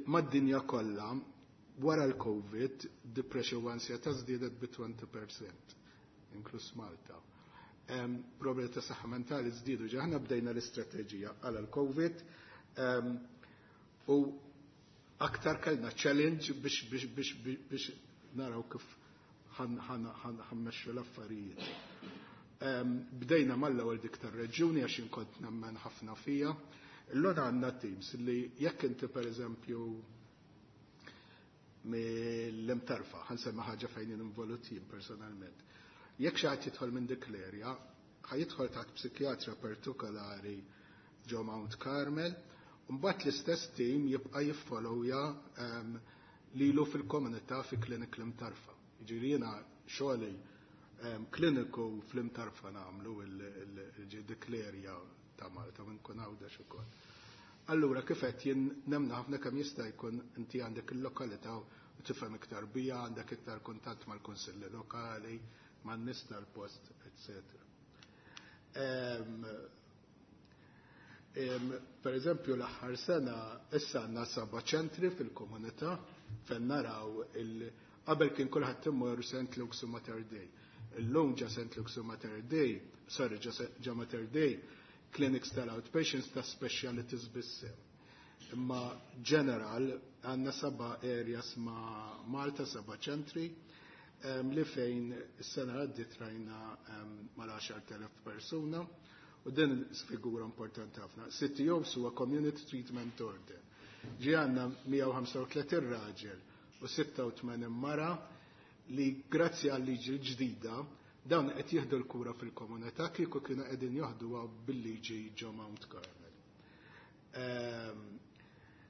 mad-dinja kollha wara l-COVID depression u ansjetà żdiedet bi 20%, inkluż Malta. Problemi ta' saħħa mentali żdiedu ġa aħna bdejna l-istrateġija għal l-COVID u aktar kellna challenge biex naraw kif ħammexxu l-affarijiet. Bdejna mal-ewwel dik tar-reġjuni għax inkont nemmen ħafna fija. Illum għandna teams li jekk inti pereżempju mill-Imtarfa, ħansemma ħaġa fejn involut jien personalment. Jekk xi ħadd jidħol minn dik l-erja, ħajidħol taħt psikjatra partikolari ġo Mount Carmel, u mbagħad l-istess team jibqa' jiffollowja lilu fil-komunità fi klinik l-Imtarfa. Jiġifieri jiena xogħli kliniku fl-Imtarfa nagħmlu dik l-erja ta' Malta u nkun Għawdex ukoll. Allura kif qed jien nemna ħafna kemm jista' jkun inti għandek il-lokalità u tifhem iktar bija, għandek iktar kuntatt mal-kunsilli lokali, man-nies tal-post, eccetera. Per eżempju l-aħħar sena issa għandna 7 ċentri fil-komunità fejn naraw qabel kien kulħadd imur St. Luke's u Mater Dei. Illum ġa St. Luke's u Mater Dei, sorry ġa Mater Dei, clinics tal-outpatients ta' specialities biss. Imma general għandna 7 areas ma' Malta, 7 ċentri, li fejn is-sena għaddiet rajna mal-10,000 persuna u din figura importanti ħafna. CTOs huwa Community Treatment Order. Ġi għandna 135 raġel u 86 mara li grazzi għal liġi l-ġdida dawn qed jieħdu l-kura fil-komunità kieku kienu qegħdin joħduha bil-liġi ġo Mount Carmel.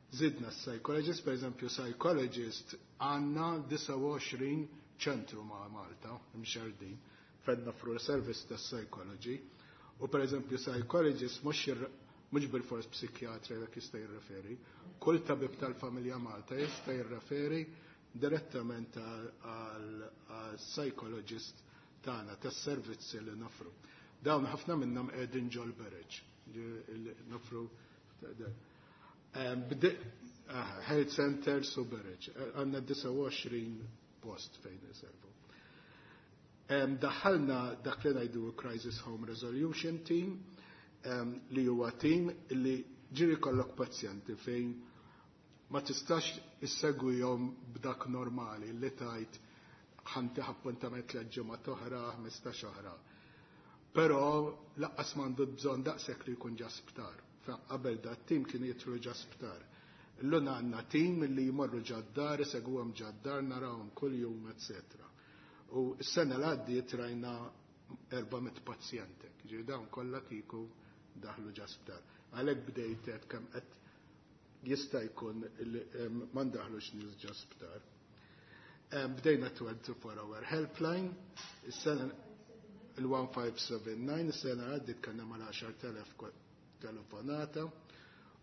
Zidna psychologist, per eżempju psychologist għandna 29 ċentru ma' Malta, mxerdin, fejn nofru service ta' psychology, u per eżempju psychologist mhux bil-fors psikjatra jekk jista' jirreferi, kull tabib tal-familja Malta jista' jirreferi direttament għal psychologist tagħna tas-servizzi li nofru. Dawn ħafna minnhom qegħdin ġol bereġ, nofru health centers u bereġ. Għandna 29 post fejn iservu. Daħħalna dak li ngħidu Crisis Home Resolution Team, li huwa team li ġiri kollok pazjenti fejn ma tistax issegwihom b'dak normali li tajt ħanti appuntament l ġimgħa oħra, 15 oħra. Però laqqas m'għandu bżonn daqshekk li jkun ġa sptar. Qabel da tim kien jitru ġa sptar. Illum għandna tim li jmorru ġad-dar, isegwhom ġad-dar, narawhom kuljum, eccetera. U s-sena l għaddiet rajna 400 pazjenti. Ġifieri dawn kollha kieku daħlu ġa sptar. Għalhekk bdejt qed kemm qed jista' jkun ma ndaħlux nies ġa sptar. Bdejna 24 hour helpline, is-sena il-1579, is-sena għaddiet kellna mal-10,000 telefonata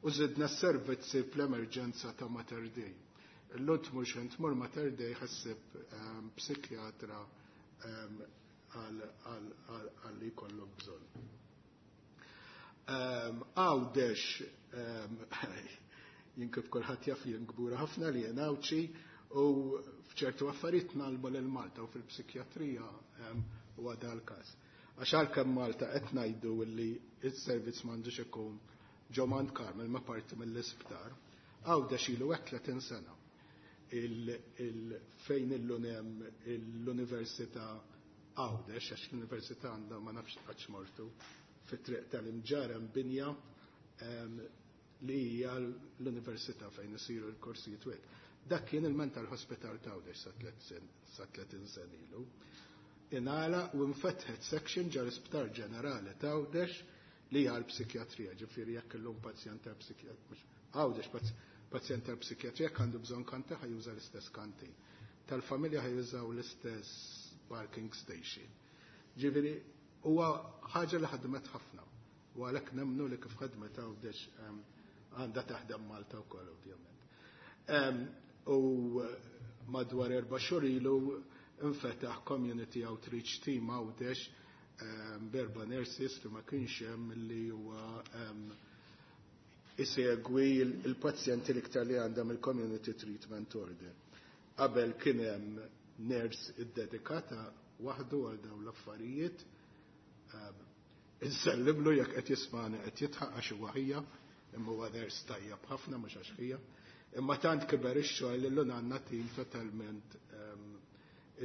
u żidna s-servizzi fl-emerġenza ta' Mater Dei. Illum tmur xejn tmur Mater Dei ħassib psikjatra għal li jkollok bżonn. Għawdex, jien kif kulħadd jaf jien kbura ħafna li jien Għawdxi u f'ċertu affarijiet nagħlmu lil Malta u fil-psikjatrija huwa dal każ. Għax għalkemm Malta qed ngħidu li s-servizz m'għandux ikun ġo Mount Carmel ma parti mill-isptar, Għawdex ilu hekk 30 sena. Fejn illum hemm l-Università Għawdex, għax l-Università għandha ma nafx qatt mortu, fit-triq tal-Imġarr hemm binja li hija l-Università fejn isiru l-korsijiet u hekk. Dak kien il-Mental Hospital ta' Għawdex sa 30 sena ilu. Ingħala u nfetħet section ġar isptar ġenerali ta' Għawdex li hija l-psikjatrija, ġifieri jekk illum pazjent tal-psikjatrija, Għawdex pazjent tal-psikjatrija jekk għandu bżonn kanti ħajuża l-istess kanti. Tal-familja ħajużaw l-istess parking station. Ġifieri huwa ħaġa li ħadmet ħafna. U għalhekk nemmnu li kif ħadmet Għawdex għandha taħdem Malta wkoll ovvjament. U madwar 4 xhur ilu infetaħ Community Outreach Team Għawdex b'erba' nurses li ma kienx hemm, li huwa isegwi il-pazjenti l-iktar li għandhom il-Community Treatment Order. Qabel kien hemm nurse iddedikata waħdu għal dawn l-affarijiet. Insellimlu jekk qed jismani, qed jidħaq għax huwa ħija, imma huwa nurse tajjeb ħafna, mhux għax ħija. Imma tant kiber ix-xogħol li llum għandna tim totalment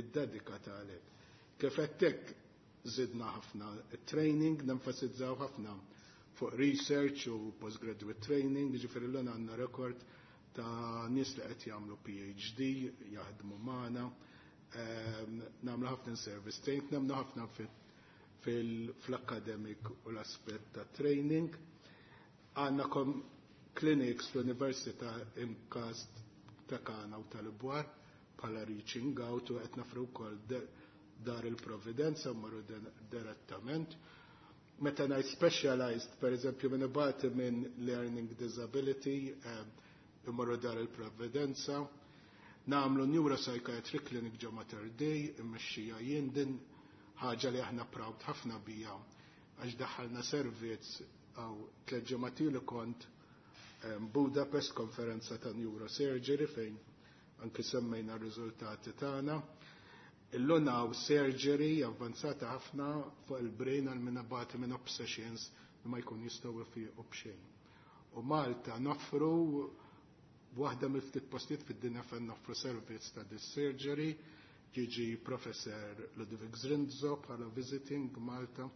iddedikata għalhekk. Kif għedtek, żidna ħafna training, nenfasizzaw ħafna fuq research u postgraduate training, ġifieri l għandna rekord ta' nies li qed jagħmlu PhD, jaħdmu magħna, nagħmlu ħafna service training, nagħmlu ħafna fil-academic u l-aspett ta' training. Għandna clinics fl-Università MCAST ta' Kana u tal-Bwar bħala reaching out, u qed noffru wkoll Dar il-Providenza marru direttament. Meta ngħid specialized, per eżempju, minn ibati minn learning disability, imorru Dar il-Providenza. Nagħmlu neuropsychiatric clinic ġo Mater Dei, immexxija jien. Din ħaġa li aħna proud ħafna bija għax daħħalna servizz għaw 3 ġimgħat ilu kont Budapest, konferenza ta' neurosurgery fejn anki semmejna r-riżultati tagħna. Illum hawn surgery avvanzata ħafna fuq il-brain għal min ibati minn obsessions li ma jkun jistgħu jfiqu b'xejn. U Malta noffru waħda mill-ftit postijiet fid-dinja fejn noffru servizz ta' this surgery. Jiġi Professor Ludwig Zrinzo bħala visiting Malta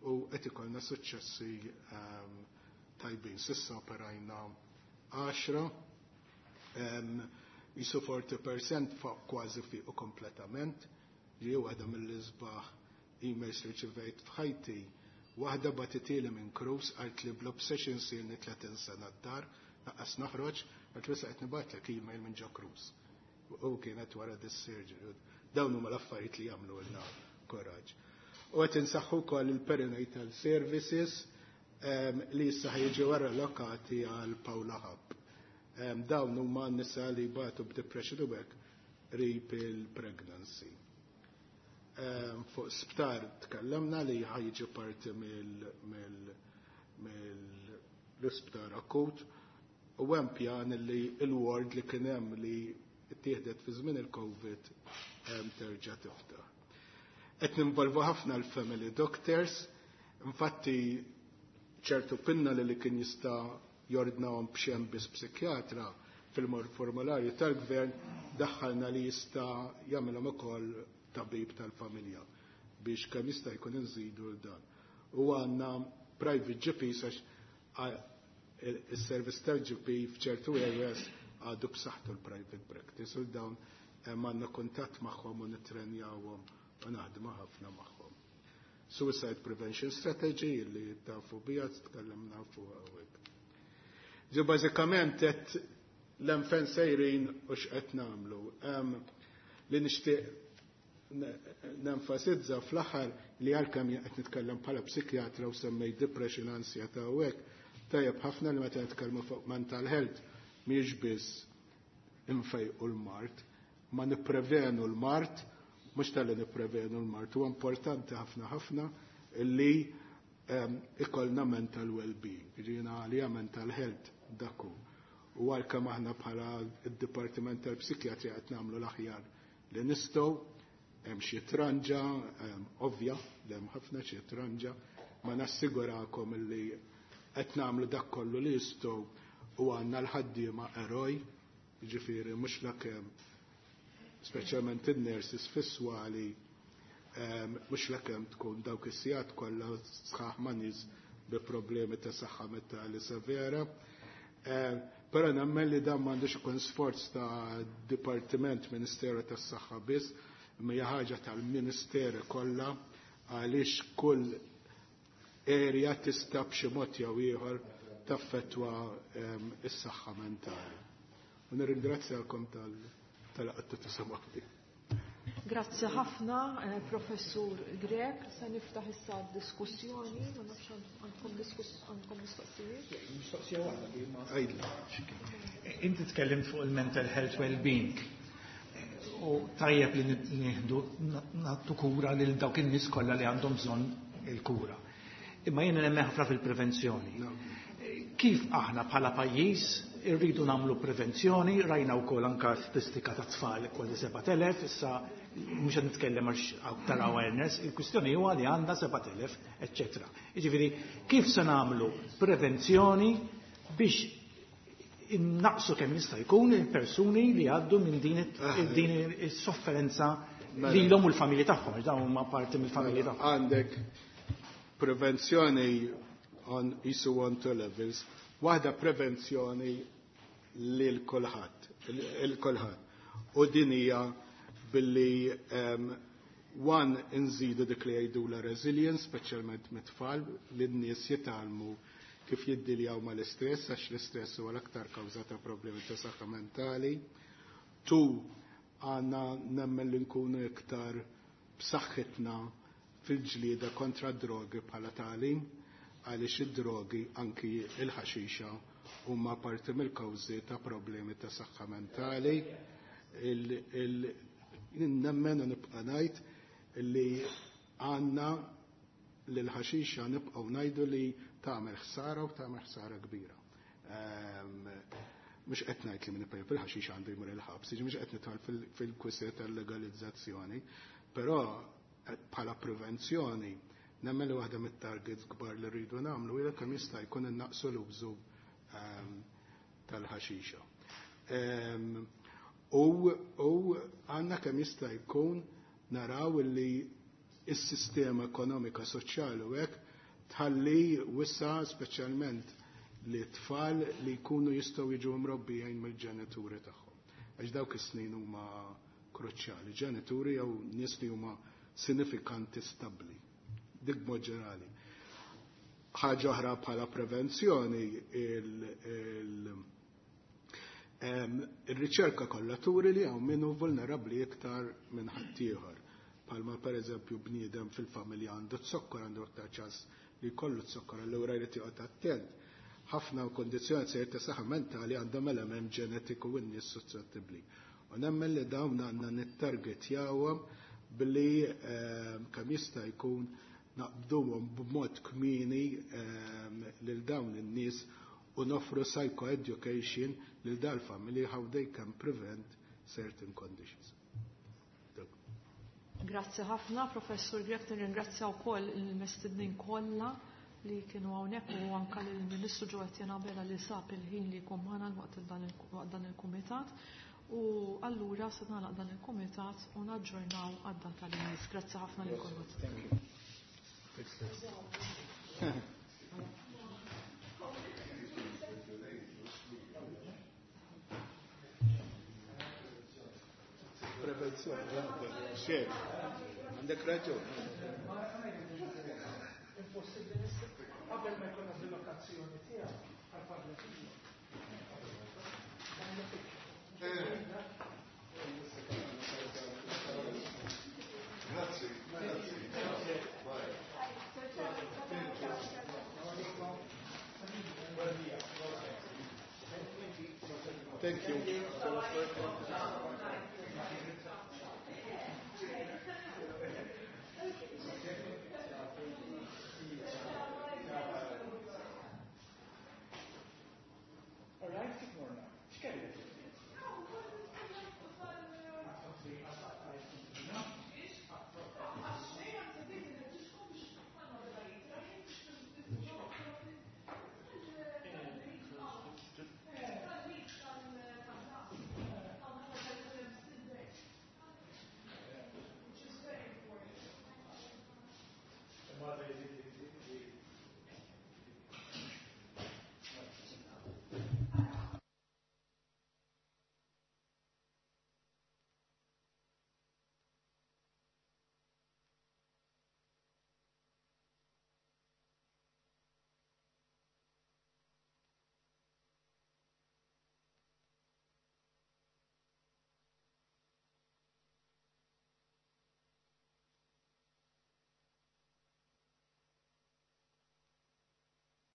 u qed ikollna suċċessi tajbin. S'issa operajna 10, jisu 40% fuq kważi fiqu kompletament. Li waħda mill-isbaħ emails li rċivejt f'ħajti, waħda bagħtithieli minn cruise, qalt li bl-obsessions ilni 30 sena d-dar, lanqas noħroġ, qalt li qed nibgħatlek email minn ġo cruise. U kienet wara this surgery. Dawn huma l-affarijiet li jagħmlu lna koraġġ. U qed insaħħu wkoll il-perinatal services li issa ħa jiġu allokati għal Paula Hub. Dawn huma n-nisa li batu b'depression u hekk qrib il-pregnancy. Fuq sptar tkellimna li ħa jiġi parti mill-isptar akut u hemm pjan li il-ward li kien hemm li ttieħdet fi żmien il-Covid terġa' tiftaħ. Qed ninvolvu ħafna l-family doctors, infatti ċertu pinna li kien jista' jordnahom b'xejn biss psikjatra, fil-formularju tal-gvern daħħalna li jista' jagħmilhom ukoll tabib tal-familja biex kemm jista' jkun inżidu l dan. U għandna private GPs għax il-service tal-GP f'ċertu areas għadu b'saħħtu l-private practice, u dawn għandna kuntatt magħhom u nittrenjawhom u naħdmu ħafna magħhom. Suicide Prevention Strategy li tafu bija, tkellimna fuq hawnhekk. Ġu bażikament qed l-enfen sejrin u x'qed nagħmlu. Li nixtieq nenfasizza fl-aħħar li għalkemm qed nitkellem bħala psikjatra u semmej depression, ansjetà u hekk, tajjeb ħafna li meta nitkellmu fuq mental health mhijiex biss infejqu l-mard, ma nipprevenu l-mard, mhux talli nipprevenu l-mard, huwa importanti ħafna ħafna li ikollna mental well-being, ġina għalija mental health dak hu. U għalkemm aħna bħala id-Dipartiment tal-Psikjatrija qed nagħmlu l-aħjar li nistgħu, hemm xi tranġa, ovvja li hemm ħafna xi tranġa, ma nassigurakom li qed nagħmlu dak kollu li jistgħu u għandna l-ħaddiema eroj, ġifieri mhux lakemm, speċjalment in-nurses fis-swali, mhux lakemm tkun dawk is-sigħat kollha sħaħ ma' nies bi problemi ta' saħħa mentali severa. Però nemmen li dan m'għandux ikun sforz ta' Dipartiment Ministeru tas-Saħħa biss, imma hija ħaġa tal-Ministeri kollha għaliex kull area tista' b'xi mod jew ieħor taffettwa is-saħħa mentali. U nirringrazzjakom tal-qattu tisimgħu. Grazzi ħafna, Professur Grech. Se niftaħ issa d-diskussjoni, ma nafx għandkom għandkom mistoqsijiet. Mistoqsija waħda li ma għidli. Inti tkellimt fuq il-mental health well-being. U tajjeb li nieħdu nagħtu kura lil dawk in-nies kollha li għandhom bżonn il-kura. Imma jiena nemmen ħafna fil-prevenzjoni. Kif aħna bħala pajjiż irridu nagħmlu prevenzjoni, rajna wkoll anka statistika ta' tfal kważi 7,000, issa mhux qed nitkellem għax aktar awareness, il-kwistjoni huwa li għandna 7,000, eċċetera. Jiġifieri kif se nagħmlu prevenzjoni biex innaqsu kemm jista' jkun il-persuni li għaddu minn din is-sofferenza lilhom u l-familji tagħhom, għax dawn huma parti mill-familji tagħhom. Għandek prevenzjoni on isu on two levels. Waħda prevenzjoni lil kulħadd, il kulħadd. U din hija billi one inżidu dik li jgħidula resilience, speċjalment mit-tfal, li n-nies jitgħallmu kif jiddiljaw mal-istress, għax l-istress huwa l-aktar kawża ta' problemi ta' saħħa mentali. Two, għandna nemmen li nkunu iktar b'saħħitna fil-ġlieda kontra drogi bħala tali, għaliex id-drogi anki il-ħaxixa huma parti mill-kawżi ta' problemi ta' saħħa mentali. Nemmen u nibqa' ngħid li għandna li l-ħaxixa nibqgħu ngħidu li tagħmel ħsara u tagħmel ħsara kbira. Mhux qed ngħid li min ipejjep il-ħaxixa għandu jmur il-ħabs, jiġi mhux qed nidħol fil-kwistjoni tal-legalizzazzjoni, però bħala prevenzjoni nemmen li waħda mit-targets kbar li rridu nagħmlu hija kemm jista' jkun innaqsu l-użu tal-ħaxixa. U għandna kemm jista' jkun naraw li s-sistema ekonomika soċjali u hekk tħalli wissa speċjalment li tfal li jkunu jistgħu jiġu mrobbijin mill-ġenituri tagħhom. Għax dawk is-snin huma kruċjali, ġenituri jew nies li huma sinifikanti stabbli. Dik mod ġenerali. Ħaġa oħra bħala prevenzjoni, il-riċerka kollha turi li hawn min hu vulnerabbli iktar minn ħaddieħor. Palma per eżempju bniedem fil-familja għandu zokkor, għandu aktar ċans li jkollu zokkor, allura jrid joqgħod attent. Ħafna kondizzjoni sejr ta' saħħa mentali għandhom element ġenetiku u n-nies suscettibbli. U nemmen li dawn għandna nittargetjawhom billi kemm jista' jkun naqbduhom b'mod kmieni lil dawn in-nies u noffru psychoeducation lil dal-familji how they can prevent certain conditions. Grazzi ħafna, Professur Grech, nirringrazzja wkoll il-mestednin kollha li kienu hawnhekk u anke lill-Ministru Jo Etienne Abela li sab il-ħin li jkun magħna waqt dan il-kumitat. U allura se nagħlaq dan il-kumitat u naġġornaw għad-data li jmiss. Grazzi ħafna lil kulħadd. Thank you. Prevenzjoni, xejn. Għandek raġun. Impossibbli qabel ma jkollna rilokazzjoni tiegħek għall-palliativa. Grazzi, grazzi. Bye. Thank you.